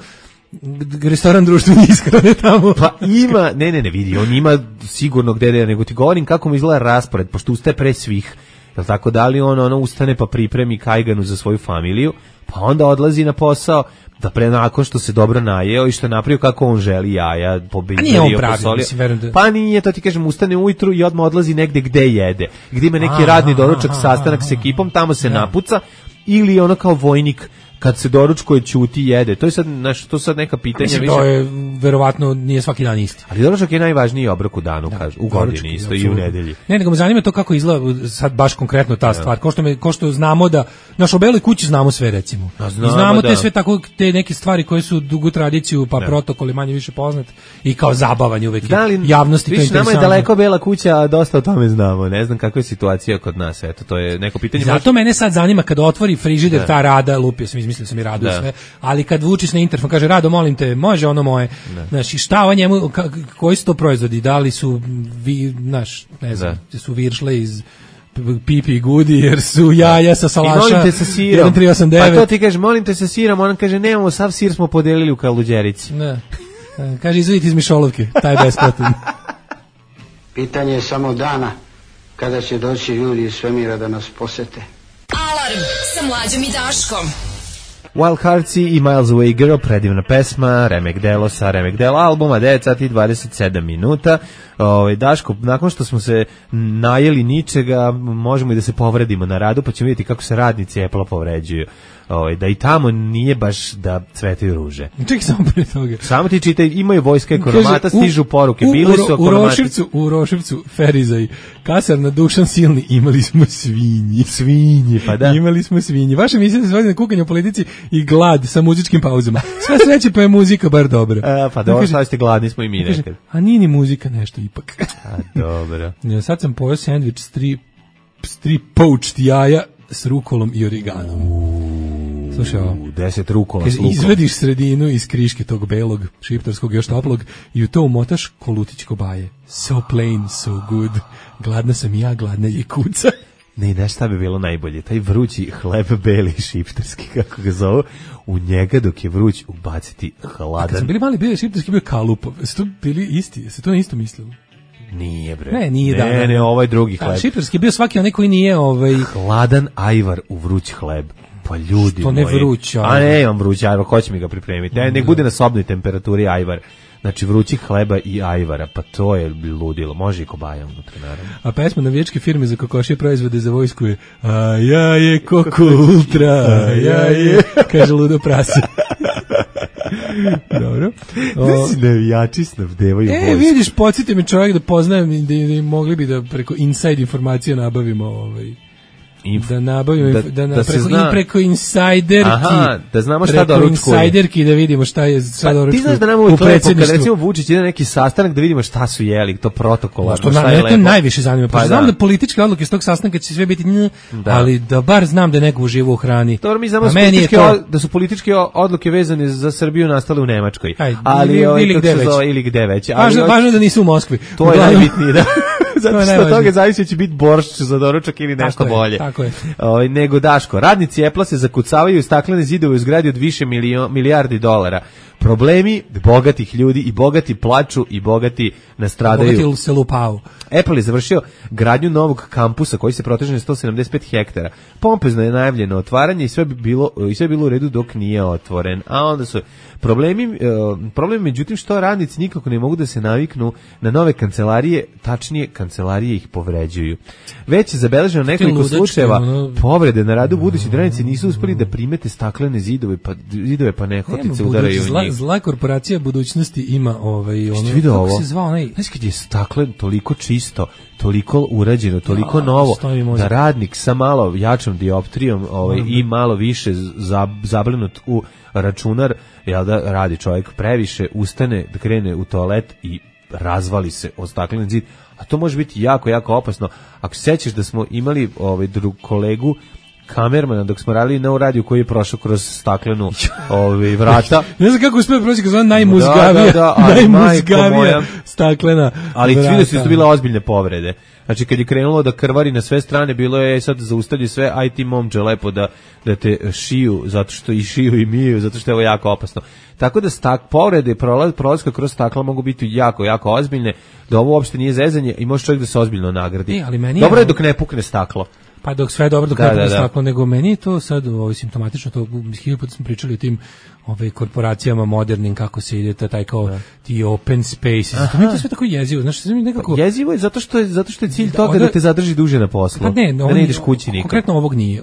restoran društvene ishrane tamo. Pa ima, ne vidi, on ima sigurno gde, nego ti govorim kako mu izgleda raspored, pošto ustaje pre svih. Jel tako, da li on ustane pa pripremi kajganu za svoju familiju, pa onda odlazi na posao, da pre nakon što se dobro najeo i što je napravio kako on želi jaja, pobeljerio, posolio. Pa nije, to ti kažem, ustane ujutru i odmah odlazi negde gde jede. Gde ima neki radni doručak, sastanak s ekipom, tamo se napuca, ili ono kao vojnik kad se doručkuje ćuti jede. To je sad, to sad neka pitanja. Mislim, to je verovatno nije svaki dan isti. Ali doručak je najvažniji obrok u danu, kažu, u godini isto i u nedelji. Ne, nego me zanima to kako izgleda sad baš konkretno ta stvar. Ko što znamo da u Beloj kući znamo sve, recimo. Znamo te sve tako, te neke stvari koje su dugu tradiciju, pa protokoli manje više poznat i kao zabavanje uvek javnosti. Viš, nama je daleko Bela kuća, a dosta o tome znamo. Ne znam kakva je situacija kod nas. Eto, to je neko pitanje. Zato mene sad zanima kad otvori frižider ta Rada, lupio sam, izmislio sam i Radu sve, ali kad vučiš na interfon kaže Rado, molim te, može ono moje. Znaš, i šta o njemu, koji su to proizvodi? Da li su ne znam, su viršle iz Pipi Gudi, jer su jaja sa salaša. I molim te sa sirom. 1389. Pa to ti kaže, molim te sa sirom, on kaže, nemamo, sav sir smo podelili u Kaluđerici. Ne. Kaže, izvodite iz Mišolovke, taj besplatan. Pitanje je samo dana kada će doći ljudi iz svemira da nas posete. Alarm sa Mlađom i Daškom. Wild Hearts i Miles Away Girl, predivna pesma, remek delo sa remek delo albuma, 9 sati i 27 minuta. Daško, nakon što smo se najeli ničega, možemo i da se povredimo na radu, pa ćemo vidjeti kako se radnici Apple povređuju. Da i tamo nije baš da cvetaju ruže. Čekaj samo pre toga. Samo ti čitaj, imaju vojska ekonomata, stižu poruke, bili su ekonomati. U Roševcu, Ferizaj, kasarna Dušan Silni, imali smo svinji. Svinji, pa da. Imali smo svinji. Vaša misija se svodi na kukanje u politici i glad sa muzičkim pauzama. Sve sreće pa je muzika bar dobra. Pa dobro, šta ste gladni smo i mi nekad. A nije ni muzika nešto ipak. A dobro. Sad sam pojeo sandvič s tri poached jaja s rukolom i origanom. Slušaj ovo. 10 rukola s lukom. Izvediš sredinu iz kriške tog belog, šiptarskog još toplog i u to umotaš kolutić kobaje. So plain, so good. Gladna sam i ja, gladna je kuca. Ne, znaš šta bi bilo najbolje? Taj vrući hleb beli šiptarski, kako ga zovu, u njega dok je vruć ubaciti hladan. Kad smo bili mali, bio šiptarski, bio kalupov. Su to bili isti? Se to na isto mislilo? Nije, bre. Ne, nije, ne, ovaj drugi hleb. Šiptarski bio svaki onaj koji nije hladan ajvar u vruć hleb. Pa ljudi što ne vruć ajvar. A ne, imam vruć ajvar, ko će mi ga pripremiti? Nek bude na sobnoj temperaturi ajvar. Znači vrućih hleba i ajvara, pa to je ludilo. Može i kobaja unutra, naravno. A pesma navijačke firme za kokošije proizvode za vojsku je a ja je Koko Ultra, a ja je, kaže ludo prase. Dobro. Znači navijači snabdevaju vojsku. Vidiš, podsjeti me čovjek da poznajem da mogli bi da preko inside informacije nabavimo da nabavimo preko insajderki. Aha, da znamo šta doručkuje. Preko insajderki da vidimo šta je šta doručkuje. Ti znaš da nam uvijek lepo, kad recimo Vučić ide na neki sastanak da vidimo šta su jeli, to protokolarno, šta je lepo. To najviše zanima. Pa znam da političke odluke s tog sastanka će sve biti ali da bar znam da neko uživa u hrani. Dobro, mi znamo da su političke odluke vezane za Srbiju nastale u Nemačkoj. Ali ili gde već. Važno da nisu u Moskvi. To je najbitnije, da. Zato što od toga zavisi će biti boršč za doručak ili nešto bolje. Tako je. Nego Daško, radnici Apple se zakucavaju u staklene zidove u zgradi od više milijardi dolara. Problemi bogatih ljudi i bogati plaču i bogati nastradaju. Bogati se lupao. Apple je završio gradnju novog kampusa koji se proteže na 175 hektara. Pompezno je najavljeno otvaranje i sve bi bilo u redu dok nije otvoren. A onda su problem međutim što radnici nikako ne mogu da se naviknu na nove kancelarije, tačnije kancelarije ih povređuju. Već je zabeleženo nekoliko slučajeva povrede na radu, budući da radnici nisu uspeli da primete staklene zidove pa nehotice udaraju u njih. Zla korporacija budućnosti ima kako se zvao onaj, znaš kad je staklen toliko čisto, toliko urađeno, toliko novo, da radnik sa malo jačom dioptrijom i malo više zablenut u računar, jel da radi čovjek previše, ustane da krene u toalet i razvali se o stakleni zid, a to može biti jako, jako opasno. Ako se sećaš da smo imali kolegu kamermana dok smo radili na radiju koji je prošao kroz staklenu vrata. Ne znam kako uspio proći kroz najmuzgavija staklena. Ali vidio se da su bile ozbiljne povrede. Znači kad je krenulo da krvari na sve strane, bilo je sad zaustavlji sve, aj ti momče lepo da te šiju, zato što i šiju i miju, zato što je ovo jako opasno. Tako da povrede prolaska kroz stakla mogu biti jako, jako ozbiljne, da ovo uopšte nije zezanje i može čovjek da se ozbiljno nagradi. Dobro je dok ne pukne staklo. Pa dok sve je dobro, dok ne bude staklo, nego meni je to sad simptomatično, to 1000 puta smo pričali o tim korporacijama modernim, kako se ide taj kao ti open spaces. To mi je to sve tako jezivo, znaš, nekako... Jezivo je zato što je cilj toga da te zadrži duže na poslu. Pa ne, da ne ideš kući nikad. Konkretno ovog nije.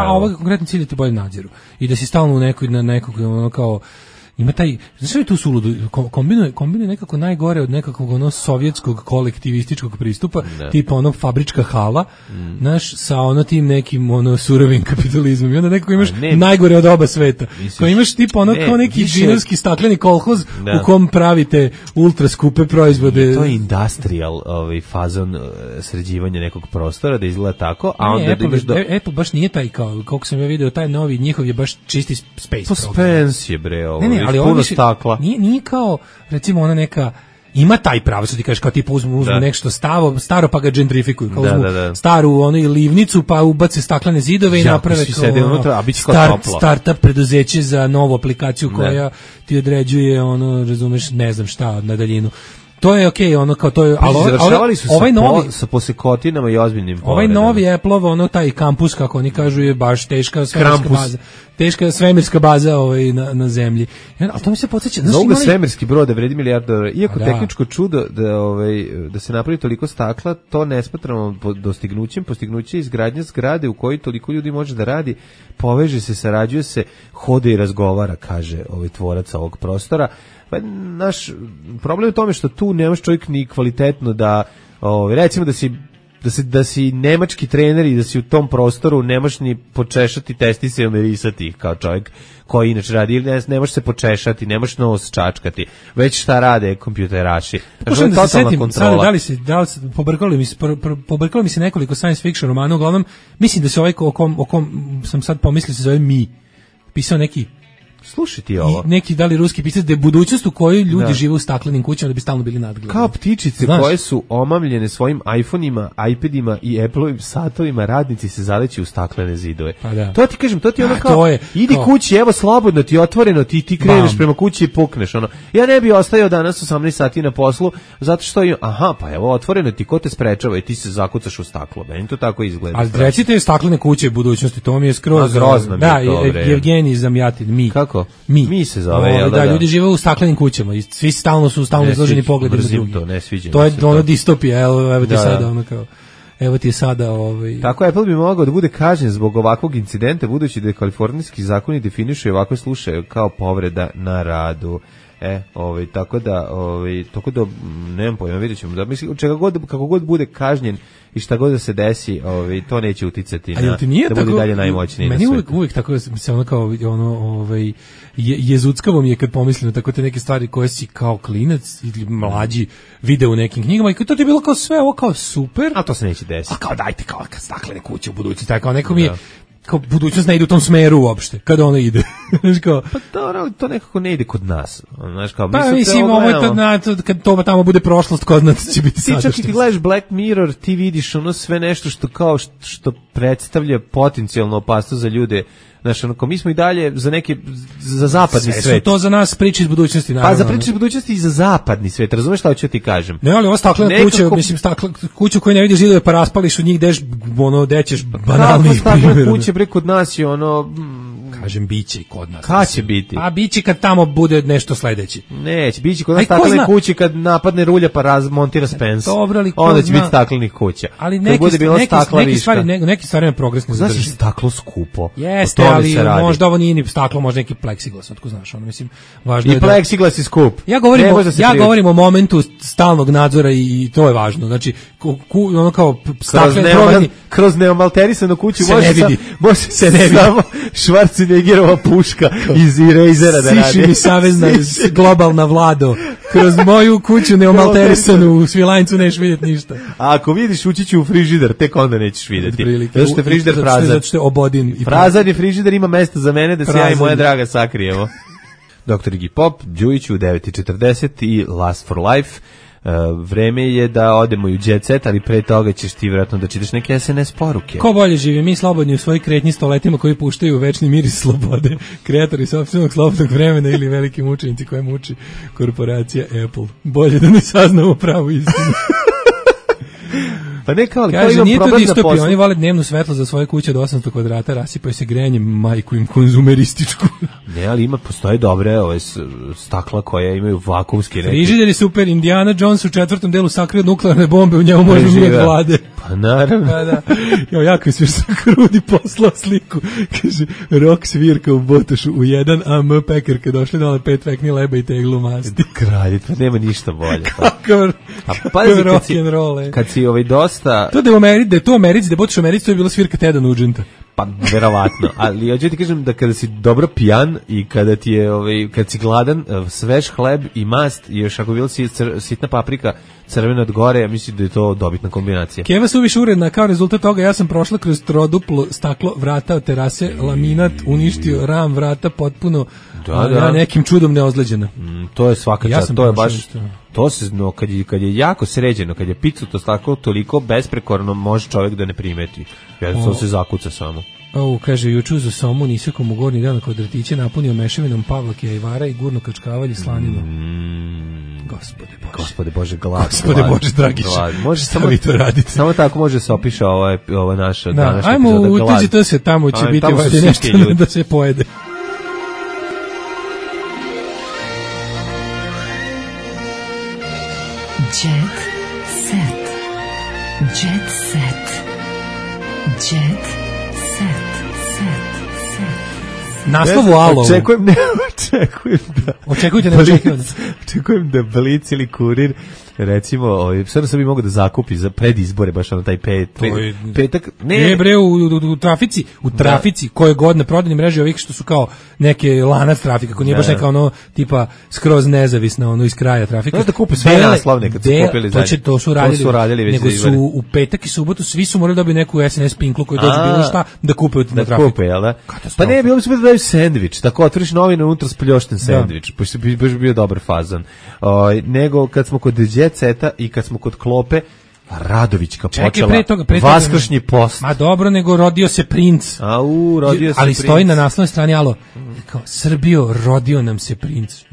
Ovog konkretno cilj je ti bolje nadziru. I da si stalno na nekog kao ima taj, znači je tu suludo, kombinuje nekako najgore od nekakvog sovjetskog kolektivističkog pristupa, tipa fabrička hala, znaš, sa tim nekim surovim kapitalizmom. I onda nekako imaš najgore od oba sveta. Ko imaš tipa kao neki džinovski stakleni kolhoz u kom pravite ultra skupe proizvode. To je industrial fazon sređivanja nekog prostora, da izgleda tako, a onda Apple baš nije taj, kao koliko sam ja video, taj novi njihov je baš čisti space. To Spence je bre, ali puno stakla. Nije kao, recimo, ona neka, ima taj pravo, što ti kažeš, kao tipa uzmu nešto staro pa ga gentrifikuju, kao uzmu staru livnicu pa ubace staklene zidove i naprave kao startup preduzeće za novu aplikaciju koja ti određuje, razumeš, ne znam šta, na daljinu. To je okej, kao to je, završavali su sa posekotinama i ozbiljnim povredama. Ovaj novi Apple-ov, taj kampus, kako oni kažu, je baš teška svemirska baza. Teška svemirska baza na zemlji. Ali to mi se podsjeća. Mnogo svemirski brod da vredi $1.000.000. Iako tehničko čudo da se napravi toliko stakla, to ne smatramo dostignućem. Postignuće izgradnja zgrade u kojoj toliko ljudi može da radi, poveže se, sarađuje se, hode i razgovara, kaže tvorac ovog prostora. Pa naš problem je u tome što tu nemaš čovjek ni kvalitetno da, recimo da si nemački trener i da si u tom prostoru nemaš ni počešati testise i omirisati ih kao čovjek koji inače radi, ili ne možeš se počešati, nemaš nos čačkati, već šta rade kompjuteraši. Pošto da se setim, sad, pobrkalo mi se nekoliko science fiction romana, uglavnom, mislim da se o kom sam sad pomislio se zove Mi. Pisao neki Slušaj ti ovo. Neki da li ruski pisac da je budućnost u kojoj ljudi žive u staklenim kućama da bi stalno bili nadgledani. Kao ptičice koje su omamljene svojim iPhone-ima, iPad-ima i Apple-ovim satovima, radnici se zaleći u staklene zidove. Pa to ti kažem, to ti ono kao, idi kući, evo slobodno ti otvoreno, ti kreneš prema kući i pukneš. Ja ne bi ostajao danas 18 sati na poslu, zato što pa evo otvoreno ti, ko te sprečava i ti se zakucaš u staklo. Meni to tako izgleda. Ali recite staklene kuće budućnosti, to mi je skroz grozno. Da, Evgenij Zamjatin, Mi. Mi se zove, da, ljudi žive u staklenim kućama i svi stalno su izloženi pogledima drugih. To ne sviđa. To je ono distopija, evo ti sada kao. Evo ti sada Tako Apple bi mogao da bude kažnjen zbog ovakvog incidenta, budući da kalifornijski zakoni definišu ovakve slučajeve kao povreda na radu. Tako da nemam pojma, vidjet ćemo da mislim kako god bude kažnjen i šta god da se desi, to neće uticati na da bude dalje najmoćniji na svijetu. Meni uvijek tako se jezuckavo mi je kad pomislim tako te neke stvari koje si kao klinac ili mlađi vide u nekim knjigama i to ti je bilo kao sve ovo kao super. A to se neće desiti. A kao dajte kao kad staklene kuće u budućnosti, tako kao neko mi je kao budućnost ne ide u tom smeru uopšte, kada ona ide. Pa to nekako ne ide kod nas. Mislim, kad to tamo bude prošlost, kod nas će biti sadašnjost. Ti čak i ti gledaš Black Mirror, ti vidiš sve nešto što predstavlja potencijalnu opasnost za ljude. Znaš, mi smo i dalje za zapadni svet. Sve su to za nas priče iz budućnosti, naravno. Pa za priče iz budućnosti i za zapadni svet, razumeš šta hoću ti kažem? Ne, ali ova staklena kuća, mislim, kuću koju ne vidiš zidove pa raspališ u njih, dećeš banalnih primjera. Staklena kuća, bre, kod nas je kažem, biće i kod nas. Kad će biti? A biće kad tamo bude nešto sledeće. Neće, biće kod nas staklene kuće kad napadne rulja pa razmontira Spence. Dobro, ali onda će biti staklenih kuća. Ali neki stvari na progresno zadrži. Znaš, staklo skupo. Jeste, ali možda ovo nije ni staklo, možda neki pleksiglas, otko znaš, mislim, važno je da... I pleksiglas je skup. Ja govorim o momentu stalnog nadzora i to je važno. Znači, ono kao staklene proveni... Kroz neomalterisanu kuću može se ne vidi. Samo Schwarzeneggerova puška iz Erasera da radi. Siši mi savezna globalna vlado. Kroz moju kuću neomalterisanu u Svilajncu nećeš vidjeti ništa. A ako vidiš, ući ću u frižider, tek onda nećeš vidjeti. Zato što je frižider prazan. Zato što je obodin. Prazan je frižider, ima mesta za mene da se ja i moja draga sakrijemo. Dr. Iggy Pop, Đujić u 9:40 i Last for Life. Vreme je da odemo i u jet set, ali pre toga ćeš ti vjerojatno da čitaš neke SNS poruke. Ko bolje živi, mi slobodni u svojoj kretnji stoletima koji puštaju večni miris slobode, kreatori sopstvenog slobodnog vremena ili veliki mučenici koje muči korporacija Apple. Bolje da ne saznamo pravu istinu. Pa ne kao, ali kaže, imam nije to problem distopija, oni vole dnevnu svetlo za svoje kuće od 800 kvadrata, rasipaju se grejanjem, majku im konzumerističku. Ne, ali postoje dobre stakla koje imaju vakumski frižider je super, Indiana Jones u 4. delu sakrio nuklearne bombe, u njemu može umijeti vlade. Pa naravno. Pa da. Jo, jako je svirsa Krudi poslao sliku. Kaže, rock svirka u Botošu u 1 AM pekarke došli dole 5 vekni leba i teglu masti. Kralj, pa nema ništa bolje. Kakav rock'n'roll. Kad si dosta... To da je u Americi, da je Botoš u Americi, to je bila svirka Teda Nugenta. Pa verovatno, ali ja ti kažem da kada si dobro pijan i kada ti je kad si gladan, svež hleb i mast i još ako bila si sitna paprika crvena od gore, ja mislim da je to dobitna kombinacija. Keva suviše uredna, kao rezultat toga ja sam prošla kroz troduplo staklo vrata od terase, laminat uništio, ram vrata potpuno ja nekim čudom neozleđena. To je svaka čast, to je baš to se kad je jako sređeno, kad je picuto staklo toliko besprekorno može čovjek da ne primeti. Jednostavno se zakuca samo. Kaže, juču za somu nisekom u gornji dan kod ratiće napunio mešavinom pavlake, ajvara i gurno kačkavalje slaninu. Gospode Bože, glad. Gospode Bože, Dragić. Može samo vi to radite. Samo tako može se opiša ova naša današnja epizoda. Ajmo, utuđite se tamo, će biti nešto da se pojede. Jet set. Jet set. Jet set. Naslov u Alovu. Očekujem da Blic ili Kurir recimo, sve sam bi mogu da zakupi za predizbore baš na taj petak. Ne bre, u trafici koje god na prodajnim mreži ovih što su kao neke lanac trafika, ko nije baš neka tipa skroz nezavisna iz kraja trafika. Znaš da kupe sve naslovne kad su kupili zadnje. To su radili nego su u petak i subotu svi su morali dobiti neku SNS pinklu koju dođe bilo šta da kupe na trafiku. Pa ne, bilo bi super da daju sendvič, tako otvoriš novine unutra spljošten sendvič, pošto bi baš bio dobar fazon. Nego kad smo kod Jet Seta i kad smo kod Klope, Radovićka počela vaskršnji post. Ma dobro, nego rodio se princ. Ali stoji na naslovnoj strani, kao, Srbijo, rodio nam se princ.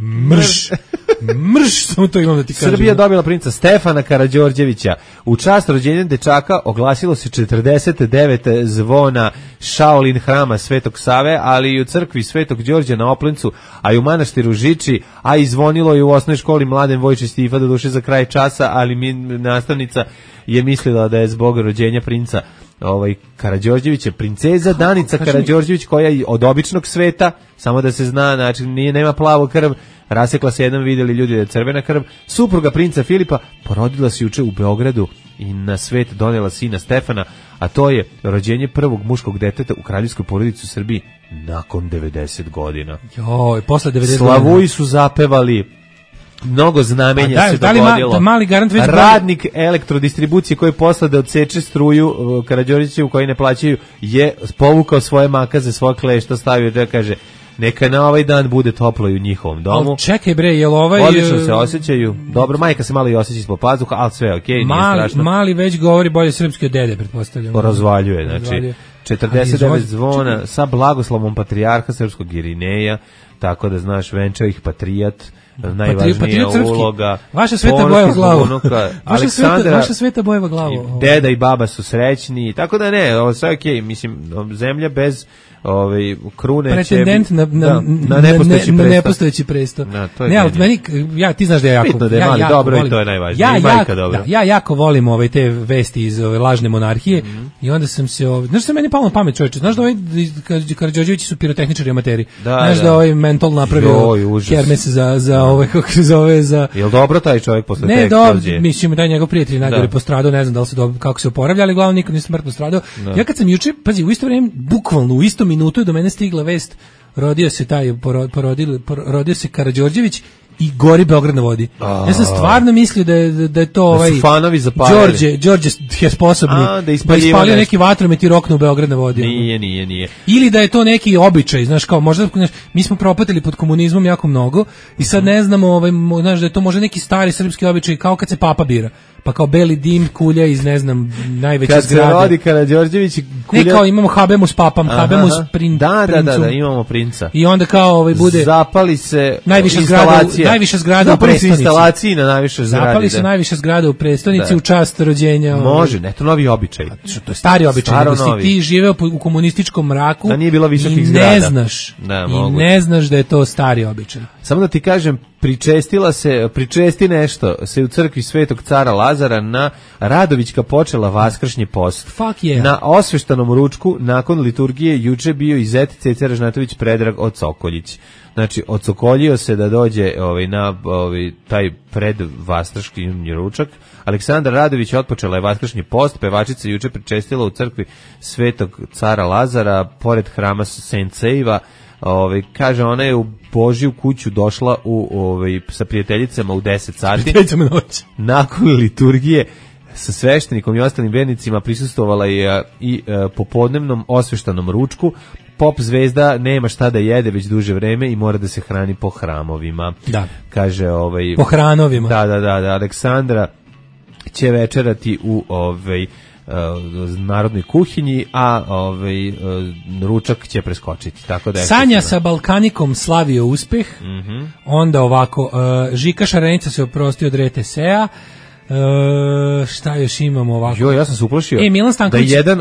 Mrš, samo to imam da ti kažem. Srbija dobila princa Stefana Karađorđevića. U čast rođenja dečaka oglasilo se 49 zvona Shaolin hrama Svetog Save, ali i u crkvi Svetog Đorđa na Oplencu, a i u manastiru Žiči, a i zvonilo je u osnovnoj školi Mladen Vojčić Stifa, do duše za kraj časa, ali nastavnica je mislila da je zbog rođenja princa Karađorđevića princeza Danica Karađorđević, koja je od običnog sveta, samo da se zna, znači nema plavu krv, rasekla se jedan, vidjeli ljudi da je crvena krv, supruga princa Filipa, porodila se juče u Beogradu i na svet donela sina Stefana, a to je rođenje prvog muškog deteta u kraljevskoj porodici u Srbiji nakon 90 godina. Joj, posle 90 godina. Slavuji su zapevali, mnogo znamenja se dogodilo. Mali garant već radnik elektrodistribucije koji posle da odseče struju Karađorđeviću koji ne plaćaju je povukao svoje makaze, svoje klešta, stavio da kaže neka na ovaj dan bude toplo i u njihovom domu. Čekaj bre, jel odlično se osjećaju. Dobro, majka se malo i osjeća ispod pazuha, ali sve okej, nije strašno. Mali već govori bolje srpski od dede, pretpostavljam. Razvaljuje, znači 49 zvona sa blagoslovom patrijarha srpskog Irineja, tako da znaš, venčao ih patrijat, najvažnija uloga. Vaša sveta bojeva glavu. Vaša sveta bojeva glavu. Deda i baba su srećni, tako da ne, ovo sve okej, mislim, zemlja bez krune pretendent na nepostojeći presto. Ne, ali meni, ti znaš da je jako... Bitno da je mali dobro i to je najvažnije. Ja jako volim te vesti iz lažne monarhije i onda sam se... Znaš što meni palo na pamet, čovječe? Znaš da Karađorđevići su pirotehničari amateri? Znaš da mentol napravio kermes za kako se zove, za... Jel dobro taj čovjek posle te eksplozije? Ne, mislim da je njegov prijatelj najgore postradao, ne znam da li se kako se oporavlja, ali glavno nikad nije smrtno stradao. Ja kad sam juče, pazi, u isto vrijeme, bukvalno u isto minutu je do mene stigla vest, rodio se Karađorđević i gori Beograd na vodi. Ja sam stvarno mislio da je to da su fanovi zapaljali. Đorđe je sposobni da ispalio neki vatromet i roknu u Beograd na vodi. Nije. Ili da je to neki običaj, znaš, kao možda mi smo propatili pod komunizmom jako mnogo i sad ne znamo, znaš, da je to možda neki stari srpski običaj, kao kad se papa bira. pa kao beli dim, kulja iz, ne znam, najveće kad zgrade. Kad se rodi Karađorđević i kulja... Ne, kao imamo Habemus papam, Habemus princom. Da, imamo princa. I onda kao bude... Zapali se najviša zgrada u prestonici. Instalacije na najviše zgrade. Zapali se najviša zgrada u prestonici u čast rođenja. Može, ne, to novi običaj. To je stari običaj, nego si ti živeo u komunističkom mraku. Da nije bilo visokih zgrada. I ne znaš da je to stari običaj. Samo da ti kažem, pričesti nešto se u crkvi Svetog cara Lazara na Radovićka počela vaskršnji post. Fuck yeah. Na osveštanom ručku nakon liturgije juče bio i zet Ceca Ražnatović Predrag od Sokoljić. Znači, odsokoljio se da dođe na taj predvaskršnji ručak. Aleksandra Radović otpočela je vaskršnji post, pevačica juče pričestila u crkvi Svetog cara Lazara pored hrama Sentseiva. Kaže, ona je u Božju kuću došla sa prijateljicama u 10 sati. Nakon liturgije sa sveštenikom i ostalim vernicima prisustvovala je i popodnevnom osveštanom ručku. Pop zvezda nema šta da jede već duže vreme i mora da se hrani po hramovima. Da. Kaže, po hranovima. Da, Aleksandra će večerati u narodnoj kuhinji, a ručak će preskočiti. Tako da Sanja sa Balkanikom slavio uspeh, onda ovako, Žika Šarenica se oprostio od RTS-a, šta još imamo ovako? Ja sam se uplašio Milan Stanković, da jedan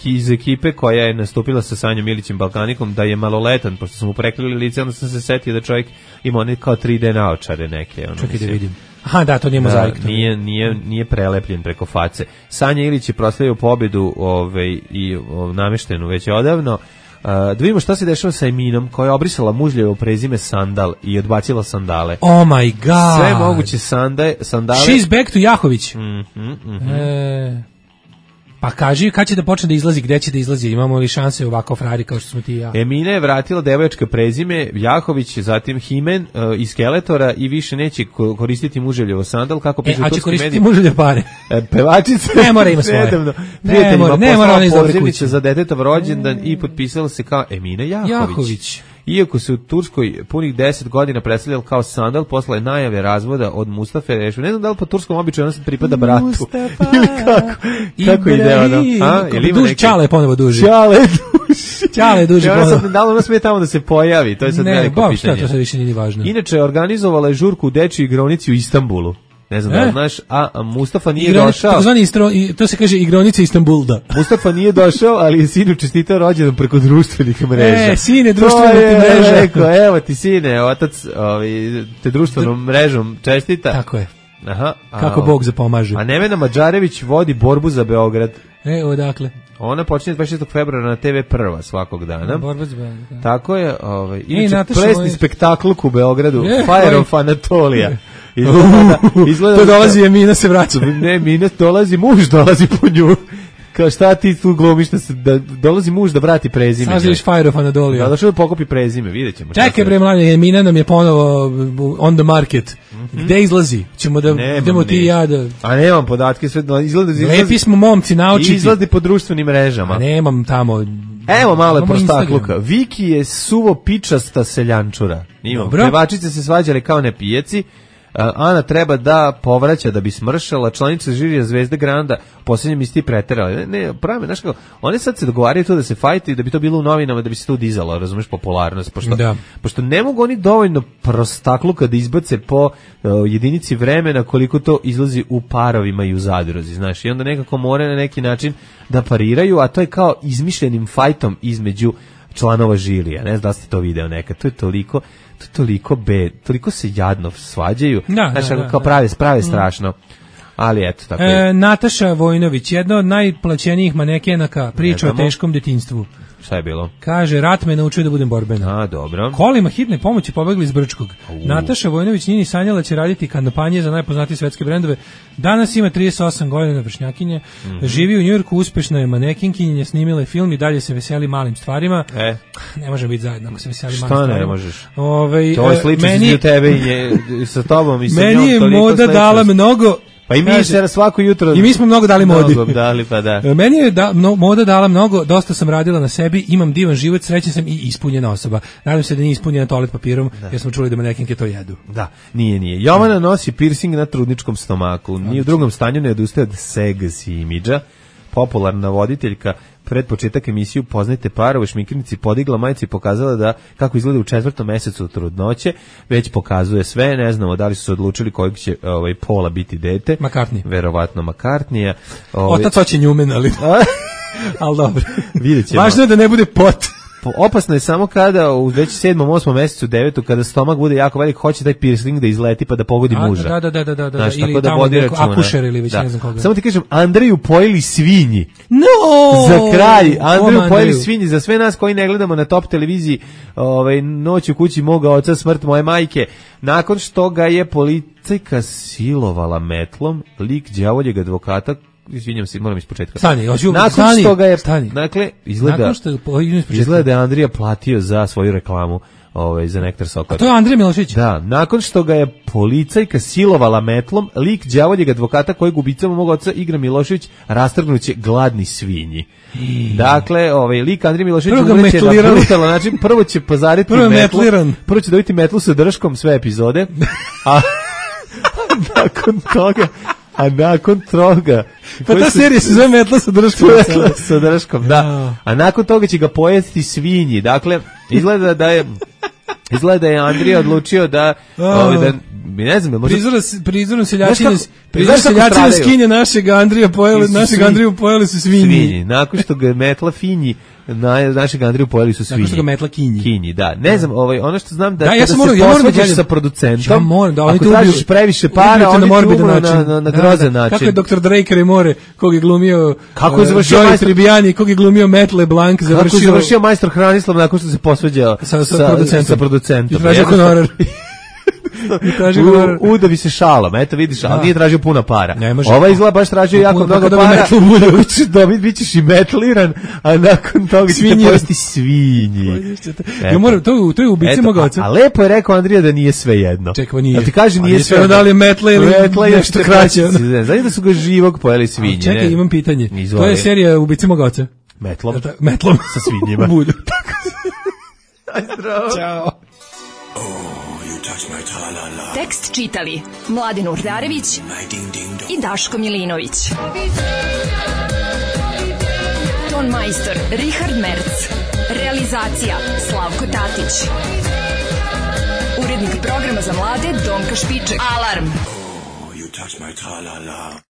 iz ekipe koja je nastupila sa Sanjom Milićem Balkanikom da je maloletan, pošto smo mu prekrili lice, onda sam se setio da čovjek ima one kao 3D naočare neke. Čekaj da vidim. Aha, da, to nije mozaik. Nije prelepljen preko face. Sanja Ilić je proslavio pobedu i nameštenu već odavno. Da vidimo šta se dešava sa Eminom, koja je obrisala mužljevo prezime Sandal i odbacila sandale. Oh my god! Sve moguće sandale. She's back to Jahović. Pa kaži kad će da počne da izlazi, gde će da izlazi, imamo li šanse ovako frari kao što smo ti i ja? Emina je vratila devojačka prezime Jahović, zatim Himen iz Skeletora i više neće koristiti muževljevo sandal, kako piše u turski mediji. A će koristiti muževlje pare. Pevačica ne mora ima svoje. Ne mora ona iz dobre kuće. Za detetov rođendan i potpisala se kao Emina Jahović. Iako se u Turskoj punih 10 godina predstavljala kao sandal, posle najave razvoda od Mustafe Rešve. Ne znam da li po turskom običaju ona se pripada bratu. Mustafa. Ili kako ide ono? Čale je ponovo duži. Čale duži ponovo. Da li ona smije tamo da se pojavi? To je sad veliko pitanje. Ne, to sad više nije važno. Inače, organizovala je žurku u dečju igronici u Istanbulu. Ne znam da li znaš, a Mustafa nije došao. To se kaže igronica Istanbulda. Mustafa nije došao, ali je sinu čestitao rođendan preko društvenih mreža. Sine, društvene mreže. Rekao, evo ti sine, otac te društvenom mrežom čestita. Tako je. Aha, kako Bog zapomaže. A Nevena Mađarević vodi borbu za Beograd. Odakle? Ona počinje 26. februara na TV Prva svakog dana. Borba za Beograd. Tako je, inače plesni spektakluk u Beogradu, Fire of Anatolia. To dolazi Emina se vraća. Ne, Emina dolazi, muž dolazi po nju. Kao šta ti tu glumiš da dolazi muž da vrati prezime. Sažliš Fire of Anatolia. Da, došao da pokopi prezime, vidjet ćemo. Čekaj bre mlade, Emina nam je ponovo on the market. Gde izlazi? Ćemo da idemo ti i ja da... A nemam podatke, sve izlazi. Lepi smo momci, naučiti. Izlazi po društvenim mrežama. A nemam tamo... Evo malo je prostakluka. Viki je suvo pičasta seljančura. Pevačice se svađale kao nepijeci. Ana treba da povraća da bi smršala, članica žirija Zvezde Granda posljednjem isti preterala. Ne, pravi, znaš kako, one sad se dogovaraju to da se fajti, da bi to bilo u novinama, da bi se to dizalo, razumeš, popularnost, pošto ne mogu oni dovoljno prostakluka da izbace po jedinici vremena koliko to izlazi u parovima i u zadruzi, znaš, i onda nekako mora na neki način da pariraju, a to je kao izmišljenim fajtom između članova žirija, ne znam da ste to video nekad, to je toliko se jadno svađaju, kao prave strašno, ali eto, tako je. Nataša Vojnović, jedna od najplaćenijih manekenaka, priča o teškom detinjstvu. Šta je bilo? Kaže, rat me naučio da budem borbena. A, dobro. Kolima hitne pomoći pobegli iz Brčkog. Nataša Vojnović nije ni sanjala će raditi kampanje za najpoznatije svetske brendove. Danas ima 38 godina, vršnjakinje. Živi u Njujorku, uspešna je manekinkinja, snimila je film i dalje se veseli malim stvarima. Ne možemo biti zajedno ako se veseli malim stvarima. Šta ne možeš? To je slično između tebe i sa tobom i sa njom. Meni je moda dala mnogo. Pa i mi se svako jutro... I mi smo mnogo dali modi. Mnogo dali, pa da. Meni je moda dala mnogo, dosta sam radila na sebi, imam divan život, srećan sam i ispunjena osoba. Nadam se da nije ispunjena toalet papirom, jer smo čuli da manekinke to jedu. Da, nije. Jovana nosi piercing na trudničkom stomaku. Ni u drugom stanju ne odustaje od seksi imidža. Popularna voditeljka pred početak emisiju Poznajte parove šminkirnici podigla majicu i pokazala da kako izgleda u 4. mesecu trudnoće, već pokazuje sve, ne znamo da li su se odlučili kojeg će pola biti dete. McCartney. Verovatno McCartneya. Otac hoće Newman, ali dobro. Vidjet ćemo. Važno je da ne bude pot. Opasno je samo kada u već 7., 8. mesecu, 9. kada stomak bude jako velik, hoće taj piercing da izleti pa da pogodi muža. Da. Znaš, ili tako da tamo vodi računa. Akušer ili već ne znam koga. Samo ti kažem, Andreju pojeli svinji. No! Za kraj, Andreju pojeli svinji. Za sve nas koji ne gledamo na top televiziji Noć u kući moga oca, smrt moje majke, nakon što ga je policajka silovala metlom, lik đavoljeg advokata, izvinjam se, moram ispočetka. Nakon što ga je, dakle, izgleda da je Andrija platio za svoju reklamu za Nektar Sokor. A to je Andrija Milošević? Da, nakon što ga je policajka silovala metlom, lik đavoljeg advokata kojeg ubicama mog oca igra Milošević rastrgnuće gladni svinji. Dakle, lik Andrija Milošević umreće na brutalan način, prvo će pozariti metlu, prvo će dobiti metlu sa drškom sve epizode, a nakon toga pa ta serija se zove Metla sa drškom. Sa drškom, da. A nakon toga će ga pojesti svinji. Dakle, izgleda da je Andrija odlučio da ne znam, prizorom seljačine skinje našeg Andriju pojeli su svinji. Nakon što ga metla finji, našeg Andriju pojeli su svinji. Nakon što ga metla kinji. Da, ne znam, ono što znam da kada se posvađaš sa producentom, ako tražiš previše para, oni ti umru na grozan način. Kako je Dr. Drake Remore, kog je glumio Joey Tribbiani, kog je glumio Matt LeBlanc, kako je završio majstor Hranislav nakon što se posvađao sa producentom. I tražio honorar. Da bi se šalom, eto vidiš, ali nije tražio puno para. Ova izgleda baš tražio jako mnogo para, bit ćeš i metliran, a nakon toga će te pojesti svinji. To je ubici moga oca. A lepo je rekao Andrija da nije sve jedno. Čekaj, nije. A ti kaže nije sve jedno. Da li je metla ili nešto kraće. Znači da su ga živog pojeli svinji. Čekaj, imam pitanje. To je serija ubici moga oca. Metlom sa svinjima. Bulju. Aj zdravo. Ćao. Tekst čitali Mladin Urdarević i Daško Milinović. Ton majstor Richard Merc. Realizacija Slavko Tatić. Urednik programa za mlade Donka Špiček. Alarm!